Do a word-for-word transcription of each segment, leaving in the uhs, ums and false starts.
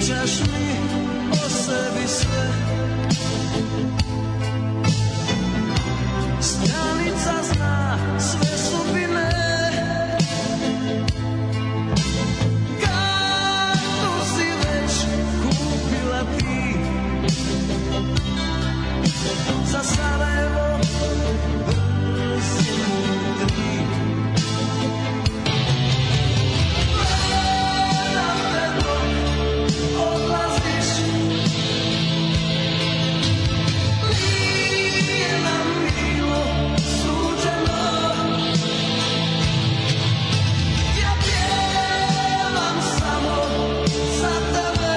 Pričaš mi o sebi sve, stranica zna sve sudbine. Kartu si već kupila ti za Sarajevo brzinu tri. Gledam te dok odlaziš, nije nam bilo suđeno. Ja pjevam samo za tebe,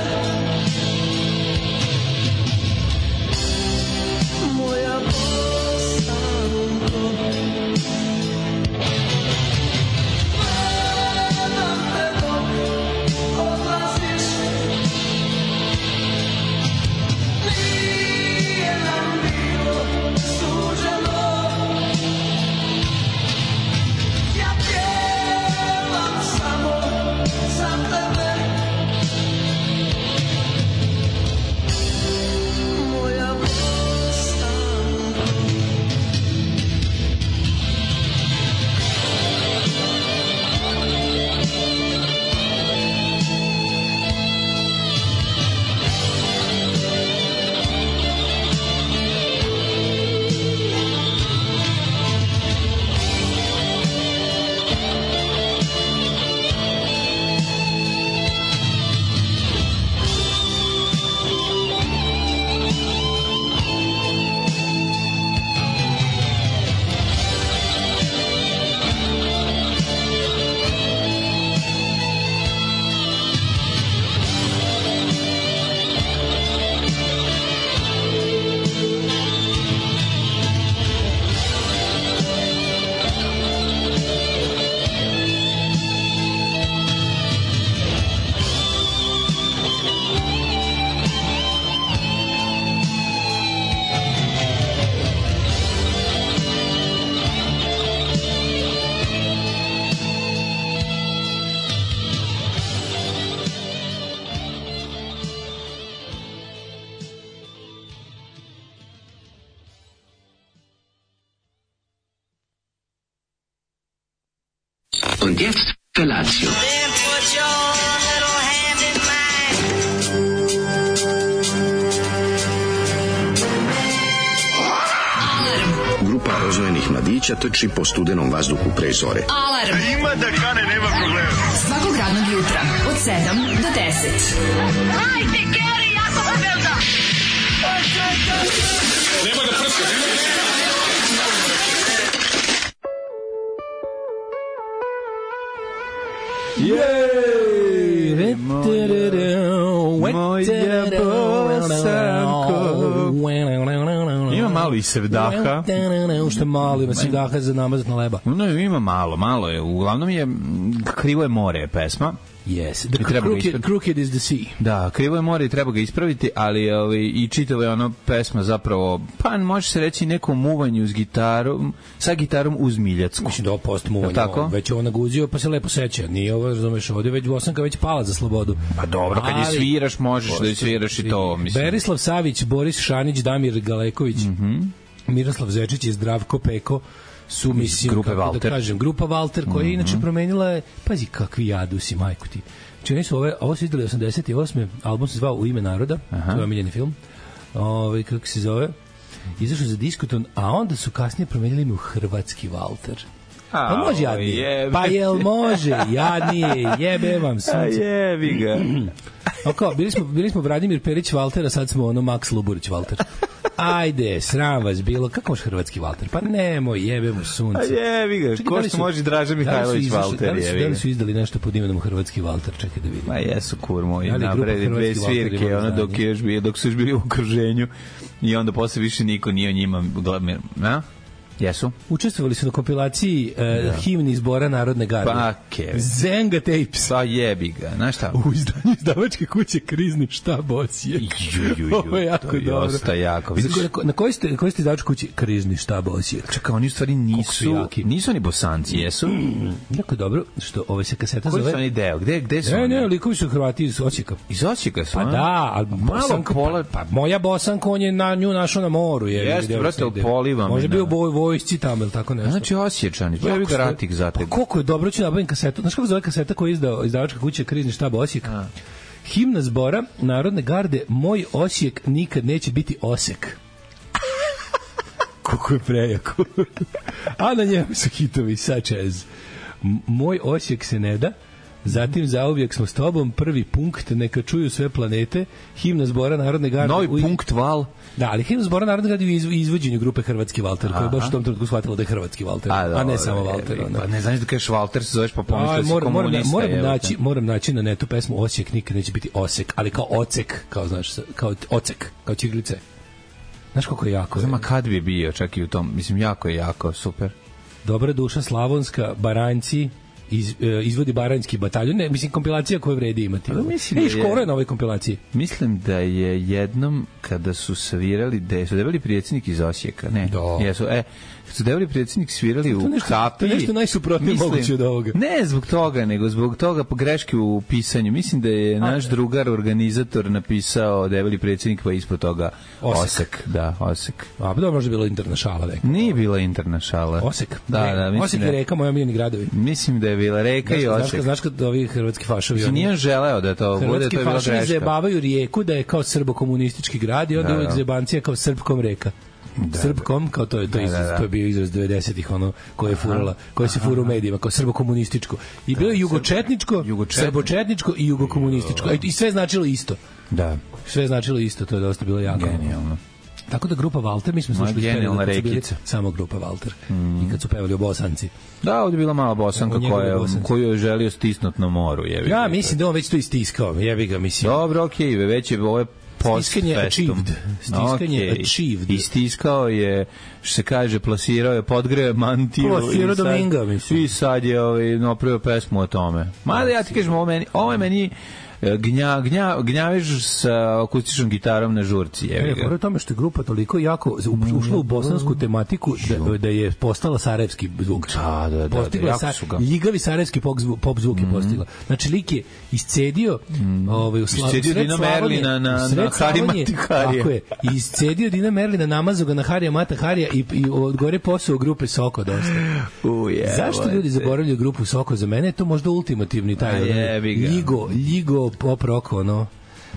moja Bosanko. Gledam te dok odlaziš, nije nam bilo suđeno. Ja pjevam samo za tebe, moja Bosanko. Und jetzt Felatio. Then put your little hand in mine. Grupa rozvojenih mladića trči po studenom vazduhu pre zore. Alarm. Ima da kane, nema problema. Svakog radnog jutra od sedam do deset. Hajde, Geri, jako se velda. Nema da prska, nema da prska. Jej! Moja Bosanko. Ima malo i sevdaha. Što malo ima sevdaha za namazat na leba. No, ima malo, malo je. Uglavnom je Krivo je more pesma. Yes, the crooked, crooked is the sea. Da, Krivo je more i treba ga ispraviti, ali ovaj, i čitava je ono pesma zapravo, pa može se reći nekom muvanju s gitarom, sa gitarom uz Miljacku. Mislim da ovo post muvanje, već ovo naguzio pa se lepo seća. Nije ovo, razumeš, ovdje već Bosanka već pala za slobodu. Pa dobro, kad ali, je sviraš, možeš da je sviraš i to. Mislim. Berislav Savić, Boris Šanić, Damir Galeković, mm-hmm. Miroslav Zečić i Zdravko Peko su, mislim, grupe kako Valter. Da kažem, grupa Valter, koja je mm-hmm. inače promenila je, pazi kakvi jadusi, majku ti. Znači, oni su ove, ovo su izdali osamdeset osme album se zvao U ime naroda, to je omiljeni film, ove, kako se zove, izašao za Diskoton, a onda su kasnije promenili ime u Hrvatski Valter. Pa može jadnije. Jebe. Pa jel može? Jadnije. Jebe vam sunce. A jebi ga. Oko, bili smo, bili smo Vladimir Perić Valter, a sad smo ono Max Luburić Valter. Ajde, sram vas bilo. Kako može Hrvatski Valter? Pa nemoj, jebe mu sunce. A jebi ga. Čekaj, ko što može Draža Mihajlović Valter? Da li, su, da li su izdali nešto pod imenom Hrvatski Valter? Čekaj da vidim. Ma jesu, kurmo. I nabredi dve svirke, ono dok, je još bio, dok su još bili u okruženju i onda posle više niko nije o njima. Na? Jesu? Učestvovali su na kompilaciji uh, himni zbora Narodne garde. Pa, Kevin. Zenga Tapes. Pa jebi ga, znaš šta? U izdanju izdavačke kuće Krizni štab Osijek. Ju, ju, ju, Ovo je jako to je dobro. dosta jako. Vidiš, Na, na kojoj ste, kojoj ste izdavačke kući Krizni štab Osijek? čekaj, oni u stvari nisu, nisu ni Bosanci, jesu? Jako dobro, što ove se kaseta Koji zove... su oni deo? Gde, gde su Ne, oni? ne, likovi su Hrvati iz Osijeka. Iz Osijeka su, Pa a? da, ali Malo Bosanka, pola... pa, pa moja Bosanka, on je na nju našao na moru. Je, Jeste, brate, u Poliva me, Može da. bio boj, vojsci tamo ili tako nešto. Znači Osječani, pa jebi ga ratik za Pa tebe. koliko je dobro, ću nabavim kasetu. Znaš kako zove kaseta koju je izdao izdavačka kuća Krizni štab Osijek? A. Himna zbora Narodne garde Moj Osijek nikad neće biti Osek. Koliko je prejako. A na njemu su hitovi such as Moj Osijek se ne da, zatim Zauvijek smo s tobom, prvi punkt, neka čuju sve planete, himna zbora Narodne garde. Novi u... punkt val. Da, ali himna zbora Narodne garde u izv- izvođenju grupe Hrvatski Valter, koja je baš u tom trenutku shvatila da je Hrvatski Valter, a, a ne samo Valter. Pa ne znaš da kažeš Valter, se zoveš pa Aj, pomisli si moram, moram, komunista. moram, evo te. naći, moram naći na netu pesmu Osijek nikad neće biti Osek, ali kao Ocek, kao znaš, kao Ocek, kao Čiglice. Znaš kako je jako? Znam, a kad bi bio čak i u tom, mislim, jako je jako, super. Dobra duša Slavonska, Baranjci, iz, e, izvodi Baranjski bataljon, ne, mislim, kompilacija koju vredi imati. Pa mislim E, da je- Škoro je na ovoj kompilaciji. Mislim da je jednom kada su svirali, da su debeli predsjednik iz Osijeka, ne? Da. Jesu, e, kad su debeli predsjednik svirali u nešto- Kapiji. to je nešto najsuprotnije mislim- moguće od ovoga. Ne zbog toga, nego zbog toga po greške u pisanju. Mislim da je naš drugar organizator napisao debeli predsjednik, pa ispod toga Osek. Osek. Da, Osek. A, pa dobro, možda je bilo interna šala neka. Nije bila interna šala. Osek. Da, Ne, da, mislim Osek da je reka, moja miljeni gradovi. Mislim da je bila reka i Znaš, Osek. kad, znaš kad ovi hrvatski fašovi... Mislim, nije on želeo da to bude, to Hrvatski je bila fašovi greška. zajebavaju rijeku da je kao srbo-komunistički grad i onda Da, uvijek da. zajebancija kao srpkom reka. Srpkom, kao to je, to, je Da, da, izraz, da. to je bio izraz devedesetih ono, koje je furala, koje se fura u medijima, kao srbo-komunističko. I bilo je jugočetničko, Jugočetničko. srbočetničko i jugokomunističko. A I sve značilo isto. Da, Sve značilo isto, to je dosta bilo jako. genijalno. Tako da grupa Walter, mi smo Moja slušali genijalna kad su bili rekica. samo grupa Walter. I kad su pevali o Bosanci. Da, ovdje je bila mala Bosanka O njegovoj koja, Bosanci. koju je želio stisnut na moru. Jebi Ja ga. mislim da on već to istiskao, jebi ga, mislim. Dobro, okej, okay, već je ovo je post Stiskanje festum. achieved. Stiskanje Okej. achieved. Istiskao je, što se kaže, plasirao je, podgreo je mantiju. Plasirao i sad- Dominga, mislim. I sad je ovaj, napravio pesmu o tome. Mada ja ti kažem, ovo, meni, ovo je meni e, gnja, gnja, gnjavež sa akustičnom gitarom na žurci. E, Jebi ga. pored tome što je grupa toliko jako u- ušla u bosansku tematiku da, da je postala sarajevski zvuk. Da, da, da, da, Postigla jako sa, su ga. ljigavi sarajevski pop, zvu, pop zvuk je postigla. Znači, lik je iscedio ovaj, u Sla- Iscedio sred Dina Slavonije- Merlina na- sred na Harija Slavonije, Mataharija. Tako je. Iscedio Dina Merlina, namazao ga na Harija Mata Harija i, i odgore posao grupe Soko dosta. Uje, Zašto evo ljudi te. zaboravljaju grupu Soko? Za mene je to možda ultimativni taj A ono, jebi ga. ljigo, ljigo pop rock, ono.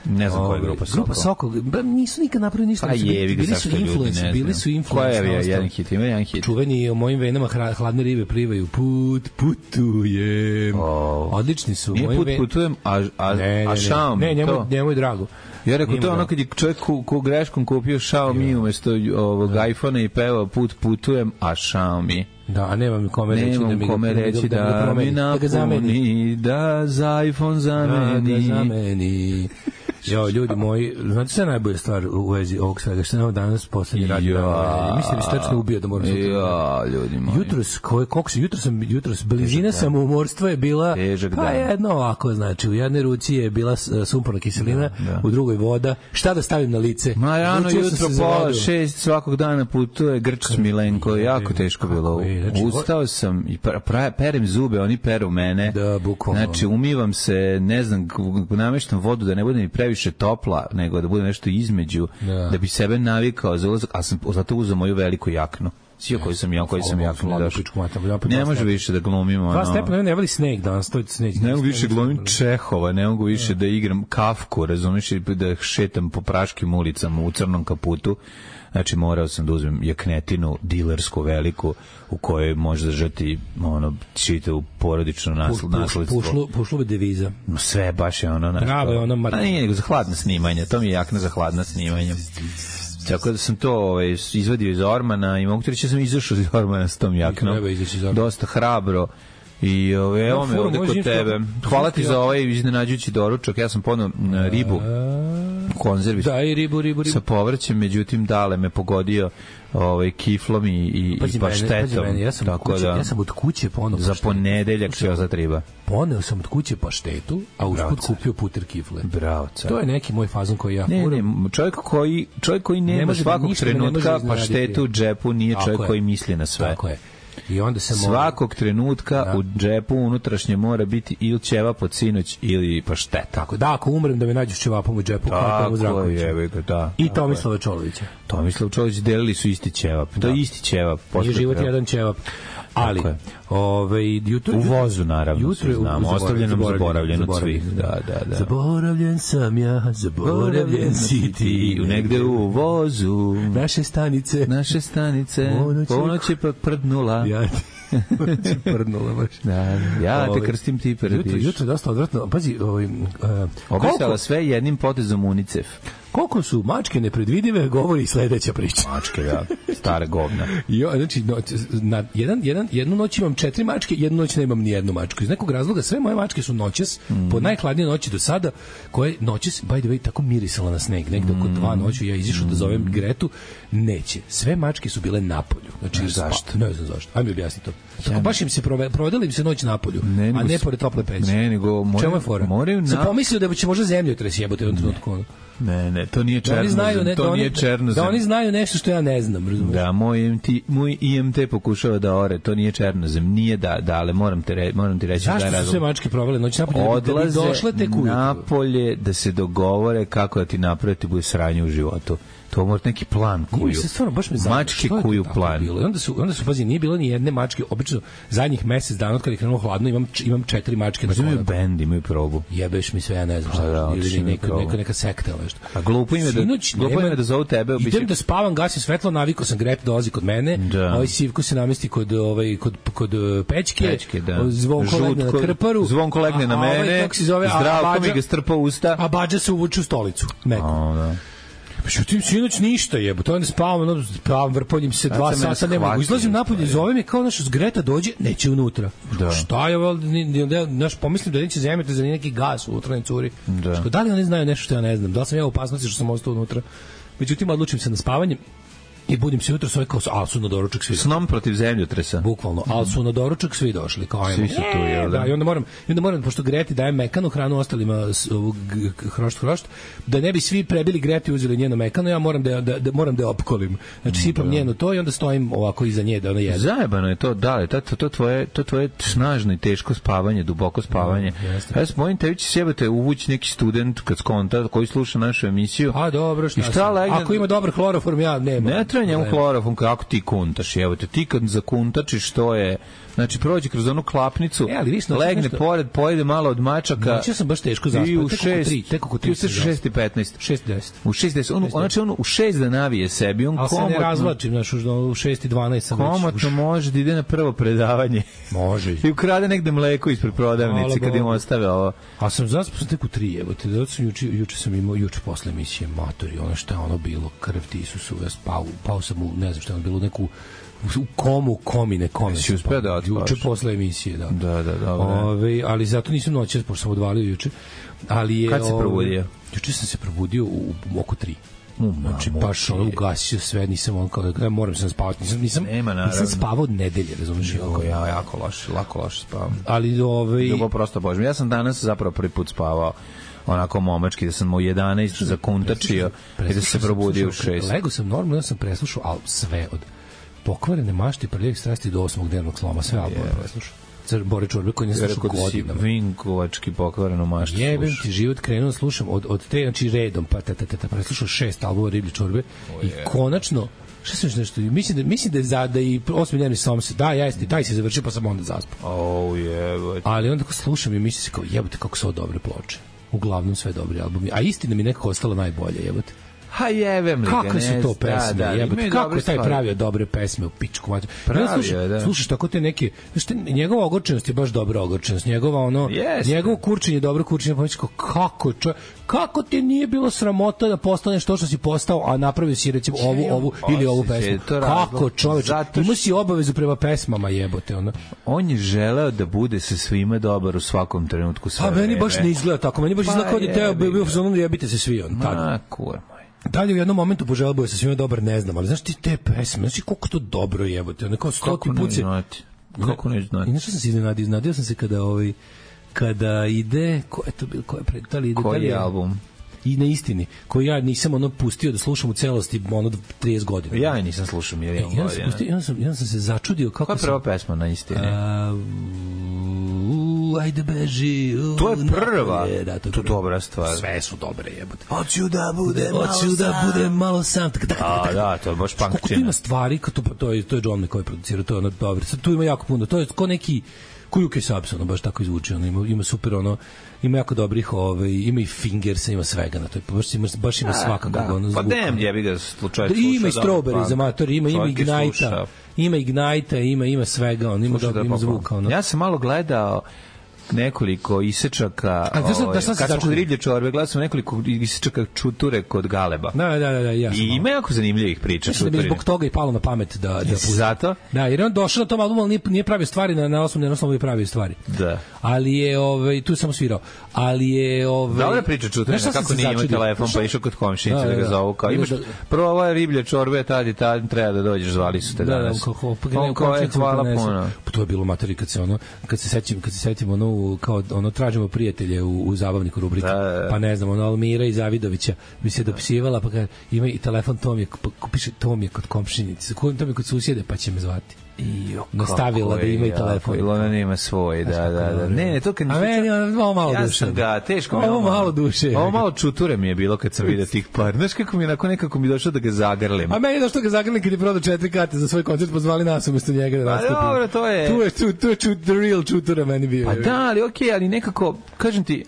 Ne znam koja je Ovaj, grupa Soko. Grupa Soko, ba, nisu nikad napravili ništa. Pa ali su bili- jevi ga, bili su zašto ljudi influence, ne bili znam. su influence. Koja je na bio ostalo. jedan hit? Ima jedan hit. Čuveni o mojim venama hra- hladne ribe plivaju. Put, putujem. O. Odlični su. Nije Mojim put ve- putujem, a, a, Ne, ne, a ne. šao mi Ne, njemu, to. njemu je drago. Ja rekao, Njemu to je ono drago. kad je čovjek ku, ku greškom kupio Xiaomi umesto ovog iPhona i pevao put putujem, a Xiaomi. Da, a nemam kome reći da Nemam mi ga, kome da mi ga- reći da, da, mi ga mi promeni, da ga zameni. napuni, da za iPhone Da ga zameni. zameni. Jo, ljudi moji, znate šta je najbolja stvar u vezi ovog svega? Šta je ovo danas poslednji radio? Ja. Mislim da se tačno ubio da moram sutra. Ja, ljudi moji. Jutros, koje, koliko se, jutros sam, jutros, blizina samoumorstva je bila, Težak pa dan. jedno ovako, znači, u jednoj ruci je bila s- sumporna kiselina, u drugoj voda, šta da stavim na lice? Ma rano Odlučio sam jutro se za pola vodu. šest svakog dana putuje Grčić Milenko, jako teško bilo. je, znači, Ustao sam i pra, pra, perem zube, oni peru mene. Da, bukvalno. Znači, umivam se, ne znam, k- nameštam vodu da ne bude mi previše topla, nego da bude nešto između, Da. da bi sebe navikao za ulazak, a sam zato uzeo moju veliku jaknu. Sio koji sam ja, koji sam Ovo, jaknu hladnu došao. pičku mater, ja pa Ne dva može stepena. više da glumim, Dva ono. stepena, ne voli Snake danas, to je Snake. Ne mogu više glumim Čehova, ne mogu više da igram Kafku, razumiješ, i da šetam po praškim ulicama u crnom kaputu. Znači, morao sam da uzmem jaknetinu, dilersku veliku, u kojoj može držati ono, čitavu porodičnu nasl, nasledstvo. Pušlu, pušlove deviza. Sve baš je ono... Znaš, Pravo je ono mar- A nije nego za hladna snimanja, to mi je jakna za hladna snimanja. Tako da sam to ovaj, izvadio iz ormana i mogu ti reći da sam izašao iz ormana s tom jaknom. treba izaći iz ormana. Dosta hrabro. I ove, evo No, me furo, ovde može kod info- tebe. Hvala ti za ovaj iznenađujući doručak. Ja sam ponao na ribu. konzervi Da, i ribu, ribu, ribu. sa povrćem, međutim dale me pogodio ovaj kiflom i, i, Pazi i mene, paštetom. pazi mene, ja sam, od tako kuće, da, ja sam od kuće poneo za paštetu. ponedeljak će za triba. Poneo sam od kuće paštetu, a usput Bravo, car. kupio puter kifle. Bravo, car. To je neki moj fazon koji ja Ne, furam. ne, čovjek koji, čovjek koji nema Ne može da svakog ništa me ne može trenutka iznenaditi. paštetu u džepu nije Tako čovjek je. koji misli na sve. Tako je. I onda sam Svakog trenutka Da. u džepu unutrašnje mora biti ili ćeva pod sinoć ili pašteta. Tako, da, ako umrem da me nađu s ćevapom u džepu, kao Tomu Tako Zdravkoviću. je, evo ga, da. I Tako je. Tomislava Čolovića. Tomislav Čolić delili su isti ćevap. To je isti ćevap. Nije posle život prema- jedan ćevap. Ali, Tako je. ovaj, jutro... U vozu, naravno, jutro je svi u- znamo. zaboravljen, Ostavljenom, zaboravljen, zaboravljen od svih. Da, da, da. Zaboravljen sam ja, zaboravljen si ti. Negde u vozu. Naše stanice. Naše stanice. Ponoć je- Ponoć je pa prdnula. Ja ti prdnula baš. Da, ja te Ovaj, krstim, ti Jutro, prdiš. jutro je dosta odvratno. Pazi, ovaj, uh, Obrisala koliko, sve jednim potezom UNICEF. koliko su mačke nepredvidive, govori sledeća priča. Mačke, da. Stare govna. Jo, znači, no, na jedan, jedan, jednu noć imam četiri mačke, jednu noć nemam ni jednu mačku. Iz nekog razloga sve moje mačke su noćas, mm. po najhladnije noći do sada, koje noćas, by the way, tako mirisala na sneg. Negde oko dva noću ja izišao da zovem Gretu, neće. Sve mačke su bile napolju. Znači, zašto? Ne znam zašto. Ajme objasni to. Tako baš im se prove, provedela im se noć napolju, Ne, nego a ne s- pored tople peći. Ne, nego moraju- Čemu je fora? moraju Sam na- pomislio da će možda zemljotres jebote u jednom trenutku. ono. Ne, ne, to nije Da oni černozem. znaju, ne, to da oni, nije černozem. da oni znaju nešto što ja ne znam, razumiješ? Da, moj I M T, moj I M T pokušava da ore, to nije černozem, nije da, da, ali moram, te re, moram ti reći da Zašto je su razlog. sve mačke provele noć napolju? Da bi- da bi Odlaze došle tek ujutru. napolje da se dogovore kako da ti naprave ti bude sranje u životu. To mora neki plan kuju. Nije, se stvarno baš me zanima, Mačke što je to kuju tako plan. bilo? I onda su, onda su, pazi, nije bilo ni jedne mačke, obično zadnjih mesec dana od kada je krenulo hladno, imam, č- imam četiri mačke na Možda imaju konaku. bend, imaju probu. Jebeš mi sve, ja ne znam šta, A da, ili otišli na neka, probu. neka, neka sekta ili nešto. A glupo im je da- Sinoć glupo im je nema- da zovu tebe, obično- Idem da spavam, gasim svetlo, navikao sam, Grep dolazi kod mene, Da. ovaj Sivko se namesti kod, ovaj, kod, kod uh, pećke, Pećke, da. Zvonko legne na Žutko- krparu, Zvonko legne na a- a ovaj, mene, kako se zove, a- Zdravko a mi Bađa- ga strpa u usta. a Bađa se uvuče u stolicu, neko. A, da. Šutim sinoć ništa jebote, onda spavam, ono, spavam, vrpoljim se Sad dva sam mene sata, ne mogu. shvatio, Izlazim napolje, stvari. zove me kao naš Greta dođe, neće unutra. Da. Šta je, val, ni, ni, ni, naš, pomislim da neće zemljati za neki gas unutra, ne curi. Da. Što, da li oni znaju nešto što ja ne znam? Da li sam ja u opasnosti što sam ostao unutra? Međutim, odlučim se na spavanje i budim se jutro, sve kao, a su na doručak svi. Snom protiv zemljotresa. Bukvalno, ali su na doručak svi došli, kao ajmo. Svi su tu, jel da? Da, i onda moram, i onda moram, pošto Greti daje mekanu hranu ostalima, s- ovog g- g- hrošt, hrošt, da ne bi svi prebili Greti i uzeli njeno mekano, ja moram da, da, da, moram da je opkolim. Znači, sipam njeno to i onda stojim ovako iza nje da ona jede. Zajebano je to, da, to, to, to, tvoje, to tvoje snažno i teško spavanje, duboko spavanje. Da, jeste. Ja se bojim, tebi će sjebate uvući neki student kad skonta, koji sluša našu emisiju. A dobro, šta, I šta sam? legne- Ako ima dobar hloroform, ja nema. Ne treba njemu Ne. hlorofon, kako ti kuntaš, evo te, ti kad zakuntačiš, to je, znači prođe kroz onu klapnicu, E, ali vi ste legne nešto- pored, pojede malo od mačaka. Noćio sam baš teško zaspao, I u tek oko šest, tri, tek oko tri ti sam ustaš u šest i petnaest. šest deset. U šest deset, on, znači on u šest da navije sebi, on Ali se ne komotno, razvlačim, znaš, už- u šest i dvanaest sam već. komotno može da ide na prvo predavanje. Može. I ukrade negde mleko ispred prodavnice Hvala kad im Bogu. ostave ovo. A sam zaspao sam tek u tri, evo te, zato sam juče, juče sam imao, juče posle emisije Matori, ono što je ono bilo, krv ti Isusu, ja spao, pao sam u, ne znam što je ono bilo, u neku, u komu, komine, komine. Jesi sam uspeo spao. da otspavaš? Juče posle emisije, da. Da, da, dobro. Ove, ali zato nisam noćas, pošto sam odvalio juče. Ali je, Kad se ove, probudio? Juče sam se probudio u, u oko tri. U, Znači, mamu baš ti. ono, ugasio sve, nisam on kao da moram sam spavati, nisam, nisam, Nema, naravno. nisam spavao od nedelje, razumiješ? Jo, ja jako loše, lako loše spavam. Ali, ove, Ljubav prosto božem. Ja sam danas zapravo prvi put spavao onako momački, da sam u jedanaest zakuntačio i da sam se probudio u šest. Lego sam normalno, ja sam preslušao, ali sve od pokvarene mašte, prljavih strasti do osmog dnevnog sloma, sve albume preslušao. Car Bore Čorbe koji ne Ja slušao rekao da si godinama. vinkovački pokvarenu maštu Jebem slušaš. ti život, krenuo da slušam od, od te, znači redom, pa ta, ta, ta, ta, preslušao šest albuma Riblje Čorbe i konačno, šta sam još nešto, mislim da, mislim da je za, da i osmi dnevni slom se, da, jeste, taj se završio, pa sam onda zaspao. Oh, jebote. Ali onda kako slušam i mislim se kao, jebote, kako su ovo dobre ploče. Uglavnom sve dobri albumi. A istina mi nekako ostala najbolje, jebote. Ha jebem li ga, kakve su ne to znam, pesme, da, da, jebote, imaju kako dobre je taj stvari. pravio dobre pesme u pičku mater. Pravio, slušaš, da. slušaš tako te neke, znaš, te, njegova ogorčenost je baš dobra ogorčenost, njegova ono, Jeste. njegovo kurčenje je dobro kurčenje, pa kao, kako čovjek, kako ti nije bilo sramota da postaneš to što si postao, a napravio si recimo ovu, ovu ili ovu Osjećaj, pesmu. to razlog. Kako čovječe, Zato imao što- si obavezu prema pesmama, jebote, ono. On je želeo da bude sa svima dobar u svakom trenutku sve A meni vreme. baš ne izgleda tako, meni baš Pa izgleda kao da je teo, jebi bio ga. u zonu jebite se svi, on, tad. Ma, kur moj. Da li u jednom momentu poželeo bio sa svima dobar, ne znam, ali znaš ti te pesme, znaš ti koliko to dobro jebote, ono kao stoti Kako put ne se... znati? Kako ne I znati? znaš što sam se iznenadio? Iznenadio sam se kada, ovaj, kada ide, ko je to bilo, ko je pred, da li ide, da li Koji je album? I na istini, koji ja nisam ono pustio da slušam u celosti ono trideset godina. Ja je nisam slušao E, milijon i onda sam, godina. pustio, i onda sam, i onda sam se začudio kako Koja je sam... prva pesma na istini? A, u, ajde beži. U, To je prva. napolje, da, to je To je prva. dobra stvar. Sve su dobre jebote. Hoću da budem Hoću da budem malo sam. Tak, tak, A, tak, da, to je baš Koliko tu punkčina. ima stvari, kad to, to, je, to je John McCoy producirao, to je ono dobro. Sad tu ima jako puno, to je ko neki ko U K Subs, ono baš tako izvuči, ono ima, ima super, ono, ima jako dobrih, ovaj, ima i Fingersa, ima svega na to, baš ima, baš ima svakakog, Da. ono, Pa zvuka. dem, jebi ga slučaj Da, ima i sluša, da, Strawberry pa, za mator, ima, ima svaki Ignite-a, sluša. ima Ignite-a, ima, ima svega, on ima, Sluša dobro, da ima pa- zvuka, ono. Ja sam malo gledao nekoliko isečaka, A, znaš šta- ovaj, da šta se kad smo začudio? kod riblje čorbe, gledao sam nekoliko isečaka čuture kod Galeba. Da, da, da, da, ja sam I malo. ima jako zanimljivih priča. Mislim da bi čuturine. zbog toga i palo na pamet da da Jesi pusti. zato? Da, jer je on došao na tom albumu, ali nije, nije pravio stvari na na osnovu, na osnovu je pravio stvari. Da. Ali je ovaj tu je samo svirao. Ali je ovaj Dobra priča čuturina, Znaš šta sam kako se nije imao začudio? telefon, pa Znaš- išao kod komšinice Da, da, da, ga da. zovu. Kao, Da, imaš, da. prvo ovo je riblje čorbe, tad i tad treba da dođeš, zvali su te Da, da, danas. kako pa On kao je, hvala ponese. puno. Pa to je bilo materi kad se ono kad se sećam kad se setim ono u- kao ono tražimo prijatelje u, u zabavniku rubrika. Da, da, da. Pa ne znam, ono Almira i Zavidovića bi se dopisivala pa kaže ima i telefon Tom je pa ko piše Tom je kod komšinice. Ko Tom je kod susjede pa će me zvati. I Nastavila da ima i telefon. Ili ona nema svoj, da, da, da. Ne, ne, to kad A meni je ovo malo ja duše. sam ga, teško mi je Ovo malo duše. Ovo malo čuture mi je bilo kad sam vidio tih par. Znaš kako mi je onako nekako mi došlo da ga zagrlim. A meni je došlo ga zagrli kad je prodao četiri karte za svoj koncert, pozvali nas umesto njega da Pa nastupi. dobro, to je- Tu je, tu, tu je čut, the real čutura meni bio. Pa da, ali okej, ali nekako, kažem ti,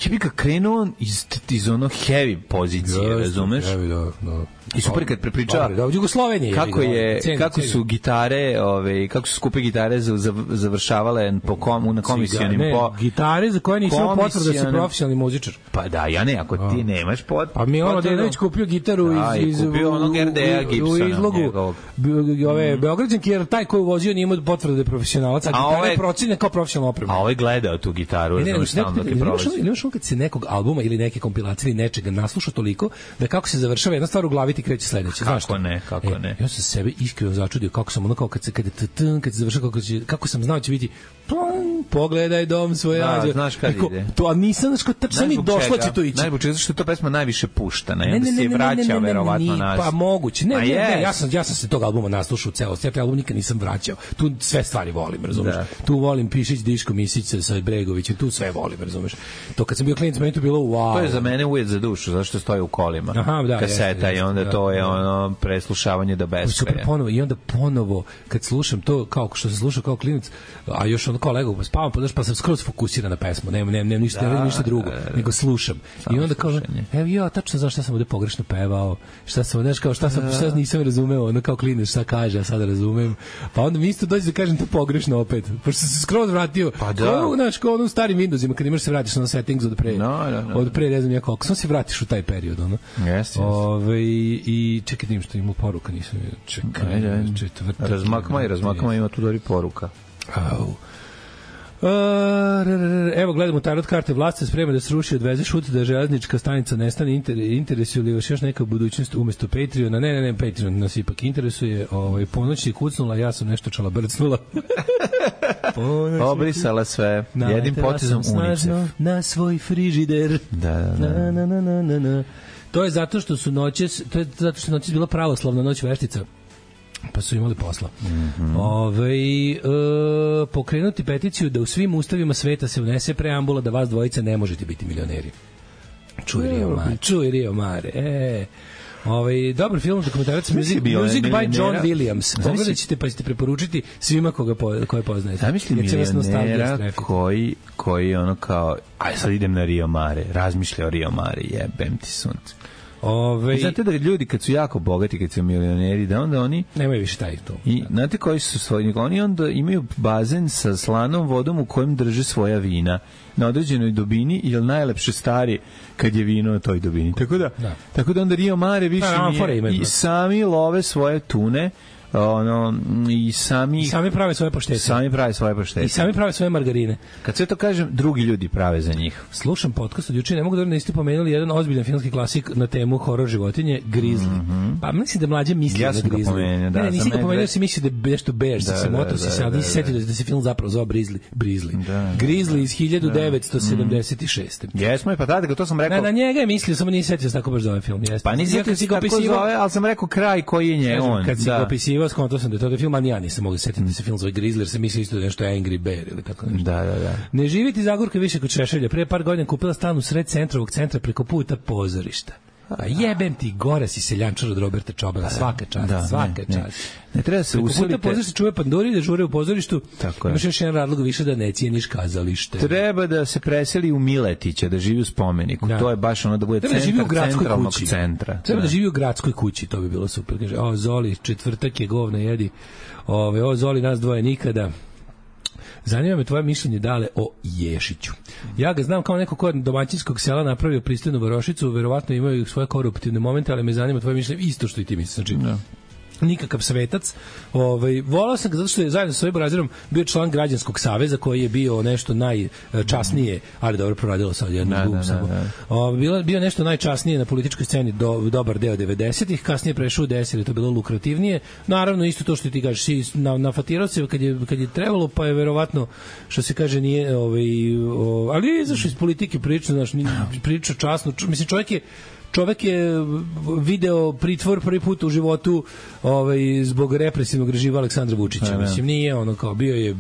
ja bih ga krenuo iz, iz ono heavy pozicije, Jeste, razumeš? evi, da, da. I super kad prepričava Dobre, da, u Jugosloveniji. kako jebi ga, je cenim, kako cenim. su gitare, ove, kako su skupe gitare za- za- završavale po kom, na komisionim ne, po gitare za koje nisam imao potvrdu da si komisionim- profesionalni muzičar. Pa da, ja ne, ako ti nemaš pot. Pa mi je ono potvrdu- Denović kupio gitaru Da, i iz, iz kupio u- onog R D A u- u Gibsona izlogu njegovog. Be- ove Beograđanki, jer taj koji je vozio nije imao potvrdu da je profesionalac, a A gitara ovaj- je procenjena kao profesionalna oprema. A ovaj gledao tu gitaru, Ne, ne, ne, razumeš, ne, stalno ne, dok ne, je ne, imaš prolazi. ono- ili imaš ono kad se nekog albuma ili neke kompilacije ili nečega nasluša toliko da kako se završava jedna stvar u glavi ti kreće sledeće. Znaš Kako šta? ne, kako E, ne. Ja sam sebe iskreno začudio kako sam ono kao kad se kad je t-tn, kad se završava kako će, kako sam znao da će biti plon, pogledaj dom svoj Da, rađe. znaš kad Rekao, ide. To a nisam znaš kao tačno mi Zbog došlo čega? će to ići. Znaš zbog čega? Zato što je to pesma najviše puštana, i Ne, onda ne, se ne, je ne, ne, vraća ne, ne, verovatno ni- nas. Pa moguće. Ne, A ne, ne, jest. ja sam ja sam se tog albuma naslušao u celosti. Ja taj album nikad nisam vraćao. Tu sve stvari volim, razumeš? Da. Tu volim Pišić, Diško, Misić sa- sa Bregovićem, tu sve volim, razumeš? To kad sam bio klinac, meni to bilo wow. To je za mene ujed za dušu, zašto stoji u kolima. Aha, da, kaseta jeste, jeste, i onda da, to je da. ono preslušavanje do Super beskraja. ponovo i onda ponovo kad slušam to kao što se sluša kao klinac, a još ono kao lego pa spavam, pa daš pa sam skroz fokusiran na pesmu. Nemam nemam nemam ništa, ne radim ništa drugo, nego slušam. I onda kao slušanje. evo ja tačno znaš šta sam ovde pogrešno pevao, šta sam znaš kao šta sam šta nisam razumeo, ono kao klinac šta kaže, a sada razumem. Pa onda mi isto dođe da kažem to pogrešno opet. Pošto sam se skroz vratio. Pa da. Kao, znaš, kao ono u starim Windowsima kad imaš se vratiš na settings od pre. No, no, no. Od pre ne znam ja koliko. Samo se vratiš u taj period, ono. Jeste, jeste. Ove, i čekaj da im što ima poruka, nisam je- čekaj, Ajde, ajde. četvrtak. Razmakma i razmakma ima tu dobri poruka. Au. Uh, r, r, r, evo gledamo tarot karte, vlast se sprema da se ruši, odveze šut, da železnička stanica nestane. Inter, interesuje li vas još neka budućnost umesto Patreona? Ne, ne, ne, Patreon nas ipak interesuje. Ovaj, ponoć je kucnula, ja sam nešto čala brcnula. Ponoć je Obrisala sve, jednim naletela potezom sam snažno unicef. na svoj frižider. Da, da, da. Na, na, na, na, na, na. To je zato što su noćes, to je zato što je noćes bila pravoslavna noć veštica. Pa su imali posla. Mm -hmm. Ove, e, pokrenuti peticiju da u svim ustavima sveta se unese preambula da vas dvojica ne možete biti milioneri. Čuj Rio Mare, čuj Rio Mare. E, ovaj dobar film, dokumentarac, music, bio music by milionera? John Williams. Zamisli- Pogledat ćete pa ćete preporučiti svima koga po, koje poznajete. Zamisli Jer će vas nostalgija milionera strefiti. koji, koji ono kao, aj sad idem na Rio Mare, razmišlja o Rio Mare, jebem ti sunce. Ove, Znate da ljudi kad su jako bogati, kad su milioneri, da onda oni nemaju više taj to. I znate koji su svoji, oni onda imaju bazen sa slanom vodom u kojem drže svoja vina na određenoj dubini, jer najlepše stari kad je vino na toj dubini. Tako da, da. tako da onda Rio Mare više da, nije, i sami love svoje tune, ono, i sami I sami prave svoje paštete. Sami prave svoje paštete. I sami prave svoje margarine. Kad sve to kažem, drugi ljudi prave za njih. Slušam podcast od juče, ne mogu da niste pomenuli jedan ozbiljan filmski klasik na temu horor životinje, Grizzly. Mm-hmm. Pa mislim da mlađe misli ja na Grizzly. Pomenio, da, ne, ne, nisi ga pomenuo, da si mislio da je nešto Bears, da, se motor si sad, nisi setio da se film zapravo zove Grizzly. Grizzly. Da, da, Grizzly iz hiljadu devetsto sedamdeset šeste. Mm. Jesmo, pa tada, to sam rekao. Na, na njega je mislio, samo nisi setio tako baš zove film. Jeste. Pa nisi setio si kako zove, ali sam rekao kraj koji je nje on. Kad si ga opisivao, skonto sam da to je film, ali ja nisam mogu setiti da se film zove Grizzly, jer sam mislio isto da je nešto Angry Bear ili tako nešto. Da, da, da. Ne živiti Zagorka više kod Šešelja. Pre par godina kupila stan u sred centrovog centra preko puta pozorišta. A jebem ti, gore si seljančar od Roberta Čobela, svaka čast, da, svaka ne, čast. Ne, ne treba se preko usilite. Puta pozorišta čuje panduri da žure u pozorištu. Tako je. Imaš još jedan razlog više da ne cijeniš kazalište. Treba da se preseli u Miletića, da živi u spomeniku. Da. To je baš ono da bude treba centar da centralnog kući. centra. Treba da. da živi u gradskoj kući, to bi bilo super. Kaže, o Zoli, četvrtak je govna jedi. Ove, o Zoli, nas dvoje nikada. Zanima me tvoje mišljenje dale o Ješiću. Ja ga znam kao neko ko je domaćinskog sela napravio pristojnu varošicu, verovatno imaju svoje koruptivne momente, ali me zanima tvoje mišljenje isto što i ti misliš. Znači, no. nikakav svetac. Ovaj volao sam ga zato što je zajedno sa svojim Brazirom bio član građanskog saveza koji je bio nešto najčasnije, ali dobro proradilo sad jednu da, gum da, samo. Da, da. Bilo bio nešto najčasnije na političkoj sceni do dobar deo devedesetih, kasnije prešao u devedeset, je to bilo lukrativnije. Naravno isto to što ti kažeš, si na nafatirao se kad je kad je trebalo, pa je verovatno što se kaže nije ovaj o, ali je izašao iz politike priča, znači priča časno, mislim čovjek je Čovek je video pritvor prvi put u životu ovaj, zbog represivnog režima Aleksandra Vučića. Mislim, nije ono kao bio je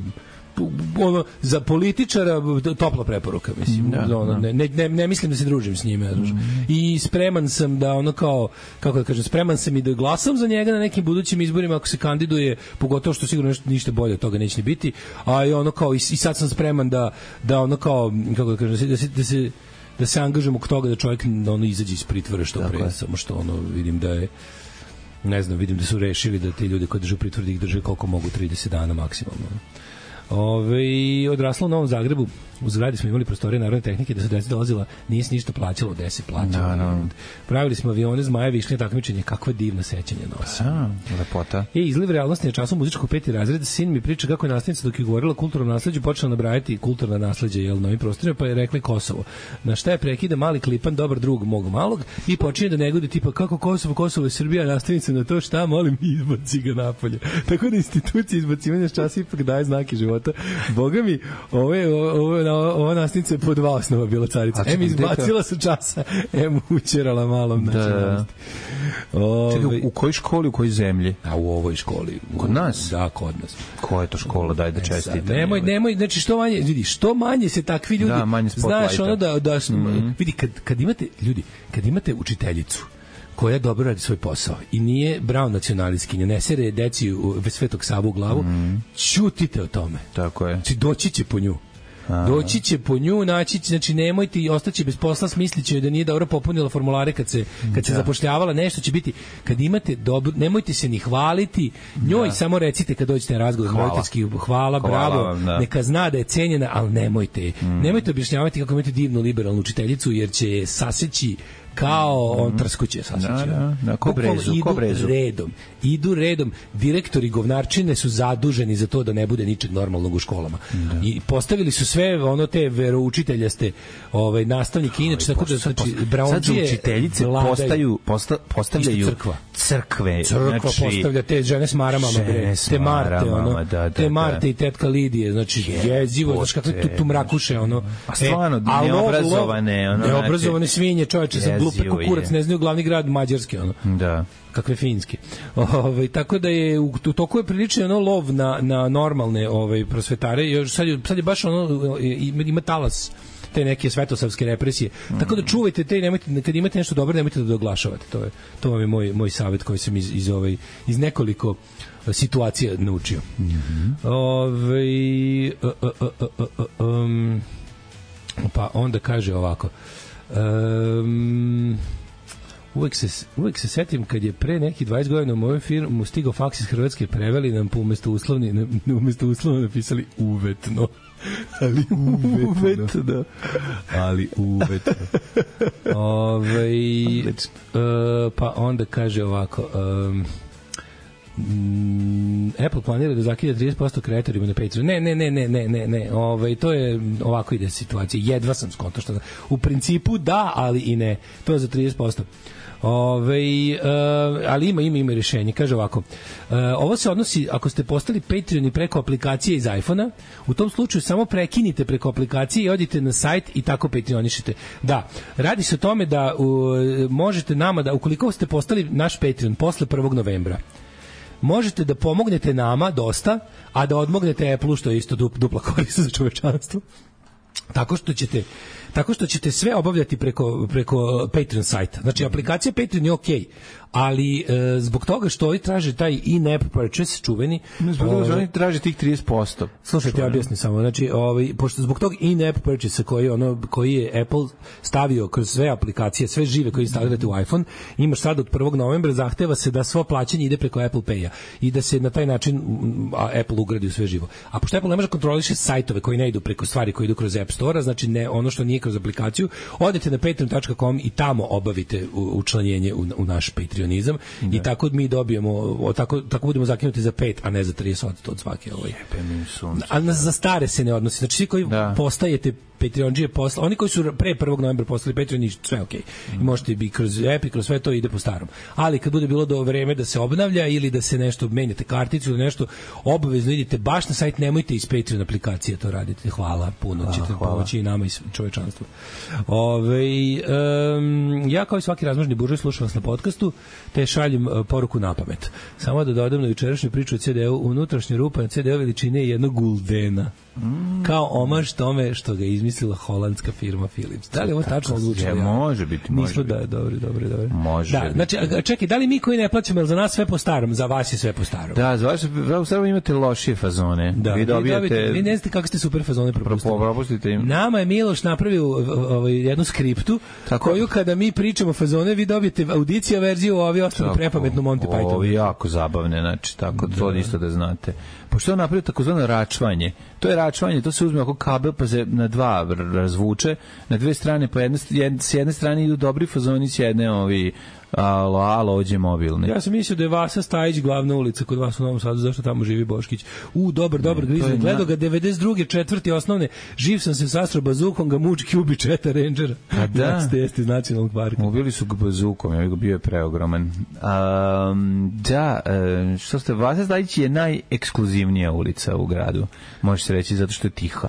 ono, za političara topla preporuka, mislim. Da, ono, ne, ne, ne mislim da se družim s njime. Mm. I spreman sam da ono kao, kako da kažem, spreman sam i da glasam za njega na nekim budućim izborima ako se kandiduje, pogotovo što sigurno nešto, ništa bolje od toga neće ni biti. A i ono kao, i, i sad sam spreman da, da ono kao, kako da kažem, da se, da se da se angažujemo k toga da čovjek ono izađe iz pritvora što pre, samo što ono vidim da je ne znam, vidim da su rešili da ti ljudi koji drže u pritvoru da ih drže koliko mogu, trideset dana maksimalno. Ove, odrasla u Novom Zagrebu, u zgradi smo imali prostorije narodne tehnike, da se deca dolazila, nije se ništa plaćalo, gde se plaćalo. No, no. Pravili smo avione, zmaje, višnje, takmičenje, kakva divna sećanja nosa. A, lepota. E, izliv realnosti na času muzičkog peti razred, sin mi priča kako je nastavnica dok je govorila o kulturnom nasleđu, počela nabrajati kulturna nasleđa, jel, na ovim prostorima, pa je rekli Kosovo. Na šta je prekida mali klipan, dobar drug mog malog, i počinje da negodi tipa kako Kosovo, Kosovo je Srbija, nastavnica na to šta, molim, izbaci ga napolje. Tako da institucija izbacivanja s časa ipak daje znake života. Boga mi, ovo je, ovo je, ova nastavnica je po dva osnova bila carica. Em izbacila sa časa, em učerala malom na čelnosti. Čekaj, u kojoj školi, u kojoj zemlji? A u ovoj školi. Kod nas? Da, kod nas. Koja je to škola, daj da čestite. Nemoj, nemoj, znači što manje, vidi, što manje se takvi ljudi, da, manje znaš, ono da, da mm-hmm. vidi, kad, kad imate, ljudi, kad imate učiteljicu koja dobro radi svoj posao i nije brown nacionalistkinja, ne sere deci u Svetog Savu u glavu, mm. ćutite o tome. Tako je. Znači, doći će po nju. A. Doći će po nju, naći će, znači nemojte i ostaće bez posla, smisliće da nije dobro popunila formulare kad se, kad se da. zapošljavala, nešto će biti, kad imate dobro, nemojte se ni hvaliti, njoj da. samo recite kad dođete na razgovor, roditeljski, hvala, hvala, bravo, hvala, da. neka zna da je cenjena, ali nemojte, mm. nemojte objašnjavati kako imate divnu liberalnu učiteljicu, jer će je saseći kao on trskuće sasvim. Da, da, da, ko brezu, idu ko brezu. redom, idu redom. Direktori govnarčine su zaduženi za to da ne bude ničeg normalnog u školama. Da. I postavili su sve ono te veroučiteljaste ovaj, nastavnike, inače tako da znači, braundžije učiteljice postaju, posta, postavljaju crkva. crkve. Crkva znači, postavlja te žene s maramama, bre, te Marte, ono, da, da, te Marte da. i tetka Lidije, znači jezivo, znači kakve tu, tu mrakuše, ono. A stvarno, e, neobrazovane, ono. Neobrazovane svinje, čoveče, sa glupe kukurac, ne znaju glavni grad Mađarske, ono. Da. Kakve finske. Ovaj tako da je u, u toku je prilično ono lov na na normalne ovaj prosvetare. Još sad je, sad je baš ono ima talas te neke svetosavske represije. Mm. Tako da čuvajte te i nemojte, kad imate nešto dobro, nemojte da doglašavate. To je to vam je moj moj savjet koji sam iz iz ovaj iz nekoliko situacija naučio. Mm-hmm. Ovaj uh, uh, uh, uh, um, pa onda kaže ovako. Um, Uvek se, uvek se setim kad je pre neki dvadeset godina u moju firmu stigao faks iz Hrvatske, preveli nam po umesto uslovni, ne, umesto uslovno napisali uvetno. Ali uvetno. uvetno. Ali uvetno. Ove, uh, pa onda kaže ovako... Um, Apple planira da zakida trideset posto kreatorima na Patreon. Ne, ne, ne, ne, ne, ne, ne. Ovaj to je ovako ide situacija. Jedva sam skonto što u principu da, ali i ne. To je za trideset posto. Ove, uh, ali ima ima ima rješenje. Kaže ovako, uh, ovo se odnosi ako ste postali Patreoni preko aplikacije iz iPhona, u tom slučaju samo prekinite preko aplikacije i odite na sajt i tako Patreonišete. Da, radi se o tome da uh, možete nama da, ukoliko ste postali naš Patreon posle prvog novembra, možete da pomognete nama dosta, a da odmognete Apple-u, što je isto dupla korist za čovečanstvo. Tako što ćete tako što ćete sve obavljati preko preko Patreon sajta. Znači aplikacija Patreon je okej, ali e, zbog toga što oni traže taj in-app purchase čuveni, zbog toga što oni traže tih trideset posto. Slušajte, ja objasnim samo. Znači, ovaj pošto zbog tog in-app purchase koji ono koji je Apple stavio kroz sve aplikacije, sve žive koje instalirate u iPhone, imaš sad od prvog novembra zahteva se da svo plaćanje ide preko Apple Pay-a i da se na taj način a, Apple ugradi u sve živo. A pošto Apple ne može kontroliše sajtove koji ne idu preko stvari koji idu kroz App Store, znači ne ono što nije kroz aplikaciju, odete na patreon tačka com i tamo obavite učlanjenje u, u naš Patreonizam da. I tako mi dobijemo, o, tako, tako budemo zakinuti za pet, a ne za trideset od svake ovaj. A na, za stare se ne odnosi. Znači svi koji da. postajete Patreonđije posle, oni koji su pre prvog novembra postali Patreon, sve okej. Okay. I možete bi kroz app i kroz sve to ide po starom. Ali kad bude bilo do vreme da se obnavlja ili da se nešto menjate karticu ili nešto, obavezno idite baš na sajt, nemojte iz Patreon aplikacije to radite. Hvala, puno A, ćete pomoći i nama i čovečanstvu. Ove, um, ja kao i svaki razmažni buržoj slušam vas na podcastu, te šaljem uh, poruku na pamet. Samo da dodam na jučerašnju priču o C D U, unutrašnja rupa na C D U veličine jednog guldena. Mm. Kao omaž tome što ga izmislila holandska firma Philips. Da li je ovo tačno odlučilo? Ja, može biti, može Nismo, biti. Da, dobro, dobro, dobro. Može da, biti. znači, čekaj, da li mi koji ne plaćamo, jer za nas sve po starom, za vas je sve po starom? Da, za vas u starom imate lošije fazone. Da, vi dobijate... Vi, dobijete, vi ne znate kako ste super fazone propustili. Propustite im. Nama je Miloš napravio ovaj, jednu skriptu, tako, koju kada mi pričamo fazone, vi dobijete audicija verziju, a ovi ostali prepametnu Monty Python. Ovi jako zabavne, znači, tako, da. To isto da znate. Pošto on napravio takozvano račvanje. To je račvanje, to se uzme oko kabel pa se na dva razvuče, na dve strane, pa jedne, jed, s jedne strane idu dobri fazoni, s jedne ovi alo, alo, ođe mobilni. Ja sam mislio da je Vasa Stajić glavna ulica kod vas u Novom Sadu, zašto tamo živi Boškić. U, dobar, dobar, ne, gledao ga devedeset druge četvrti osnovne, živ sam se sastro bazukom, ga mučki ubi četa Rangera. A da? Jeste iz nacionalnog parka. Ubili su ga bazukom, ja bio je preogroman. Um, da, što ste, Vasa Stajić je najekskluzivnija ulica u gradu, može se reći, zato što je tiha.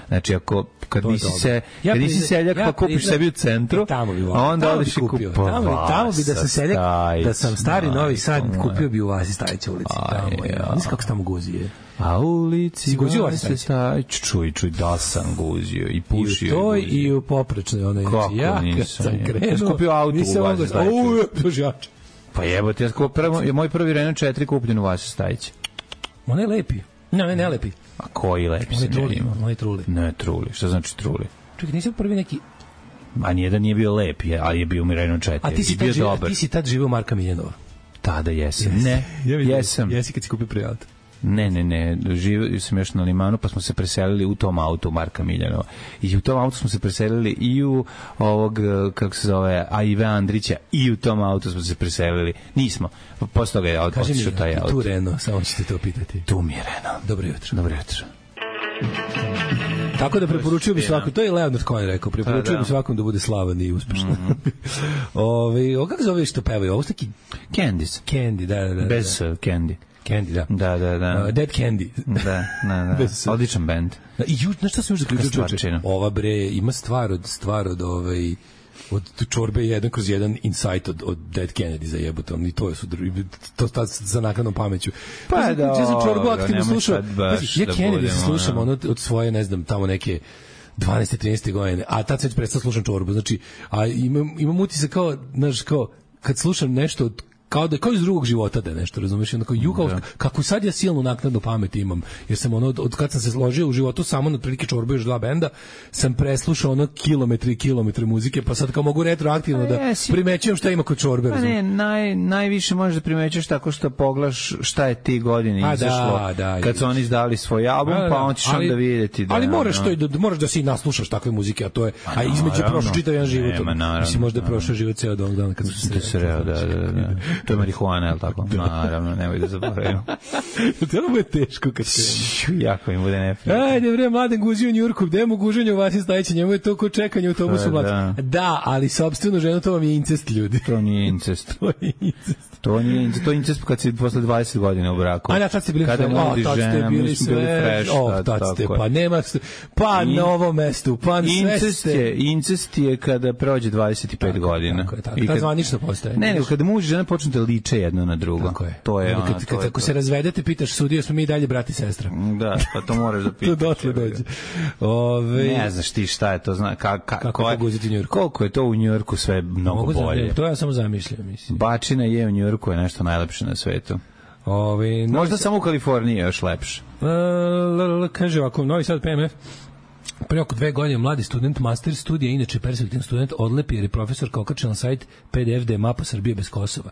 Znači, ako kad nisi se ja kad nisi seljak ja pa kupiš sebi u centru, a onda odeš i kupio. Tamo, tamo bi da sam seljak, da sam stari Novi Sad, kupio bi u Vasi Stajića ulici. Tamo je. Nisi kako se tamo guzije. A ulici si guzio Vasi Stajić? Čuj, čuj, da sam guzio i pušio. I u toj i u poprečnoj. Ono, kako ja, nisam? Sam krenuo, ja sam kupio auto u Vasi Stajića. Pa jebote, ja kupio, moj prvi Renault četiri kupljen u Vasi Stajića. On je lepi. Ne, ne, ne lepi. A koji lepi se ne ima? On je truli. Ne, truli. Šta znači truli? Čekaj, nisi prvi neki... A nijedan nije bio lep, ali je bio mi Renault četiri. A ti si, tad, živ, a ti si tad živio Marka Miljanova? Tada jesam. Yes. Ne, ja jesam. Jesi kad si kupio prvi auto? Ne, ne, ne, živio sam još na Limanu, pa smo se preselili u tom autu Marka Miljanova. I u tom autu smo se preselili i u ovog, kako se zove, A I V Andrića, i u tom autu smo se preselili. Nismo. Posle toga je otišao taj auto. Tu Renault, samo ćete to pitati. Tu mi je Renault. Dobro jutro. Dobro jutro. Tako da preporučujem bi svakom, to je Leonard Cohen rekao, preporučujem bi svakom da bude slavan i uspešan. Mm-hmm. Ove, o kako zove što pevaju? Ovo su taki... Candies. Candy, da, da, da. Bez uh, Candy. Candy, da. Da, da, da. Uh, Dead Candy. Da, da, da. Odličan band. Da, i ju, znaš šta sam još zaključio? Ova bre, ima stvar od, stvar od ovaj... od čorbe jedan kroz jedan insight od, od Dead Kennedy za jebotom i to su to sta za naknadnom pameću. Pa ja, da, ja sam čorbu aktivno slušao. Ja da Kennedy se slušam ono, od svoje, ne znam, tamo neke dvanaeste trinaeste godine, a tad sam već prestao slušam čorbu. Znači, a imam, imam utisak kao, znaš, kao, kad slušam nešto od kao da kao iz drugog života da je nešto, razumeš, onako ju kao kako sad ja silnu naknadnu pamet imam, jer sam ono od kad sam se složio u životu samo na prilike čorbe još dva benda, sam preslušao ono kilometri i kilometre muzike, pa sad kao mogu retroaktivno da jesi, primećujem šta ima kod čorbe. Pa ne, naj, najviše možeš da primećuješ tako što pogledaš šta je ti godine izašlo, da, da, kad su oni izdali svoj album, da, da, pa on ćeš onda vidjeti da... Ali moraš, no, to i da, moraš da si naslušaš takve muzike, a to je, a između prošao čitav jedan život. Mislim, možda je prošao život ceo dan, dan kad su se sreo, da, da, da. To je marihuana, je li tako? Naravno, nemoj da zaboravimo. To je bude teško kad se... Jako im bude neprijatno. Ajde, bre, mladen guzi u Njurku, gde mu guženje u Vasi Stajića, njemu je to ko čekanje u autobusu mlad. Da. da, ali sopstvenu ženu, to vam je incest, ljudi. To nije incest. To je incest. To nije incest, to je incest kad si posle dvadeset godina u braku. A da, tad ste bili kada sve, tad ste bili sve, o, tad ste, pa nema, pa na ovom mestu, pa sve ste. Je, incest je kada prođe dvadeset pet godina. Tako je, tako je. Kad zvanično postaje. Ne, nego kada muž i žena počnu da liče jedno na drugo. Tako je. To je, kad, ona, kad, to kad, je ako to. se razvedete, pitaš sudio, smo mi i dalje brat i sestra. Da, pa to moraš da pitaš. To dotle dođe. Ove... Ne znaš ti šta je to, zna, ka, ka, kako je poguziti u Njujorku. Koliko je to u Njujorku sve mnogo Mogu bolje. Za, to ja samo zamišljam, mislim. Bačina je u Njujorku je nešto najlepše na svetu. Ove, možda samo u Kaliforniji je još lepše. Uh, kaže ovako, Novi Sad P M F, pre oko dve godine mladi student master studija, inače perspektivni student, odlepi jer je profesorka okačila na sajt P D F da je mapa Srbije bez Kosova.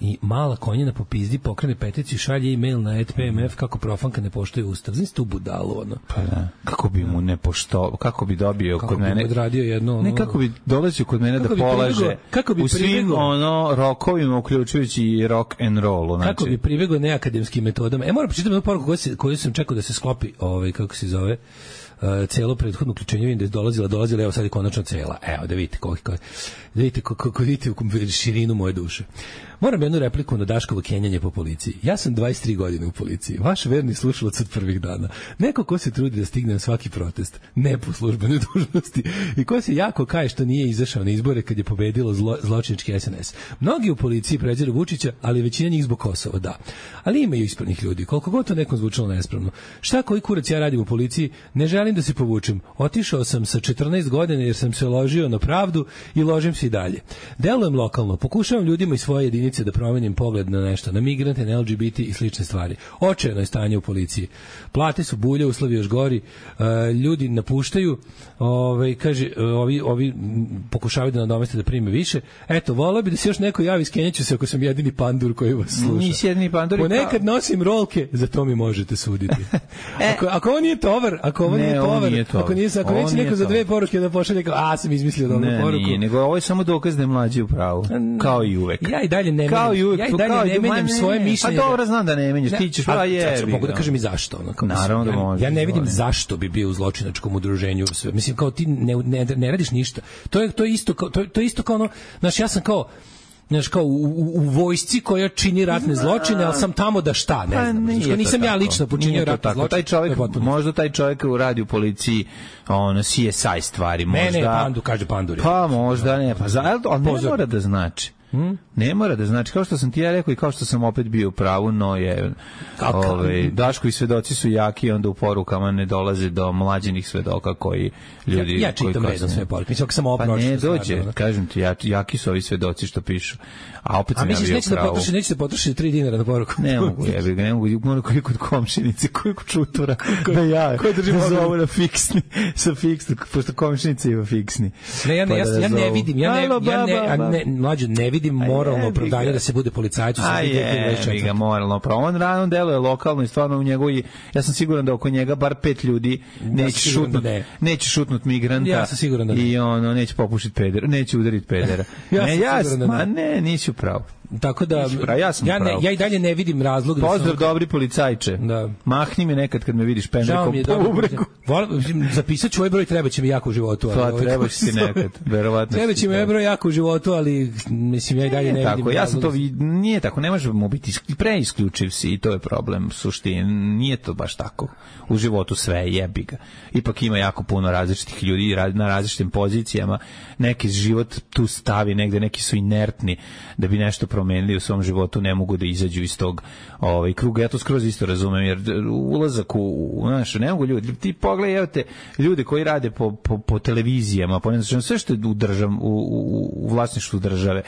I mala konjena po pizdi pokrene peticiju, šalje e-mail na et pe em ef kako profanka ne poštuje ustav. Znaš tu budalu, ono. Pa da. Kako bi mu ne pošto, kako bi dobio kako kod mene... Kako bi odradio jedno... Ono, ne, kako bi dolazio kod mene da polaže pribego, kako bi u svim pribego, ono, rokovima, uključujući i rock and rollu. Znači. Kako bi pribegao neakademskim metodama. E, moram počitati jednu poruku koju, se, koju sam čekao da se sklopi, ovaj, kako se zove... Uh, celo prethodno uključenje, vidim da je dolazila, dolazila, evo sad je konačno cela. Evo, da vidite koliko, da vidite kako vidite širinu moje duše. Moram jednu repliku na Daškovo kenjanje po policiji. Ja sam dvadeset tri godine u policiji. Vaš verni slušalac od prvih dana. Neko ko se trudi da stigne na svaki protest, ne po službenoj dužnosti, i ko se jako kaje što nije izašao na izbore kad je pobedilo zlo, zločinički es en es. Mnogi u policiji preziru Vučića, ali većina njih zbog Kosova, da. Ali imaju ispravnih ljudi, koliko god to nekom zvučalo nespravno. Šta koji kurac ja radim u policiji, ne želim da se povučem. Otišao sam sa četrnaest godina jer sam se ložio na pravdu i ložim se i dalje. Delujem lokalno, pokušavam ljudima iz svoje jedinice da promenim pogled na nešto, na migrante, na el ge be te i slične stvari. Očajno je stanje u policiji. Plate su bulje, uslovi još gori, uh, ljudi napuštaju, ovaj, kaže, ovi, ovi pokušavaju da nadomeste da prime više. Eto, volao bi da se još neko javi, skenjaću se ako sam jedini pandur koji vas sluša. Nisi jedini pandur. Ponekad nosim rolke, za to mi možete suditi. e, ako, ako ovo nije tovar, ako ovo ne, nije tovar, nije tovar. ako, nije, ako neće neko za dve poruke da pošalje, kao, a, sam izmislio dobru ne, poruku. Nije, nego ovo je samo dokaz da je mlađi u pravu. Kao i uvek. Ja i dalje ne kao i uvek, ja i dalje kao ne menjam svoje mišljenje. Pa dobro, znam da ne menjaš, ti ćeš, pa je. Mogu da kažem i zašto. Ono, kao naravno da možeš. Ja ne vidim zašto bi bio u zločinačkom udruženju. Sve. Mislim, kao ti ne, ne, ne radiš ništa. To je, to je isto kao, to, to je isto kao ono, znaš, ja sam kao, znaš, kao u, u, u vojsci koja čini ratne zločine, ali sam tamo da šta, ne znam. Pa, znaš, nisam ja lično počinio ratne zločine. Taj čovjek, možda taj čovjek radi u policiji, ono, C S I stvari, možda. Ne, ne, pandu, kaže pandur. Pa možda ne, pa za, ali ne mora da znači. Hmm? Ne mora da znači, kao što sam ti ja rekao i kao što sam opet bio u pravu, no je ovaj, Daškovi svedoci su jaki, onda u porukama ne dolaze do mlađenih svedoka koji ljudi... Ja, ja čitam redom sve poruke, mislim, ako sam ovo pa pročito. Ne dođe, stvarno, kažem ti, ja, jaki su ovi svedoci što pišu, a opet sam a ja bio u pravu. A misliš, neće da potroši, neće da potroši tri dinara na poruku? Ne mogu, jebi ga, ne mogu, mogu koji kod komšinice, koji kod čutura, da ja, da zovu na fiksni, sa fiksni, pošto komšinice ima fiksni. Ne, ja ne, pa ja, da ja ne zovu. vidim, ja ne, Alo, ja ne, ba, ba, ba. ne, mlađe, ne vidim moralno opravdanje da se bude policajac u Srbiji. A je, ga moralno pravo. On rano deluje lokalno i stvarno u njegovi, ja sam siguran da oko njega bar pet ljudi neće šutnut, ne. neće šutnut migranta. Ja sam siguran da ne. I ono, neće popušiti pedera, neće udariti pedera. ja ne, sam ja, siguran da ne. Ma ne, nisi u pravu. Tako da ja, sam ja, ne, ja i dalje ne vidim razlog. Pozdrav da sam... dobri policajče. Da. Mahni mi nekad kad me vidiš pendrekom po ubregu. Zapisat ću ovaj broj, treba će mi jako u životu. Pa ovaj, treba će ti nekad, verovatno. Treba će mi ovaj broj jako u životu, ali mislim ja i dalje ne, ne vidim. Tako, ja sam to vid... nije tako, ne možemo biti preisključiv si i to je problem suštine. Nije to baš tako. U životu sve jebi ga. Ipak ima jako puno različitih ljudi na različitim pozicijama. Neki život tu stavi negde, neki su inertni da bi nešto promenili u svom životu, ne mogu da izađu iz tog ovaj kruga. Ja to skroz isto razumem, jer ulazak u, u znaš, ne mogu ljudi, ti pogledajte ljude koji rade po, po, po televizijama, po ne znam, sve što je u, držav, u, u, u vlasništvu države,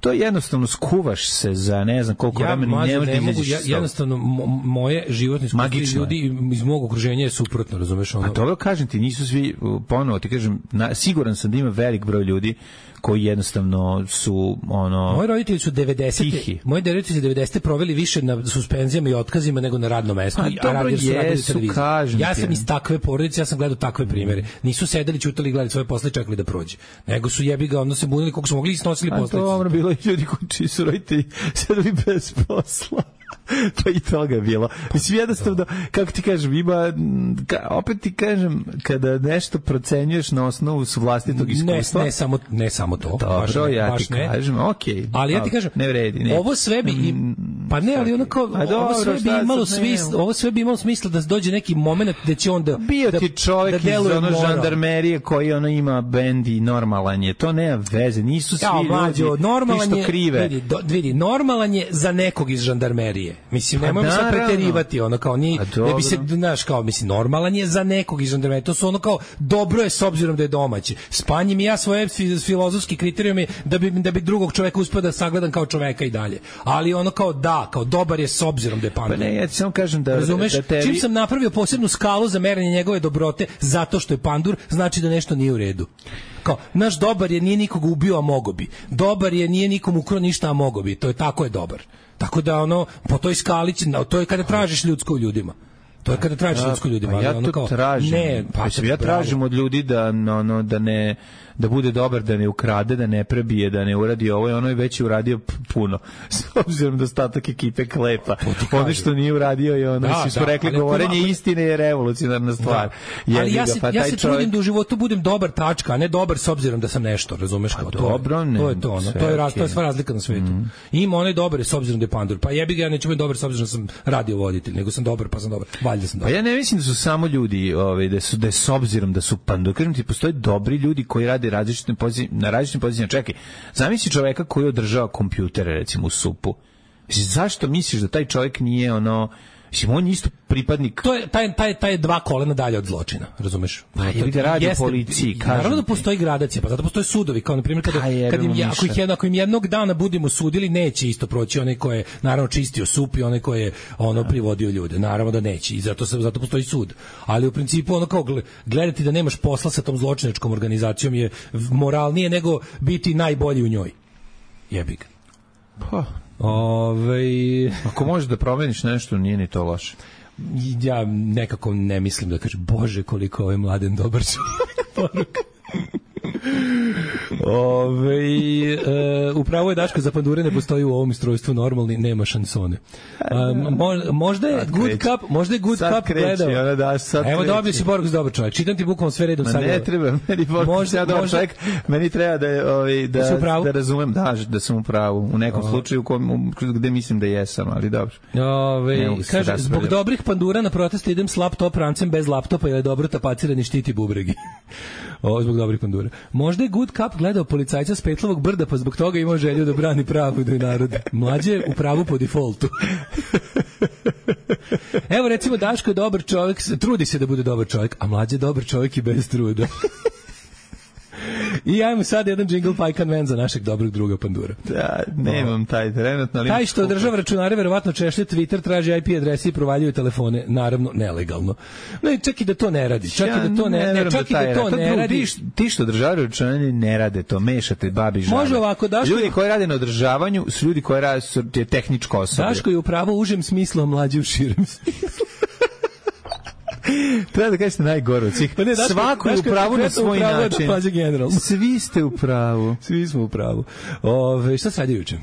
to jednostavno skuvaš se za ne znam koliko Ja vremena mlađe, ne možeš ne da mogu, izađeš ja, iz toga. jednostavno mo- moje životne iskustvo i Magično je. ljudi iz mog okruženja je suprotno, razumeš ono. A dobro kažem ti, nisu svi, ponovo ti kažem, na, siguran sam da ima velik broj ljudi koji jednostavno su ono Moji roditelji su devedesete tihi. Moji roditelji su devedesete proveli više na suspenzijama i otkazima nego na radnom mestu. Pa I- dobro, radili su radili jesu, televiziju. kažem Ja ti, sam ja. iz takve porodice, ja sam gledao takve primere. Nisu sedeli, ćutali i gledali svoje posle i čekali da prođe. Nego su jebi ga, ono se bunili koliko su mogli i snosili A posledice. dobro, bilo i ljudi koji čiji su roditelji sedeli bez posla. Pa i toga je bilo. Mislim, jednostavno, kako ti kažem, ima, ka, opet ti kažem, kada nešto procenjuješ na osnovu s vlastitog Ne, iskustva, ne samo ne samo to. baš dobro, ne, ja baš ti ne. kažem, okej. Ali ja ti ali kažem, ne vredi, ne. ovo sve bi i, pa ne, ali ono kao, A dobro, ovo sve bi šta imalo sad, ne, smisla, ovo sve bi imalo smisla da dođe neki momenat da će on da Bio da, ti čovjek da iz deluje ono moral. žandarmerije koji ono ima bend i normalan je. To nema veze, nisu svi Ja, mlađo, ljudi normalan ništa je, krive. vidi, do, vidi, normalan je za nekog iz žandarmerije. Mislim, Pa nemojmo sad naravno. preterivati, ono kao ni, A ne bi se, dobro. znaš, kao, mislim, normalan je za nekog iz žandarmerije. To su ono kao, dobro je s obzirom da je domaći. Spanjim i ja svoje fi- filozofski kriterijumi da bi, da bi drugog čoveka uspio da sagledam kao čoveka i dalje. Ali ono kao, da, kao, dobar je s obzirom da je Pa pandur. ne, ja ti samo kažem da, Razumeš? da tebi... Čim sam napravio posebnu skalu za merenje njegove dobrote zato što je pandur, znači da nešto nije u redu. Kao, naš dobar je, nije nikog ubio, a mogo bi. Dobar je, nije nikom ukrao ništa, a mogo bi. To je tako je dobar. Tako da ono, po toj skali, će- to je kada tražiš ljudsko u ljudima. To je kada tražiš ljudsko u ljudima. Pa ali ja ono to kao, tražim. Ne, pa Mislim, ja bravo. tražim od ljudi da ono da ne da bude dobar, da ne ukrade, da ne prebije, da ne uradi ovo i ono je već uradio p- puno. S obzirom da ostatak ekipe klepa. Ono što nije uradio je ono, Da, svi smo da, rekli, ali ako govorenje ima- istine je revolucionarna stvar. Da. Ali Jebi ja ga, se, pa ja taj se čovjek- trudim da u životu budem dobar tačka, a ne dobar s obzirom da sam nešto, razumeš kao to. je- dobro, ne, to je to, ono, sve to je, raz, to je okej. sva razlika na svetu. Ima onaj dobar je s obzirom da je pandur. Pa jebi ga, ja neću biti dobar s obzirom da sam radio voditelj, nego sam dobar pa sam dobar. Valjda sam Pa dobar. ja ne mislim da su samo ljudi, ovaj da su da je s obzirom da su pandur. Kažem ti, postoje dobri ljudi koji rade različite pozicije, na različitim pozicijama. Čekaj, zamisli čoveka koji održava kompjutere recimo u supu. Mislim, zašto misliš da taj čovjek nije ono, mislim, on je isto pripadnik. To je taj taj taj dva kolena dalje od zločina, razumeš? Pa jebi ga, radi u policiji, kažem Naravno da ti. postoji gradacija, pa zato postoje sudovi, kao na primjer kada Pa jebi kad im mu ja, miša. ako ih jedno, ako im jednog dana budemo sudili, neće isto proći onaj ko je naravno čistio sup i onaj ko je ono privodio ljude. Naravno da neće i zato se zato postoji sud. Ali u principu ono kao gle- gledati da nemaš posla sa tom zločinačkom organizacijom je moralnije nego biti najbolji u njoj. Jebi ga. Pa, Ovaj ako možeš da promeniš nešto, nije ni to loše. ja nekako ne mislim da kaže bože koliko ovaj mladen dobar čovjek. Poruka. Ove, e, upravo je Daško, za pandure ne postoji u ovom istrojstvu normalni, nema šansone. A, mo, možda je Sad Good kreće. Cup, možda je Good Sad Cup kreće, gledao. ona da, sad Evo kreće. dobio si poruku za dobar čovjek. Čitam ti bukvalno sve redom Ma sad. ne treba, meni Možda- možda, ja dobar možda- čovjek, meni treba da, je, ovaj, Da si u da, pravu? da razumem, da, da sam u pravu, u nekom slučaju u kom, u- gde mislim da jesam, ali dobro. Ove, Ne mogu se kaže, raspravljati. zbog dobrih pandura na proteste idem s laptop rancem bez laptopa jer je dobro tapaciran i štiti bubregi. Ovo zbog dobrih pandura. Možda je Good Cup gledao policajca s Petlovog brda, pa zbog toga imao želju da brani pravdu i narod. Mlađe je u pravu po defaultu. Evo recimo Daško je dobar čovjek, trudi se da bude dobar čovjek, a mlađe je dobar čovjek i bez truda. I ajmo sad jedan jingle Pajkan Man za našeg dobrog druga pandura. Da, nemam taj trenutno, ali... Taj što održava računare verovatno češlje Twitter, traži I P adrese i provaljuje telefone, naravno nelegalno. Ne, čak i da to ne radi. Čak i da to ne, ne, verujem čak i taj da to rad- ne drugo, radi. Ti, š- ti što održavaju računanje ne rade to, mešate babi žabe. Može ovako, Daško- Ljudi koji rade na održavanju su ljudi koji rade su je tehničko osoblje. Daško je upravo u užem smislu, a mlađi u širem smislu. Treba da kažete najgore od svih. Pa ne, Daško- Svako je u Daško je pravu na konkretno u svoj pravu, a način. Mlađa generalno. Svi ste u pravu. Svi smo u pravu. Ove, šta se radi juče?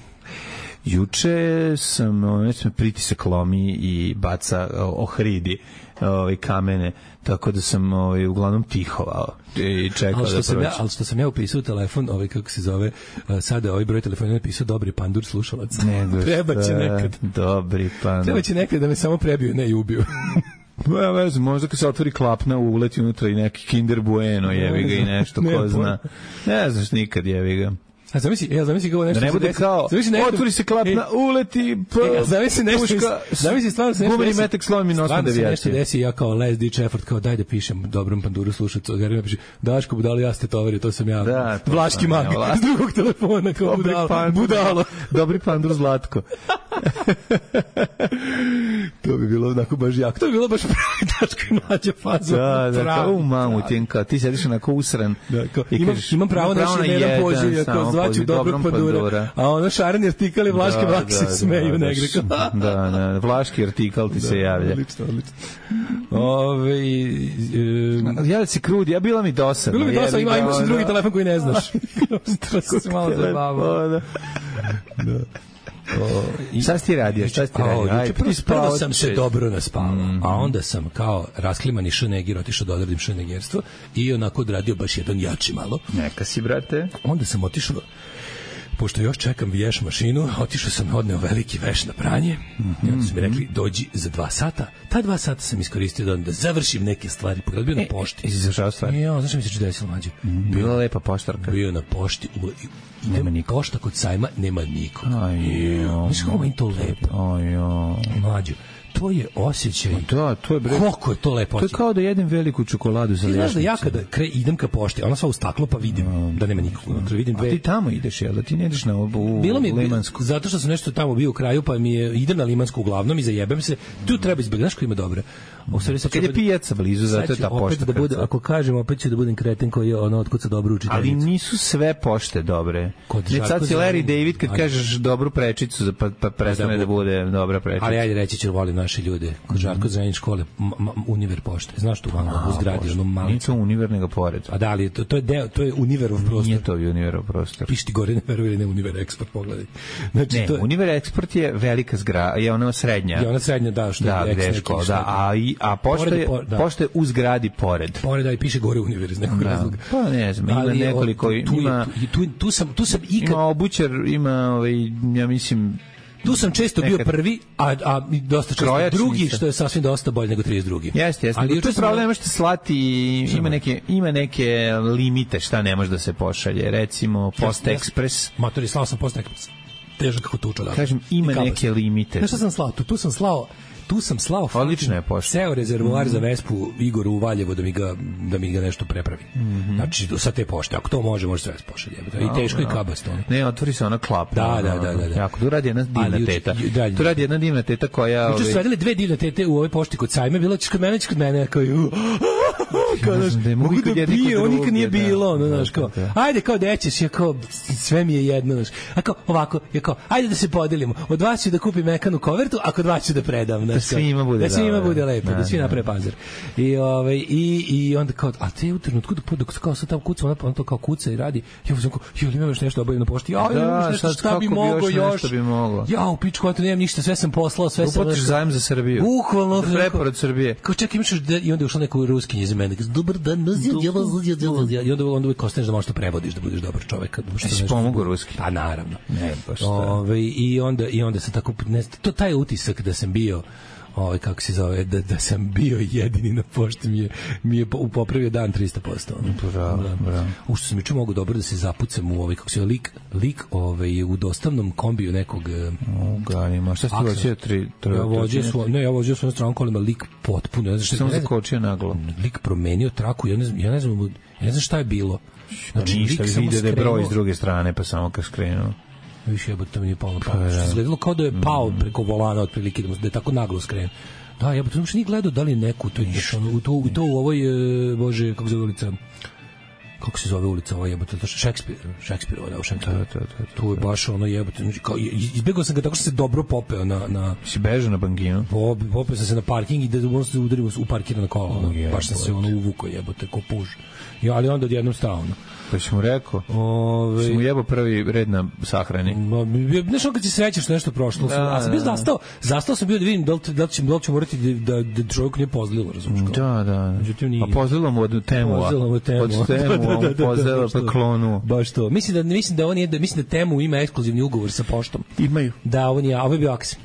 Juče sam, ono, sam pritisak lomi i baca o, ohridi ovaj kamene, tako da sam ovaj uglavnom tihovao i čekao Ali što da sam prođe. ja, ali što sam ja upisao telefon, ovaj kako se zove, uh, sada ovaj broj telefona napisao dobri pandur slušalac. Nego Treba će šta, nekad. Dobri pan. Treba će nekad da me samo prebiju, ne i ubiju. Ja ne znam, možda kad se otvori klapna uleti unutra i neki Kinder Bueno, jevi ga i nešto, Nemam ko zna. Ne znaš nikad, jevi ga. A zamisli, ja zamisli kao nešto. Da ne bude kao, otvori se klapna, uleti, e, zamisli nešto, zamisli stvarno se nešto. Gumeni metak slomim na osam devijacije. Nešto desi, ja kao Les Ditch Effort, kao daj da pišem dobrom panduru slušacu, jer mi piše, Daško budalo, ja ste tovari, to sam ja. Da, to Vlaški mag, s drugog telefona, kao budalo. Pandur, budalo. Dobri pandur Zlatko. To bi bilo onako baš jako. To bi bilo baš pravi Daško i Mlađa faza. Da, da, kao u mamu tjenka. Ti sediš onako usran. Da, kao, imam, imam pravo na još jedan poziv, kao zvaću dobrog pandura. A ono šareni artikal i Vlaške vlak se smeju negde. Da, da, Vlaški artikal ti se javlja. Odlično, odlično. Ove, javlja se krudi, ja bila mi dosadno. Bilo mi dosadno, ima, imaš i drugi telefon koji ne znaš. To se malo zabavao. Da. O, šta si ti radio? Šta si ti radio? Aj, prvo, prvo sam se dobro naspavao, mm. a onda sam kao rasklimani šnegir otišao da odradim šnegirstvo i onako odradio baš jedan jači malo. Neka si, brate. Onda sam otišao, pošto još čekam veš mašinu, otišao sam, odneo veliki veš na pranje, mm-hmm. i onda su mi rekli, dođi za dva sata. Ta dva sata sam iskoristio da, da završim neke stvari, pogledaj, bio e, na pošti. I si završao stvari? Ja, znaš mi se će desilo, Mlađe? Mm, bila lepa poštarka. Bio na pošti, u, i nema niko. Pošta kod sajma, nema niko. Znaš kako mi to lepo? Mlađe, to je osjećaj. Da, to je bre. Koliko je to lepo. To je kao da jedem veliku čokoladu za ljašnicu. Znaš da ja kada kre, idem ka pošti, ona sva u staklo pa vidim um, da nema nikog unutra, vidim dve. A ti tamo ideš, jel da ti ne ideš na u Bilo mi Limansku? Zato što sam nešto tamo bio u kraju, pa mi je idem na Limansku uglavnom i zajebem se. Tu treba izbegati, znaš ko ima dobre. Kad je pijaca blizu, zato je ta pošta. Da bude, ako kažem, opet ću da budem kreten koji je ono otkuca dobro učiteljicu. Ali nisu sve pošte dobre. Ne sad si Larry David kad kažeš dobru prečicu, pa, pa prestane da bude dobra prečica. Ali ajde reći ću, volim naše ljude. Kod Žarko Zrenjanin škole, Univer pošte. Znaš tu malo u zgradi, ono malo. Nije to Univer nego pored. A da li, to, to je deo, to je Univerov prostor. Nije to Univerov prostor. Piši ti gore, ne veruje, ne Univer Export, pogledaj. Znači, ne, to je, Univer Export je velika zgrada, je ona srednja. Je ona srednja, da, što da, je gde škola, da, a, i, a pošta je, da. pošta je u zgradi pored. Pored, da, i piše gore Univer iz nekog da. razloga. Pa ne znam, ima nekoliko, tu, ima... Tu, tu, tu, sam, tu sam ikad... Ima obućar, ima, ovaj, ja mislim... Tu sam često bio prvi, a, a dosta često Krojačnica. drugi, što je sasvim dosta bolje nego trideset drugi. Jeste, jeste. Ali tu je pravda, ne možete slati, ima neke, ima neke limite šta ne može da se pošalje. Recimo, Post Express. Matori, slao sam Post Express. Težak kako tuča. Da. Kažem, ima neke limite. Znaš šta sam slao? Tu, tu sam slao tu sam slao odlična je pošta. Ceo rezervoar mm-hmm. za Vespu Igoru u Valjevo da mi ga da mi ga nešto prepravi. Mm-hmm. Znači sa te pošte, ako to može, može sve pošalje. I teško i kabasto. Ne, otvori se ona klapa. Da, da, da, da, da. Jako tu radi jedna divna teta. Tu radi jedna divna teta koja Juče su radile dve divne tete u ovoj pošti kod sajma, bila će kod mene, kod mene kao kao da mogu da bije, on nikad nije bilo, ono, znaš, kao, ajde, kao da ćeš, ja kao, sve mi je jedno, znaš, a kao, ovako, ja kao, ajde da se podelimo, od vas ću da kupim mekanu kovertu, a kod vas ću da predam, znaš, da svima bude, da svima bude lepo, da svi naprave pazar. I, ovaj, i, i onda kao, a te u trenutku, dok kao sad tamo kuca, ona to kao kuca i radi, ja uzem kao, jel imam još nešto obavim na pošti, ja, imam nešto, šta bi mogo još, ja, u pičku, ja to nemam ništa, sve sam poslao, sve sam... Uplatiš zajem za Srbiju. Bukvalno. Preporod Srbije. Kao čekaj, imaš i onda je ušla neko ruskinje iz mene, dobar dan, i onda, onda uvijek ostaneš da možeš to prevodiš, da budeš dobar čovek. Si pomogu ruski? Pa naravno. Ne, baš Ove, i, onda, I onda sam tako, ne, to taj utisak da sam bio, ovaj kako se zove, da, da sam bio jedini na pošti mi je, mi je popravio dan trista posto. Bravo, da. bravo. U što sam juče mogu dobro da se zapucam u ovaj, kako se lik, lik ovaj, u dostavnom kombiju nekog... Uganima, šta ste vođeo tri... Ja vođeo su, ne, ja vođeo svojom stranom kolima, lik potpuno, ne znam šta... Samo zakočio naglo. Lik promenio traku, ja ne znam, ja ne znam, ja ne znam šta je bilo. Znači, ništa, vide da je broj s druge strane, pa samo kad skrenuo. Više jebote, to mi nije palo pa, što izgledalo kao da je pao preko volana otprilike, da je tako naglo skren. Da, jebote, uopšte nije gledao da li neku to je u to u to u ovoj bože kako se zove ulica. Kako se zove ulica ova jebote, to je Šekspir, Šekspirova, da, u Šekspiru. Tu je baš ono jebote, kao izbegao sam ga tako što se dobro popeo na na si bežao na banginu. Popeo sam se na parking i da možda se udarimo u parkirano kolo. Baš sam se ono uvukao jebote ko puž. Ja, ali onda odjednom stao. Pa si mu rekao, Ove... si mu jebo prvi red na sahrani. Znaš on kad si srećeš nešto prošlo, da, a sam bio zastao, zastao sam bio da vidim da li, da li će, da li će morati da, da čovjek nije pozlilo, razumiješ kao? Da, da. Međutim, nije. A pozlilo mu od temu, pozlilo mu od temu, od temu, da, da, da, pozlilo pa klonu. Baš to. Mislim da, mislim da on je, da, mislim da temu ima ekskluzivni ugovor sa poštom. Imaju. Da, on je, a ovo je bio aks.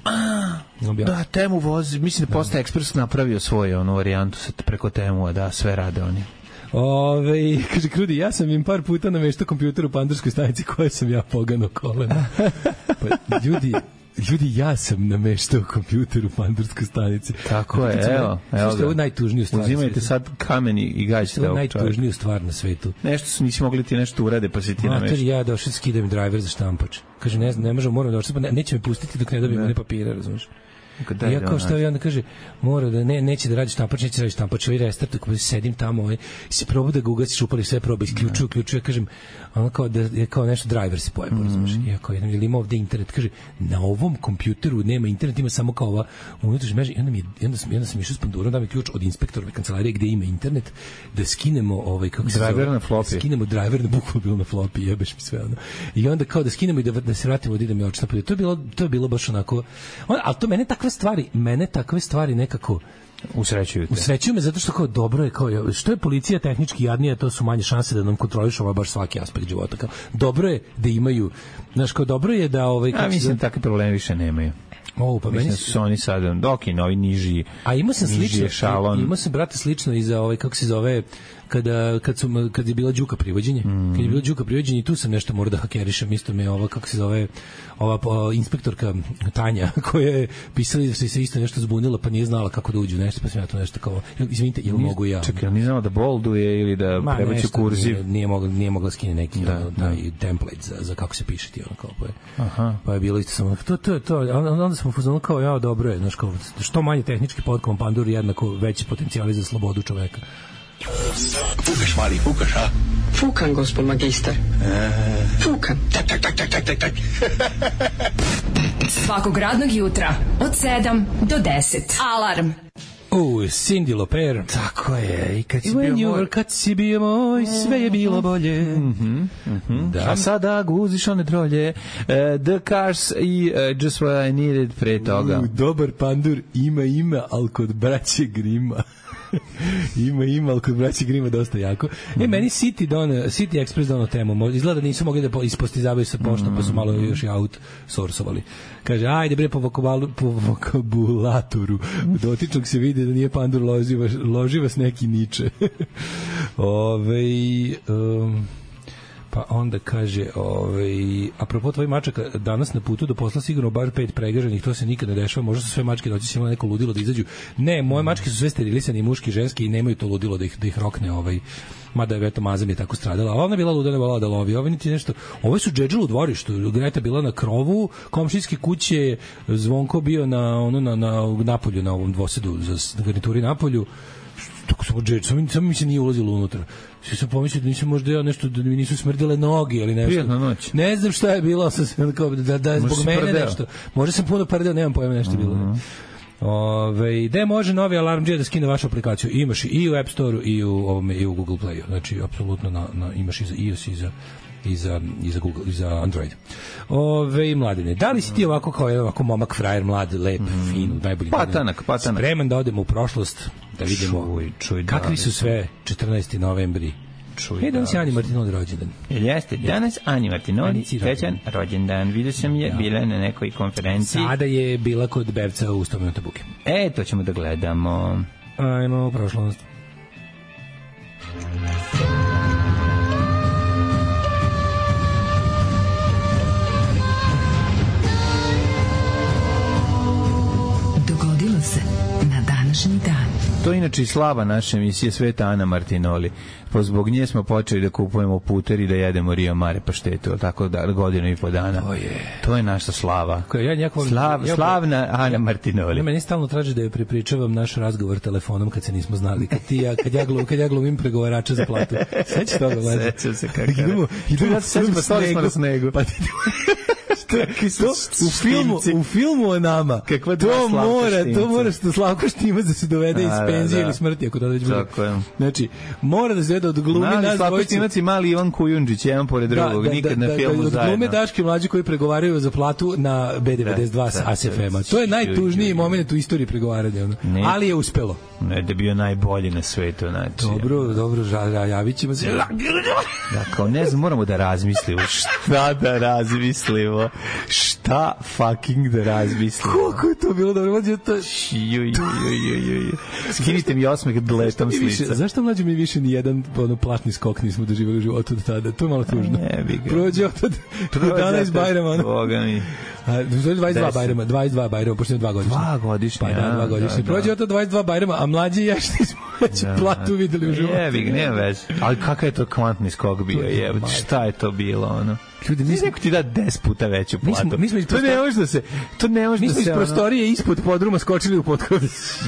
Da, temu vozi, mislim da Post Express napravio svoju onu varijantu preko temu, da, sve rade oni. Ove, kaže Krudi, ja sam im par puta nameštao kompjuter u pandurskoj stanici koje sam ja pogano koleno. Pa, ljudi, ljudi, ja sam nameštao kompjuter u pandurskoj stanici. Tako je, evo. Evo ga. Ovo je najtužniju stvar. Uzimajte sad kamen i gađite ovog čovjeka. Ovo je najtužniju stvar na svetu. Nešto su nisi mogli ti nešto urade, pa si ti Mater, nameštao. ja došao da skidam driver za štampač. Kaže, ne znam, ne možemo, moram došao, ne, neće me pustiti dok ne dobijem one papire, razumiješ? I ja kao što je onda kaže mora da ne neće da radi štampač, neće da radi štampač, ovaj restart, ako sedim tamo, ovaj se proba da ga ugasiš, upali sve, proba isključuje, uključuje, kažem, ono kao da je kao nešto driver se pojavi, razumeš? Ja kao jedan ili ima ovde internet, kaže na ovom kompjuteru nema internet, ima samo kao ova unutrašnja mreža. I onda mi onda sam onda sam išao s pandurom, da mi ključ od inspektorove kancelarije gde ima internet, da skinemo ovaj kako se driver na floppy, skinemo driver na bukvalno bilo na floppy, jebeš mi sve ono. I onda kao da skinemo i da da se vratimo da idemo i odštampati. To je bilo to je bilo baš onako, on, al to mene takve stvari, mene takve stvari nekako usrećuju te. Usrećuju me zato što kao dobro je, kao što je policija tehnički jadnija, to su manje šanse da nam kontrolišu ovaj baš svaki aspekt života. Kao dobro je da imaju, znaš, kao dobro je da ovaj kako, a mislim takve probleme više nemaju. O, pa meni su oni sad dok i novi niži. A imao sam slično, imao sam brate slično i za ovaj kako se zove kada kad su kad je bila Đuka privođenje, mm. kad je bila Đuka privođenje i tu sam nešto morao da hakerišem, isto me ova kako se zove ova o, inspektorka Tanja koja je pisala da se se isto nešto zbunila pa nije znala kako da uđe nešto, pa sam ja to nešto kao izvinite, jel mogu ja? Čekaj, nije znala da bolduje ili da prebaci kurziv. Nije, nije mogla nije mogla skine neki da, ono, da. taj template za za kako se piše ti ono kao pa je. Aha. Pa je bilo isto samo to to to onda smo fuzonali kao ja dobro je, znači kao što manje tehnički potkom pandur jednako veći potencijali za slobodu čoveka. Fukaš, mali, fukaš, a? Fukan, gospod magister. E... Fukan. Tak, tak, tak, tak, tak, tak, tak. Svakog radnog jutra od sedam do deset. Alarm. U, Cyndi Lauper. Tako je. I kad si When bio moj... moj... Kad si bio moj, sve je bilo bolje. Mm-hmm, mm-hmm. Da. A sada guziš one trolje. Uh, The Cars i uh, Just What I Needed pre toga. U, dobar pandur ima ima, ali kod braće Grima. ima, ima, ali kod braći Grima dosta jako. Mm-hmm. E, meni City, don, City Express dono temu. Izgleda da nisu mogli da ispostizavaju sa poštom, mm-hmm. pa su malo još i outsourcovali. Kaže, ajde bre, po, vokabalu, po vokabulatoru dotičnog se vidi da nije pandur loživa, loživa s neki niče. Ove, um, pa onda kaže, ovaj, apropo tvoj mačaka, danas na putu do posla sigurno bar pet pregaženih, to se nikad ne dešava, možda su sve mačke noći si imala neko ludilo da izađu. Ne, moje mačke su sve sterilisane, i muški i ženski, i nemaju to ludilo da ih, da ih rokne, ovaj, mada je eto Maza mi je tako stradala, a ona je bila luda, ne volala da lovi, ovo niti nešto. Ovo su džedžel u dvorištu, Greta bila na krovu komšijske kuće, Zvonko bio na, ono, na, na napolju, na ovom dvosedu za garnituri napolju, tako samo džedžel, samo, samo mi se nije ulazilo unutra. Sve sam pomislio da nisam možda ja nešto, da mi nisu smrdele noge ili nešto. Prijetna noć. Ne znam šta je bilo, sam, kao, da, da je zbog mene prdeo. Nešto. Možda sam puno prdeo, nemam pojma nešto mm-hmm. bilo. Ove, gde može novi Alarmdžija da skine vašu aplikaciju? Imaš i u App Store-u i u, ovome, i u Google Play-u. Znači, apsolutno na, na, imaš i za iOS i za i za, i za Google, i za Android. Ove, mladine, da li si ti ovako kao ovako momak, frajer, mlad, lep, mm. fin, najbolji patanak, patanak. Spreman da odemo u prošlost, da vidimo čuj, čuj, kakvi su sve četrnaesti novembri. Čuj, e, danas je Ani Martinoli rođendan. Jeste, danas Ani Martinoli, srećan rođendan. Vidio sam je, da. Bila na nekoj konferenciji. Sada je bila kod Bevca u sto minuta buke. E, to ćemo da gledamo. Ajmo u prošlost. Dogodilo se na današnji dan. To je inače i slava naše emisije Sveta Ana Martinoli. Po zbog nje smo počeli da kupujemo puter i da jedemo Rio Mare paštetu, tako da godinu i po dana. To je, to je naša slava. Ja njako, Slav, ja, slavna Ana Martinoli. Ja, meni stalno traži da je prepričavam naš razgovor telefonom kad se nismo znali. Kad, ti, ja, kad, ja, glum, kad ja glumim pregovarača za platu. Sveći toga, mlađe. Sećam se kako. Idemo, idemo ja se sećam, stali smo na snegu. Pa ti to, u filmu, u filmu o nama. Kakva to mora, to mora što Slavko Štimac da se dovede iz penzije ili smrti, ako to već bude. Tako je. Znači, mora da se vede od glumi mali nas Slavko Štimac i mali Ivan Kujundžić, jedan pored drugog, da, nikad da, da, na filmu da, zajedno. Od glume Daške mlađe koji pregovaraju za platu na B devedeset dva sa A S F M-a. To je najtužniji moment u istoriji pregovaranja. Ali je uspelo. Ne, da je bio najbolji na svetu, znači. Dobro, dobro, ža, javit ćemo se. Da, kao ne znam, moramo da razmislimo. Šta da razmislimo? Šta fucking da razmislimo? Koliko je to bilo dobro, mlađe, to... Ju, ju, ju, ju, ju. Skinite mi osmeh da letam s lica. Zašto mlađe mi više ni jedan ono, platni skok nismo doživjeli u životu do tada? To je malo tužno. Ne, bi ga. Prođe od jedanaest Bajrama. Boga mi. A, dvadeset dva Bajrama, dvadeset dva Bajrama, pošto je dva godišnje. Dva godišnje, pa, da, dva godišnje. Da, Prođe od dvadeset dva Bajrama, a mlađi i ja što smo već da, platu videli u životu. Jebi ga, nema veze. Ali kakav je to kvantni skok bio, jebote, šta je to bilo, ono? Ljudi, mi smo ti da deset puta veću platu. Mi smo to ne može da se, to ne može da se. Mi smo iz prostorije ispod podruma skočili u potkov.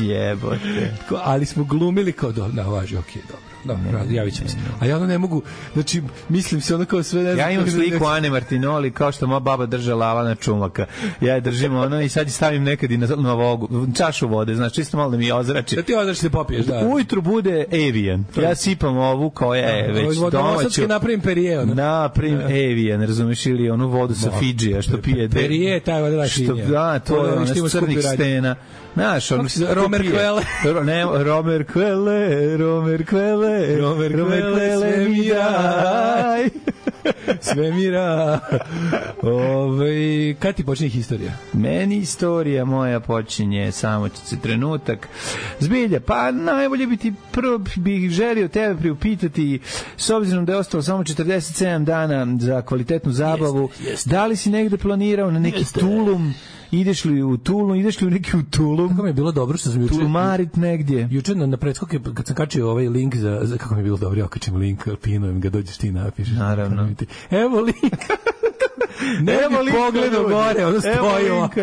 Jebote. Ali smo glumili kao da, da važi, okej, dobro. Dobro, javit ćemo se. A ja ono ne mogu, znači, mislim se ono kao sve... Ne ja imam sliku Ane Martinoli kao što moja baba držala Alana Čumaka. Ja je držim ono i sad je stavim nekad i na, na vogu, čašu vode, znači čisto malo da mi ozrači. Da ti ozrači se popiješ, da. Ujutru bude Evian. Ja sipam ovu koja je da, već domaću. Napravim Perije, ono. Napravim da. Evian, razumiješ, ili onu vodu sa Fidžija što pije. Perije, taj voda što, da, to je ono crnih stena. Znaš, ono... Romer Kvele. Ne, Romer Kvele, Romer Kvele, Romer Kvele, sve mi raj. Sve mi raj. Ove, kad ti počinje historija? Meni istorija moja počinje, samo će se trenutak. Zbilja, pa najbolje bi ti prvo bih želio tebe priupitati, s obzirom da je ostalo samo četrdeset sedam dana za kvalitetnu zabavu, jeste, jeste. Da li si negde planirao na neki jeste. Tulum? Ideš li u Tulum, ideš li u neki u Tulum? Kako mi je bilo dobro što sam juče... Tulumarit negdje. Juče na, na predskoke, kad sam kačio ovaj link za... za kako mi je bilo dobro, ja okačim link, pinujem ga, dođeš ti napišeš. Naravno. Evo link. Ne evo linka, pogledao gore, ono stoji ovako.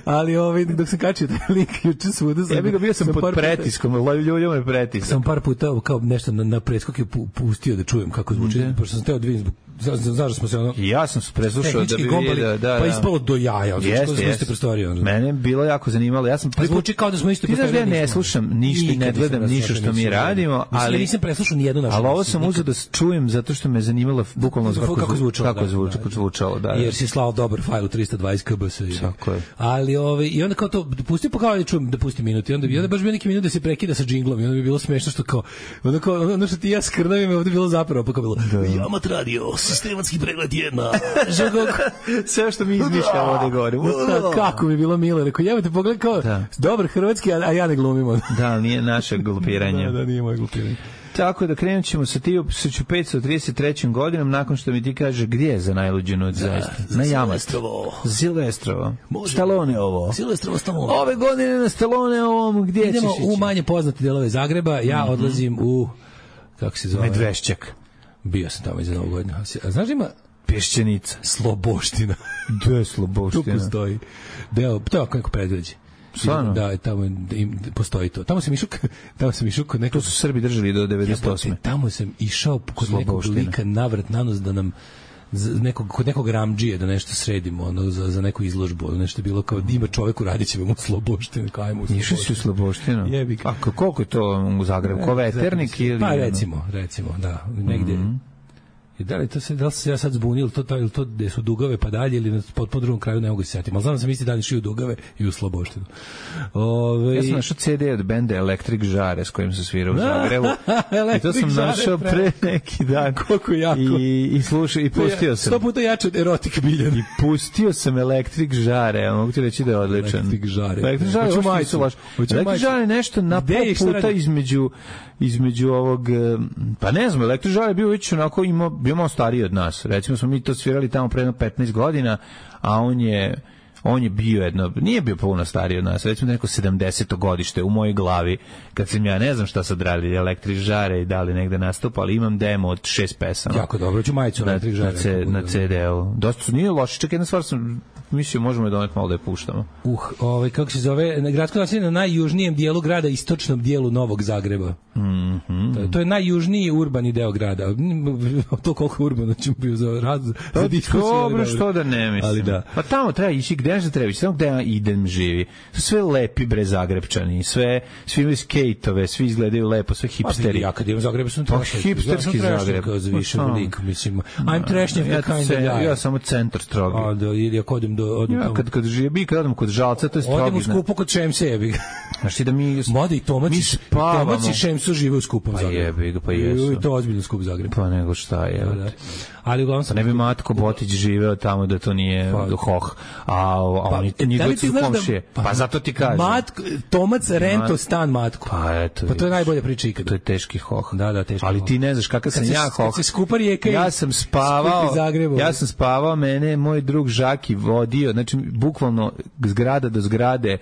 Ali ovaj, dok sam kačio taj link, juče svuda sam... Ja bih ga bio sam, sam pod pretiskom, ljubljamo je pretisak. Sam par puta kao nešto na, na predskoke pustio da čujem kako zvuči, mm. pošto sam teo da vidim zbog znaš smo se ono ja sam se preslušao da bi vidio da pa ispalo do jaja znači što smo iste prostorije ono mene bilo jako zanimalo ja sam pa zvuči kao da smo iste prostorije ja ne slušam ništa ne gledam ništa što mi radimo ali ja nisam preslušao ni jednu našu ali ovo sam uzeo da čujem zato što me zanimalo bukvalno kako zvučalo kako zvučalo zvučalo da jer si slao dobar fajl u trista dvadeset kilobyte tako je ali ovaj i onda kao to pusti pa kao da čujem da pusti minut i onda bi onda baš bio neki minut da se prekida sa džinglom i onda bi bilo smešno što kao onda kao ono što ti ja skrnavim ovde bilo zapravo pa kao bilo Jamat radio sistematski pregled jedna. Sve što mi izmišljamo ovde gore. Kako mi bilo milo. Rekao, jevate, pogledaj kao da. Dobar hrvatski, a ja ne glumimo. Da, nije naše glupiranje. Da, da, nije moje glupiranje. Tako da krenut ćemo sa ti tisuću petsto trideset trećom godinom nakon što mi ti kaže gdje je za najluđu noć zaista. Na Jamat. Silvestrovo. Stallone ovo. Silvestrovo Stallone. Ove godine na Stallone ovom gdje ćeš ići? Idemo u manje poznate delove Zagreba. Ja mm-hmm. odlazim u kako se zove? Medvešćak. Bio sam tamo i za Novu godinu. A znaš da ima Pješčenica. Sloboština. Gde je Sloboština? Tu postoji. Deo, to je ako neko predgrađe. Stvarno? Da, tamo im, postoji to. Tamo sam išao, tamo sam išao kod nekog... To su Srbi držali do devedeset osme. Ja, tamo sam išao kod nekog lika navrat nanos da nam nekog, kod nekog ramdžije da nešto sredimo ono, za, za neku izložbu. Ono nešto je bilo kao da ima čovek u Radićevem u Sloboštinu. Išao si u Sloboštinu? A koliko je to u Zagrebu? Ko veternik ili... Pa recimo, recimo, da. Negdje... Mm-hmm. Da li to se da li se ja sad zbunio ili to to ili to gde su Dugave pa dalje ili na potpuno drugom kraju ne mogu se setiti. Al znam da sam isti dan išao u Dugave i u Sloboštinu. Ove ja sam našao ce de od benda Electric Žare s kojim se svira u Zagrebu. I to sam našao pre neki dan. Koliko jako. I i slušao i pustio sam. sto puta jače od Erotik Biljan. I pustio sam Electric Žare, mogu ti reći da je odličan. Electric Žare. Electric Žare, hoću majicu. Electric Žare nešto na puta između između ovog pa ne znam, Electric Žare bio već onako imao bio malo stariji od nas. Recimo smo mi to svirali tamo pre petnaest godina, a on je on je bio jedno, nije bio puno stariji od nas, recimo neko sedamdeseto godište u mojoj glavi, kad sam ja ne znam šta sad radili Electric Žare i da li negde nastupa, ali imam demo od šest pesama. Jako dobro, ću majicu na, Electric Žare. Na, C, na ce de-u. Dosta su, nije loše, čak jedna stvar sam mislio možemo je doneti malo da je puštamo. Uh, ovaj, kako se zove, gradsko naselje na najjužnijem dijelu grada, istočnom dijelu Novog Zagreba. Mm-hmm. To, to je najjužniji urbani deo grada. To koliko urbano ćemo bio za raz, za diskusiju. Dobro, što da ne mislim. Ali da. Pa tamo treba ići, gde da treba ići, tamo gde ja idem živi. Sve lepi bre Zagrebčani, sve, svi imaju skejtove, svi izgledaju lepo, sve hipsteri. Ja kad idem u Zagreb sam trash. Hipsterski Zagreb. Za više velik, mislim. I'm trashnjak ja, kind of guy. Ja samo centar strogi. A da, ili ako odem do odem Ja, tamo. kad kad živi, kad odem kod Žalca, to je Odem u strogizna. skupo kod Šemse, jebi ga. Znači da mi Mada i Tomac, mi i- spavamo. Tomac i Šemsu žive u skupom Pa Zagrebu. jebi ga, pa jesu. I to ozbiljno skup Zagreb. Pa nego šta je. Da, da. Ali uglavnom sam... Ne bi Matko Botić živeo tamo da to nije Pa- hoh, a, a oni e, njih da li dvojica ti su znaš da- komšije. Pa zato ti kažem. Matko, Tomac rento Mat- stan Matku. Pa eto. Pa to je vidiš. najbolja priča ikada. To je teški hoh. Da, da, teški Ali hoh. ti ne znaš kakav sam Kad se- ja kad hoh. se skupa rijeka i Ja sam spavao. skupi Zagrebu. Ja sam spavao, mene moj drug Žaki vodio, znači bukvalno zgrada do zgrade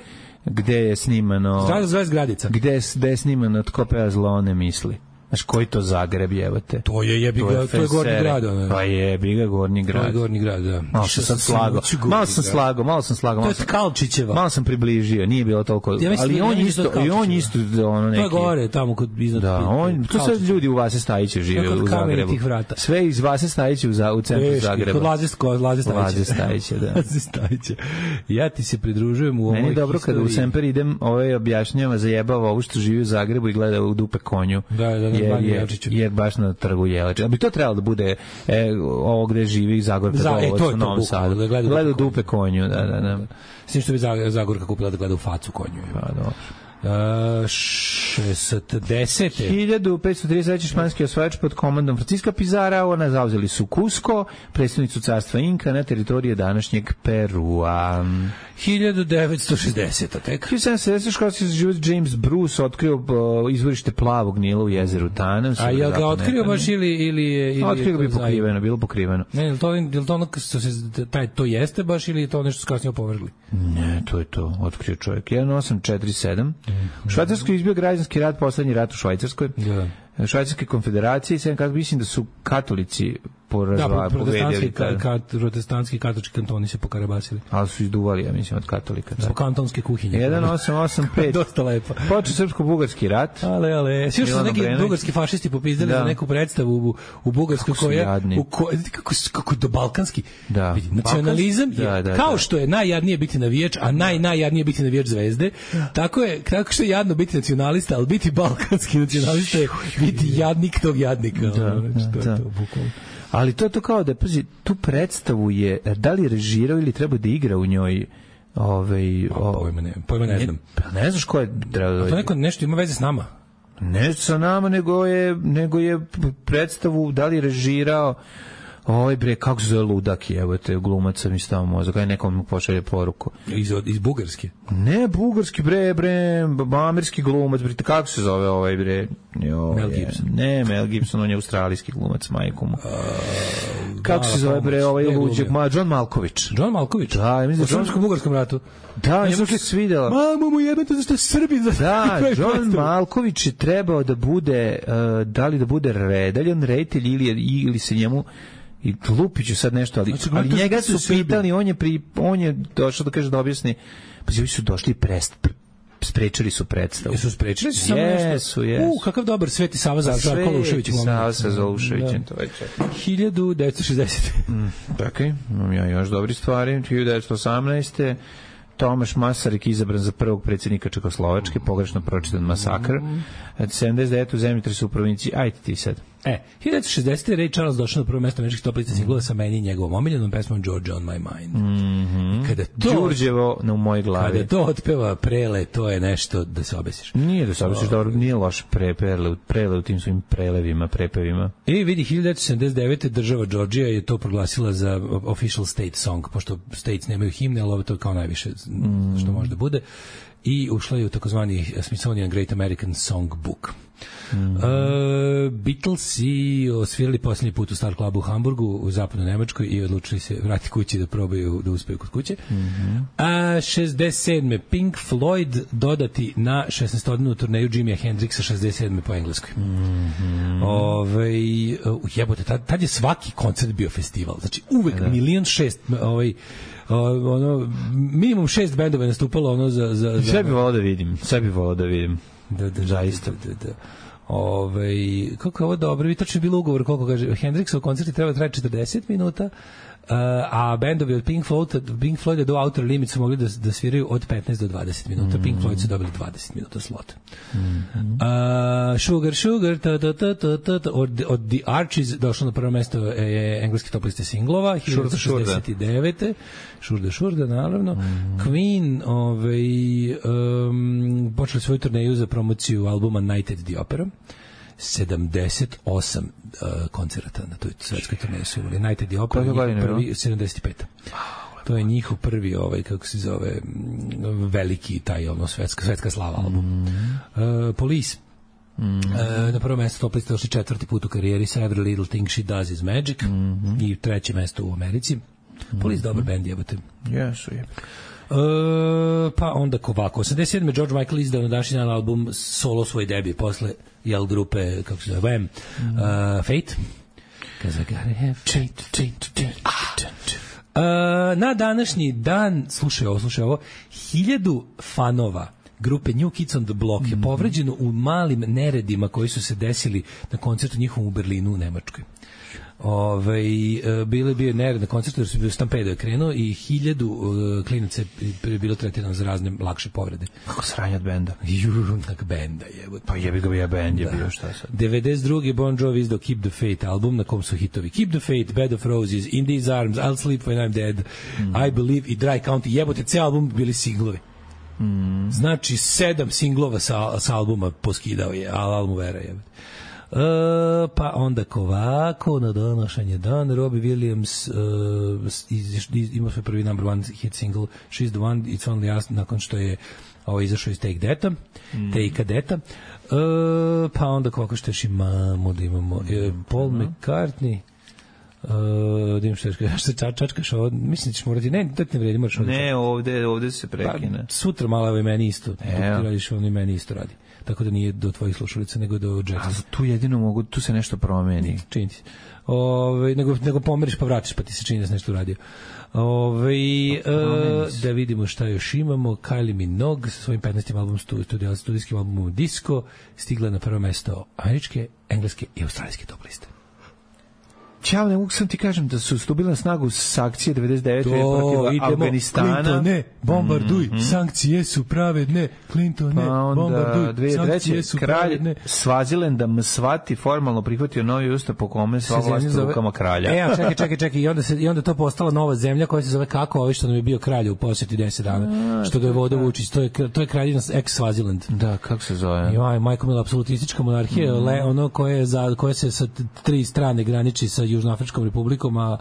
gde je snimano. Zgrada zove Zgradica. Gde je, gde je snimano Tko peva zlo ne misli. Znaš, koji to Zagreb jebate? To je jebi ga, to je Gornji Fesere. grad. ono. Pa jebi ga Gornji To je grad. Gornji grad, da. Malo sam sad slagao. Malo sam slagao, malo sam slagao. To Malo je sam, Tkalčićeva. malo sam približio, nije bilo toliko. Ja mislim ali da- on ja mislim isto, da je i on Tkalčićeva. isto ono neki. To je gore, tamo kod iznad. Da, on, to sad Tkalčićeva. ljudi u Vase Stajića žive To je kod u Zagrebu. kamenitih vrata. Sve iz Vase Stajića u, za, u centru Teški, Zagreba. Kod Laze, kod Laze Stajića. Laze Stajića, da. Laze Stajića. Ja ti se pridružujem u ovoj Meni je dobro kada u historiji. Semper idem, ovaj objašnjava, zajebava ovo što živi u Zagrebu i gleda u dupe konju. Da, da, na jer, Banji jer, Jelčiću. jer baš na trgu Jelačića. A bi to trebalo da bude e, ovo gde živi Zagorka Za- e, Dolovac to je u to Novom bukvalno, Sadu. da gleda u Gleda u dupe dupe konju, da, da, da. S tim što bi Zag- Zagorka kupila da gleda u facu konju. Pa, dobro. Uh, šestdesete hiljadu petsto trideset treći španski osvajač pod komandom Franciska Pizarra, ona zauzeli su Cusco, predstavnicu carstva Inka na teritorije današnjeg Perua. hiljadu devetsto šezdesete tek. hiljadu sedamsto sedamdesete školski život James Bruce otkrio uh, izvorište plavog Nila u jezeru Tanem. A je ga otkrio baš ili ili je ili Otkrio ga je bi to pokriveno, bilo pokriveno. Ne, je li to, je li to ono što se, taj, to jeste baš ili je to nešto kasnije opovrgli? Ne, to je to, otkrio čovjek. jedan osam četiri sedam. U Švajcarskoj izbio građanski rat, poslednji rat u Švajcarskoj. Da. Švajcarske konfederacije, sad kako mislim da su katolici Da, porazvali, protestantski, pobedili, ka, kada- ka, protestantski katolički kantoni se pokarabasili. ali su izduvali, ja mislim, od katolika. Zbog kantonske kuhinje. jedan osam osam pet. Dosta lepo. Počeo srpsko-bugarski rat. Ale, ale. Svi što su Milano neki Obrenović. bugarski fašisti popizdali Da. za neku predstavu u, u Bugarskoj Kako su koja... jadni. U ko, kako, su- kako do balkanski. Da. Vidi, nacionalizam je, Da, da, kao da. što je najjadnije biti navijač, a naj, najjadnije biti navijač Zvezde, tako je, tako što je jadno biti nacionalista, ali biti balkanski nacionalista je biti jadnik tog jadnika. Da, ono, znači, to je da. to, bukvalno. Ali to je to kao da, pazi, tu predstavu je, da li je režirao ili treba da igra u njoj ovaj, o, Pojma ne, pojma ne znam. Pa ne znaš ko je treba da To neko nešto ima veze s nama. ne sa nama, nego je, nego je predstavu, da li je režirao ovaj bre, kako se zove ludak, evo te glumaca mi stava mozak, aj nekom mu pošalje poruku. Iz, iz Bugarske. Ne, bugarski bre, bre, amerski glumac, bre, kako se zove ovaj bre? Jo, Mel je, Gibson. Ne, Mel Gibson, on je australijski glumac, majku mu. Kako Hvala se zove bre, pomoć. ovaj Gde je luđak, glumio? ma, John Malković. John Malković. Da, ja mislim u da John- srpsko-bugarskom ratu. Da, Ja njemu sam se svidela. Mamu mu jebate zašto je Srbin za Da, kraj John predstave. Malković je trebao da bude, uh, da li da bude redaljon, reditelj ili, je- ili se njemu i Lupiću sad nešto, ali, Znači, ali gledajte, njega što su je Srbin. pitali, on je, pri, on je došao da kaže da objasni, pa ovi su došli prest, sprečili su predstavu. Jesu sprečili su samo nešto? Jesu, jesu. U, kakav dobar Sveti Sava za Sve Kolušević. Sava sa Zoluševićem, to već je. hiljadu devetsto šezdesete. Čekaj, imam ja još dobri stvari. hiljadu devetsto osamnaeste. Tomaš Masaryk izabran za prvog predsjednika Čekoslovačke, pogrešno pročitan masakr. sedamdeset devete u zemljotres u provinciji. Ajde ti sad. E, hiljadu devetsto šezdesete. Ray Charles došao na prvo mesto američkih top lista singlova sa meni i njegovom omiljenom pesmom Georgia on my mind. Mhm. Kada to, Đurđevo na u mojoj glavi. kada to otpeva Prele, to je nešto da se obesiš. Nije da se obisliš dobro, nije loše pre, prele, prele u tim svojim prelevima, prepevima. I vidi, hiljadu devetsto sedamdeset devete. država Georgia je to proglasila za official state song, pošto states nemaju himne, ali ovo to je kao najviše Mm. što može da bude. I ušla je u takozvani Smithsonian Great American Song Book. Mm. Uh, Beatlesi osvirali posljednji put u Star Clubu u Hamburgu u zapadnoj Nemačkoj i odlučili se vrati kući da probaju da uspeju kod kuće. Mm-hmm. A šezdeset sedme. Pink Floyd dodati na šesnaestodnevnu turneju Jimmya Hendrixa šezdeset sedme po engleskoj. Mm-hmm. Ove, jebote, tad, tad je svaki koncert bio festival. Znači uvek da. milion šest ovaj, ono, minimum šest bendova je nastupalo ono za... za, za Sve bi volao da vidim, sve bi volao da vidim. Da, da, zaista. Da, da, da. Ove, kako je ovo dobro, vi tačno je bilo ugovor, koliko kaže, Hendrixov koncert je treba traje četrdeset minuta, a bendovi od Pink Floyd, Pink Floyd do Outer Limits su mogli da, da sviraju od petnaest do dvadeset minuta. Mm. Pink Floyd su dobili dvadeset minuta slot. Mm. Uh, Sugar, Sugar, ta, ta, ta, ta, ta, ta, od, od The Archies došlo na prvo mesto je engleski top liste singlova, hiljadu šezdeset devete Šurda, šurda, naravno. Mm. Queen ovaj, um, počeli svoju turneju za promociju albuma Night at the Opera. sedamdeset osam uh, koncerata na toj svetskoj turneji su imali. Night at the Opera, prvi, sedamdeset pet To je njihov prvi, ovaj, kako se zove, veliki taj, ono, svetska, svetska slava album. Mm. Uh, Police. Mm. Uh, na prvo mesto top liste došli četvrti put u karijeri sa Every Little Thing She Does Is Magic. Mm-hmm. I treće mesto u Americi. Mm-hmm. Police dobar band, jebate. Jesu, je. Uh, pa onda ovako, osamdeset sedme George Michael izdao na današnji dan album solo svoj debi posle jel grupe, kako se zove, mm. uh, Fate. Cause I gotta have fate, fate, fate. Ah. Uh, na današnji dan, slušaj ovo, slušaj ovo, hiljadu fanova grupe New Kids on the Block mm-hmm. je povređeno u malim neredima koji su se desili na koncertu njihovom u Berlinu u Nemačkoj. Ove, bile bio nered na koncertu jer su bio stampedo je krenuo i hiljadu uh, klinaca je bilo tretirano za razne lakše povrede. Kako sranje od benda? Junak benda je. Pa jebi ga ja bend je da. Bio šta sad. devedeset druge Bon Jovi izdao Keep the Faith album na kom su hitovi Keep the Faith, Bed of Roses, In These Arms, I'll Sleep When I'm Dead, mm. I Believe i Dry County. Jebote, cijel album bili singlovi. Mm. Znači sedam singlova sa, sa albuma poskidao je, ali album vera je. Uh, pa onda kovako na današnji dan Robbie Williams uh, iz, iz, ima svoj prvi number one hit single She's the One, It's Only Us nakon što je ovo izašao iz Take That-a mm. Take That-a uh, pa onda kovako što još imamo da imamo uh, Paul mm. McCartney Uh, da im što ča, čačkaš ovo, mislim da ćeš morati, ne, da te ne vredi, moraš ovdje. Ne, ovde, ovde se prekine. Pa, sutra malo je meni isto, dok ti radiš, ono i meni isto radi. Tako da nije do tvojih slušalica, nego do Jacksona. A tu jedino mogu, tu se nešto promeni. Čini ti se. Ove, nego, nego pomeriš pa vraćaš, pa ti se čini da se nešto uradio. Ove, uh, da vidimo šta još imamo. Kylie Minogue sa svojim petnaestim albumom, studi, studijskim albumom Disco, stigla na prvo mesto američke, engleske i australijske top liste. Ćao, ne mogu sam ti kažem da su stupili na snagu sankcije devedeset devete protiv Afganistana. Clintone, bombarduj, mm-hmm. sankcije su pravedne. Clintone, pa onda, bombarduj, sankcije su kralj pravedne. Svazilenda Msvati formalno prihvatio novi ustav po kome sva vlast u rukama kralja. E, čekaj, čekaj, čekaj. I onda, se, I onda to postala nova zemlja koja se zove kako, ovaj što nam je bio kralj u posjeti deset dana. A, što ga je vodio Vučić. To je, to je kraljina ex-Svaziland. Da, kako se zove? Joj, majko mila, apsolutistička monarhija, mm. le, ono koje, za, koje se sa tri strane graniči sa Južnoafričkom republikom, a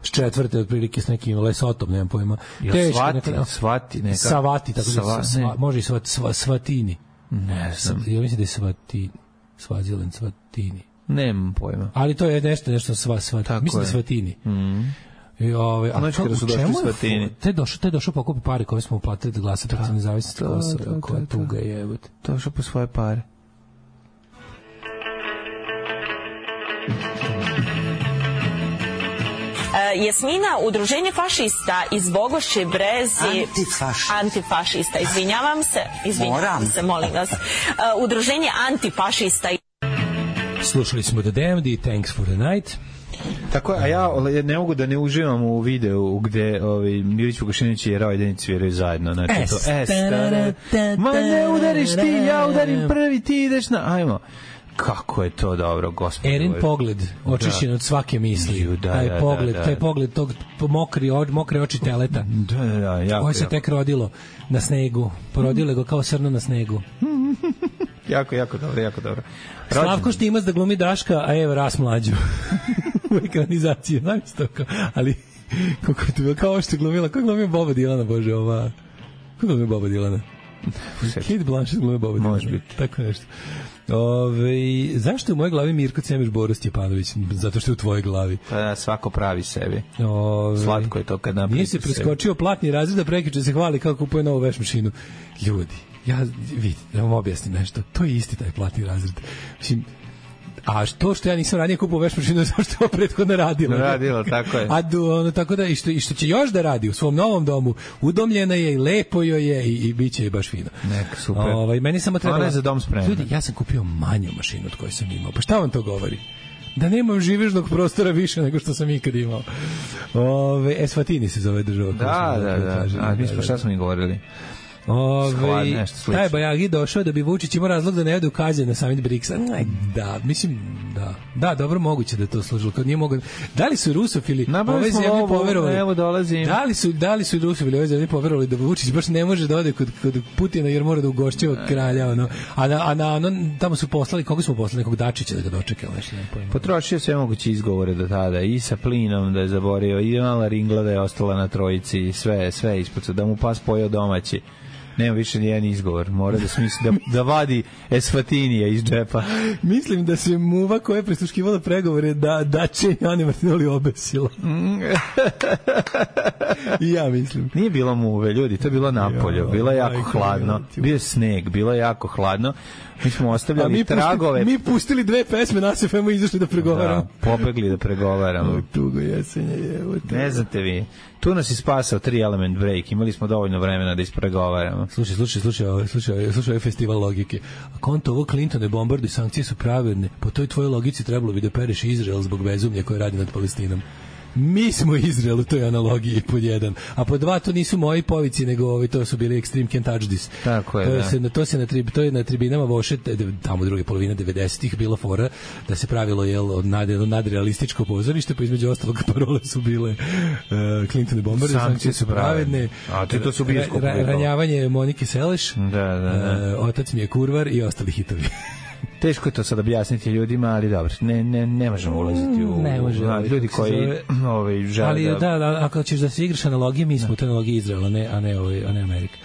s četvrte otprilike s nekim Lesotom, nemam pojma. Teško, svati, neka, svati, neka. Savati, tako Sava, da sva, može i svat, sva, Svatini. Ne znam. Ja mislim da je Svati, Svaziland, Svatini. Nemam pojma. Ali to je nešto, nešto sva, sva, tako mislim je. Da Svatini. Mhm. I ove, a znači kada su došli Svatini. Te došao, te došao pokupi pare koje smo uplatili da glasa protiv nezavisnosti Kosova, koja tuga je, evo. Došao po svoje pare. Uh, Jasmina, udruženje fašista iz Bogošće Brezi... Antifašista. Antifašista, izvinjavam se. Izvinjavam Moram. se, molim vas. Uh, udruženje antifašista... Slušali smo The Damned i Thanks for the Night. Tako, a ja ne mogu da ne uživam u videu gde ovaj Milić Vukašinović i Rajdenić sviraju zajedno, znači to es ma ne udariš ti, ja udarim prvi, ti ideš na, ajmo. Kako je to dobro, gospodine. Erin pogled, očišćen od svake misli. Da, taj da, pogled, da, da. taj pogled tog mokri, mokre oči teleta. Da, da, da, jako. Koje se tek rodilo na snegu. Porodilo ga kao srno na snegu. jako, jako dobro, jako dobro. Rođen. Slavko Štimac da glumi Daška, a evo ras mlađu. U ekranizaciji, znam se to kao, ali kako je to bilo, kao što je glumila, kako glumio Boba Dilana, bože, ova, kako glumio Boba Dilana? Kate Blanchett glumio Boba Dilana. Može biti. Tako nešto. Ove, zašto je u mojoj glavi Mirko Cemiš Boris Stjepanović? Zato što je u tvojoj glavi. Pa da, svako pravi sebi. Ove, Slatko je to kad napravi. Nije se preskočio platni razred da prekjuče se hvali kako kupuje novu veš mašinu. Ljudi, ja vidi, da vam objasnim nešto. To je isti taj platni razred. Mislim, a to što ja nisam ranije kupio veš mašinu zato što je prethodno radila. Radila, tako je. A do, ono, tako da, i što, i što će još da radi u svom novom domu, udomljena je i lepo joj je i, i bit će je baš fino. Neka, super. Ovaj, meni samo treba... Ona je za dom spremna. Ljudi, ja sam kupio manju mašinu od koje sam imao. Pa šta vam to govori? da nemam živežnog prostora više nego što sam ikad imao. Ove, Eswatini se zove država. Da, da, da. A mi smo šta smo mi govorili? Ove, taj Bajagi došao da bi Vučić imao razlog da ne ode u Kazan na summit briksa. Da, mislim, da. Da, dobro, moguće da je to služilo. Kad nije mogo... Da li su rusofili ove zemlje poverovali? Evo dolazim. Da li su, da li su rusofili ove zemlje poverovali da Vučić baš ne može da ode kod, kod Putina jer mora da ugošćava kralja, ono. A na, a na, ono, tamo su poslali, koga smo poslali? Nekog Dačića da ga dočeka. Potrošio sve moguće izgovore do tada. I sa plinom da je zaborio, i mala ringla da je ostala na trojici, sve, sve ispod, da mu pas pojeo domaći. Nema više nijedan izgovor. Mora da smisli da, da vadi Eswatinija iz džepa. Mislim da se muva koja je prisluškivala pregovore da, da će Ani Martinoli obesila. I ja mislim. Nije bilo muve, ljudi, to je bilo napolju. Bilo je jako hladno. Bio je sneg, bilo je jako hladno. Mi smo ostavljali mi tragove. Pustili, mi pustili dve pesme na S F M-u i izašli da pregovaramo. Da, pobegli da pregovaramo. O, tugo jesenje je. Ne znate vi. Tu nas je spasao tri element break. Imali smo dovoljno vremena da ispregovaramo. Slušaj, slušaj, slušaj, slušaj, slušaj, slušaj festival logike. A konto ovo Clintone bombardu i sankcije su pravedne. Po toj tvojoj logici trebalo bi da pereš Izrael zbog bezumlja koje radi nad Palestinom. Mi smo Izrael u toj analogiji pod jedan. A pod dva to nisu moji povici, nego ovi, to su bili Extreme Can't Touch This. Tako je, to, da. Se, to, se na tri, to je na tribinama Voše, tamo druge polovine devedesetih bila fora da se pravilo jel, od nad, nadrealističko pozorište, pa između ostalog parole su bile uh, Clinton i Bombardi, sankcije su pravedne. A ti to su bioskopu. Ra, ranjavanje Monike Seleš, da, da, da. Uh, Otac mi je kurvar i ostali hitovi. Teško je to sad objasniti ljudima, ali dobro, ne, ne, ne možemo ulaziti u... Ne može. A, ljudi koji ovaj, žele ali, da... da, da, ako ćeš da se igraš analogije, mi smo u analogiji Izraela, ne, a ne, ovaj, a ne Amerika.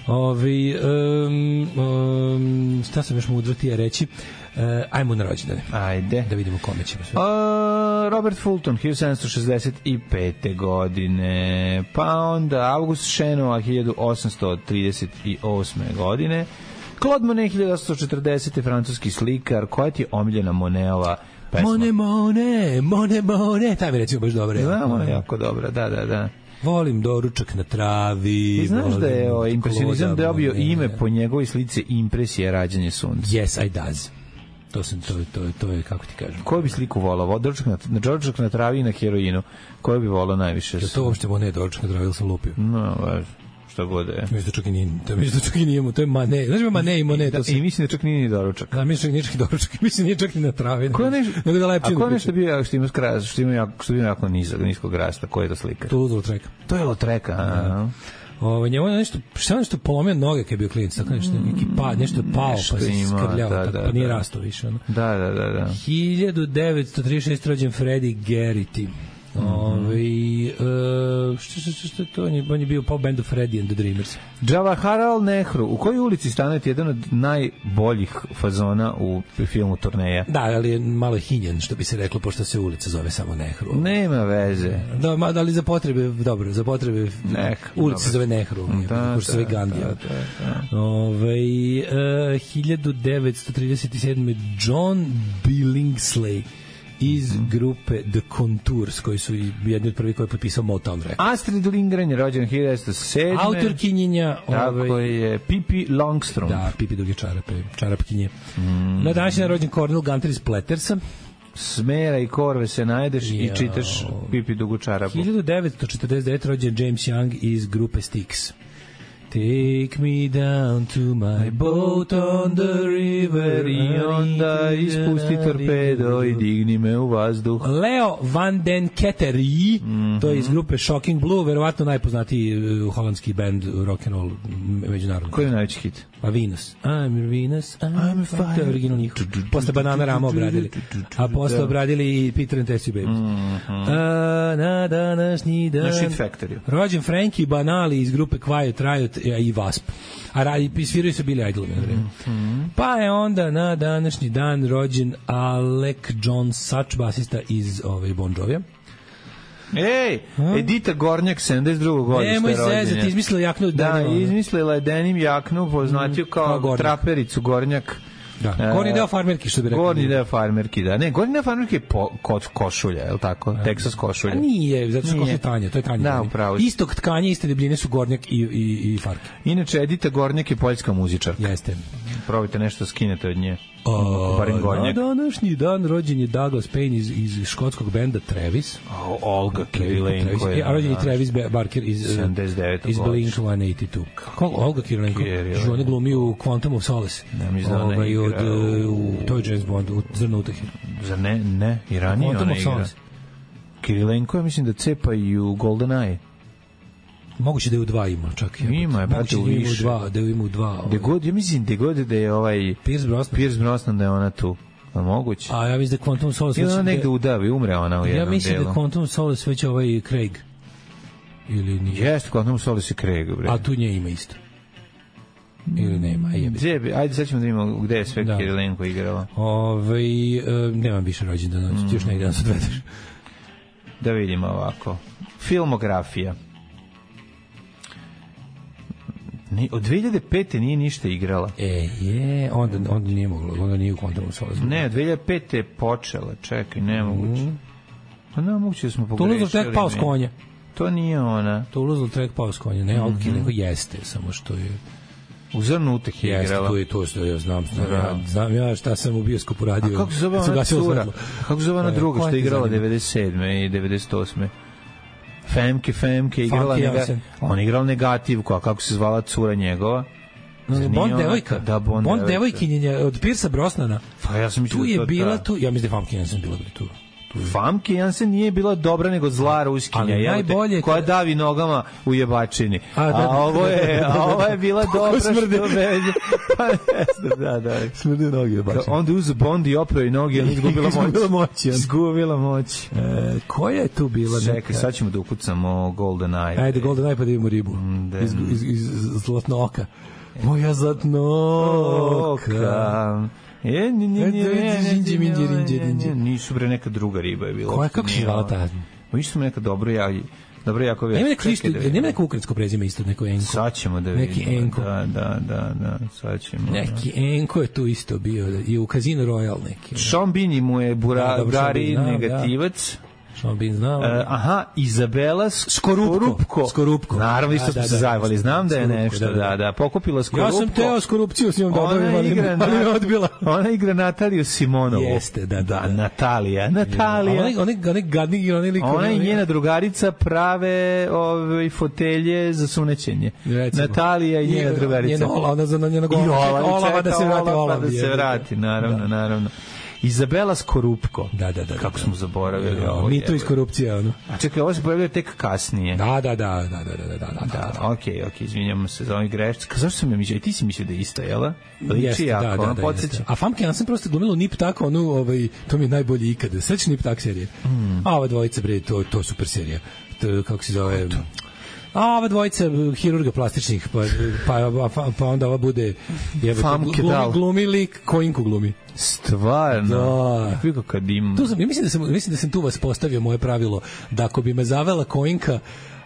Ovi, um, um, šta sam još mudro ti je reći? Uh, ajmo na rođendane. Ajde. Da vidimo kome ćemo sve. Uh, Robert Fulton, hiljadu sedamsto šezdeset pete. godine. Pa onda August Šenoa, hiljadu osamsto trideset osme. godine. Claude Monet, hiljadu osamsto četrdesete. francuski slikar. Koja ti je omiljena Monetova pesma? Monet, Monet, Monet, Monet. Ta mi recimo baš dobra. Da, Monet jako dobra, da, da, da. Volim doručak na travi. I znaš da je o, impresionizam dobio ime po njegovoj slici Impresije rađanje sunca. Yes, I does. To sam, to, to, to je, kako ti kažem. Koju bi sliku volao? Doručak na, na, doručak na travi i na heroinu. Koju bi volao najviše? Je to uopšte Monet doručak na travi ili sam lupio? No, važno. Šta god je. Mislim da čak i nije, to mislim da čak i nije, to je Manet. Znaš mi Manet i Monet, to se... I mislim da čak nije ni doručak. Da, mislim da nije čak i doručak. Mislim da nije čak i na travi. Ko ne, nego da lepčinu. A ko nešto bio što ima skras, što ima jako, što ima jako nizak, niskog rasta, ko je to slika? To je Lautrec. To je Lautrec, a. Ovo njemu nešto, šta nešto polomio noge kad je bio klinac, tako nešto, neki pad, nešto je pao, pa se skrljao, da, da, pa nije rastao više. Ono. Da, da, da, da. hiljadu devetsto trideset šeste. rođen Freddie Garrity. Mm -hmm. Ove, uh, što, što, što to on je, on je bio pop bandu Freddie and the Dreamers. Jawaharlal Nehru, u kojoj ulici stanuje jedan od najboljih fazona u filmu Turneja? Da, ali je malo hinjen, što bi se reklo, pošto se ulica zove samo Nehru. Nema veze. Da, ma, da li za potrebe, dobro, za potrebe Nek, ulica se zove Nehru, da, pošto se zove Gandija. Da, da, da. Ove, uh, hiljadu devetsto trideset sedme. John Billingsley iz mm -hmm. grupe The Contours, koji su jedni od prvih koji je potpisao Motown Records. Astrid Lindgren je rođen hiljadu devetsto sedme. Autorkinjenja. Tako ovaj, je Pippi Longstrom. Da, Pippi duge čarape, čarapkinje. Mm. Na današnji je rođen Cornel Gunter iz Plettersa. Smera i korve se najdeš ja. i čitaš Pippi dugu čarapu. hiljadu devetsto četrdeset devete. rođen James Young iz grupe Styx. Take me down to my boat on the river i onda ispusti torpedo i digni me u vazduh. Leo van den Kettery, mm -hmm. to je iz grupe Shocking Blue, verovatno najpoznatiji uh, holandski band rock'n'roll međunarodni. Koji je najveći hit? Pa Venus. I'm Venus, I'm, I'm a fire. To je original njih. Posle Banana Rama obradili. A posle obradili i Peter and Tessie Babies. Mm -hmm. A, na današnji dan. Na Shit Factory. Rođen Frankie Banali iz grupe Quiet Riot i Wasp. A radi, sviraju se Billy Idol na vreme. Mm -hmm. Pa je onda na današnji dan rođen Alec John Such, basista iz ove Bon Jovija. Ej, Edita Gornjak, sedamdeset drugog godište rođenja. Nemoj sezati, izmislila jaknu. Da, izmislila je denim jaknu, poznatiju mm, kao, kao trapericu Gornjak. Da, gornji deo farmerki, što bi rekao. Gornji deo farmerki, da. Ne, gornji deo farmerki je po, kod košulja, je li tako? Da. Texas košulja. A nije, zato što košulja tanje, to je tanje. Da, upravo. Istog tkanja, iste debljine su Gornjak i, i, i farke. Inače, Edita Gornjak je poljska muzičarka. Jeste. probajte nešto skinete od nje. O, barem gornjeg. Na današnji dan rođen je Douglas Payne iz, iz škotskog benda Travis. O, Olga Kirilenko je. E, a rođen je Travis Barker iz, sedamdeset devetog iz Blink sto osamdeset dva. Kako Olga Kirilenko? Što ona glumi u Quantum of Solace. Ne, mi znam da igra. Od, u, to je James Bond, u Zrno utahe. Za ne, ne, i ranije ona igra. Kirilenko je, mislim da cepa i u GoldenEye. Moguće da je u dva ima, čak. Ima je, brate, u više. Dva, da je ima u dva. Da god, ja mislim da god da je ovaj Pierce Brosnan. Pierce Brosnan da je ona tu. A moguće. A ja mislim da Quantum of Solace... Ili ona negde udavi, umre ona u jednom delu. Ja mislim delu. Da Quantum of Solace već ovaj Craig. Ili nije. Jeste, Quantum of Solace je Craig, bre. A tu nje ima isto. Ili nema, jebi. Ajde, sad ćemo da imamo gde je sve da. Kirilenko igrala. Ove, e, nemam više rođendana, mm. još negdje nas odvedeš. Da vidimo ovako. Filmografija. Ni, od dve hiljade pete nije ništa igrala. E, je, onda, onda nije moglo, onda nije u Quantum of Solace. Ne, od dve hiljade pete je počela, čekaj, nemoguće. Mm. Pa nemoguće da smo pogrešili. Toulouse-Lautrec pao s konja. To nije ona. Toulouse-Lautrec pao s konja, ne, Olga Kirilenko jeste, samo što je... U Zrnu utehe je igrala. Jeste, to je to što ja znam, znam, ja, znam ja šta sam u bioskopu radio. A kako se zove ona cura? Kako se zove ona druga što je igrala devedeset sedme i devedeset osme? Femke, Femke, igrala nega, on je igrala negativku, a kako se zvala cura njegova? Bond devojka. Da, Bond, Bond devojkinjenja od Piercea Brosnana. Pa ja sam mislio tu je to, bila ta. tu, ja mislim da Famke Janssen bila tu. Famke Janssen nije bila dobra nego zla Ruskinja, najbolje koja davi nogama u jebačini. A, da, a ovo je, a ovo je bila dobra što veđe. Pa jeste, da, da. Smrde noge jebačini. Onda uze Bond i opravi noge, ona izgubila moć. Izgubila moć. E, koja je tu bila? Čekaj, sad ćemo da ukucamo GoldenEye. Ajde, GoldenEye pa da vidimo ribu. Iz, iz, iz Zlatnoka. Moja Zlatnoka. Je, ni, ni, ni, nisu bre neka druga riba je bila. Koja, kako se zvala ta? Nisu su neka dobro ja, dobro jako već. Nema neko isto, nema neko ukrajinsko prezime isto, neko Enko. Sad ćemo da vidimo. Neki Enko. Da, da, da, da, sad ćemo. Neki Enko je tu isto bio, i u Casino Royale neki. Sean Bean mu je burari negativac. Sean Bean znao. Uh, aha, Izabela Skorupko. Skorupko. Skorupko. Naravno, isto smo se zajvali. Znam da je nešto, da, da, da. Pokupila Skorupko. Ja sam teo Skorupciju s njom da odavim, ali, ali me odbila. Ona igra Nataliju Simonovu. Jeste, da, da. Da, Natalija, Natalija. Ona, ona, ona gadni, ona lik. Ona i njena drugarica prave ove fotelje za sunećenje. Recimo. Natalija i njena drugarica. Njena Ola, ona za njena gola. Olava da se vrati, Olava da se vrati, naravno, naravno. Izabela Skorupko. Da, da, da. Kako da, smo zaboravili da, ovo. Mi to iz korupcije, ono. A čekaj, ovo se pojavljuje tek kasnije. Da, da, da, da, da, da, da, da, da. Okej, okej, izvinjamo se za ovaj grešci. Zašto sam ja mislio? I ti si mislio da je ista, jel? Liči jako, da, da, da, a Famke Janssen prosto glumilo Nip Tak, onu, ovaj, to mi je najbolji ikada. Sveći Nip Tak serije. Mm. A ova dvojica, bre, to, to super serija. To, kako se zove... A ova dvojica hirurga plastičnih, pa, pa, pa, pa onda ova bude Famke glumi, glumi lik, Koinku glumi. Stvarno? Da. Kako kad im... Tu sam, ja mislim da sam, mislim da sam tu vas postavio moje pravilo, da ako bi me zavela Koinka,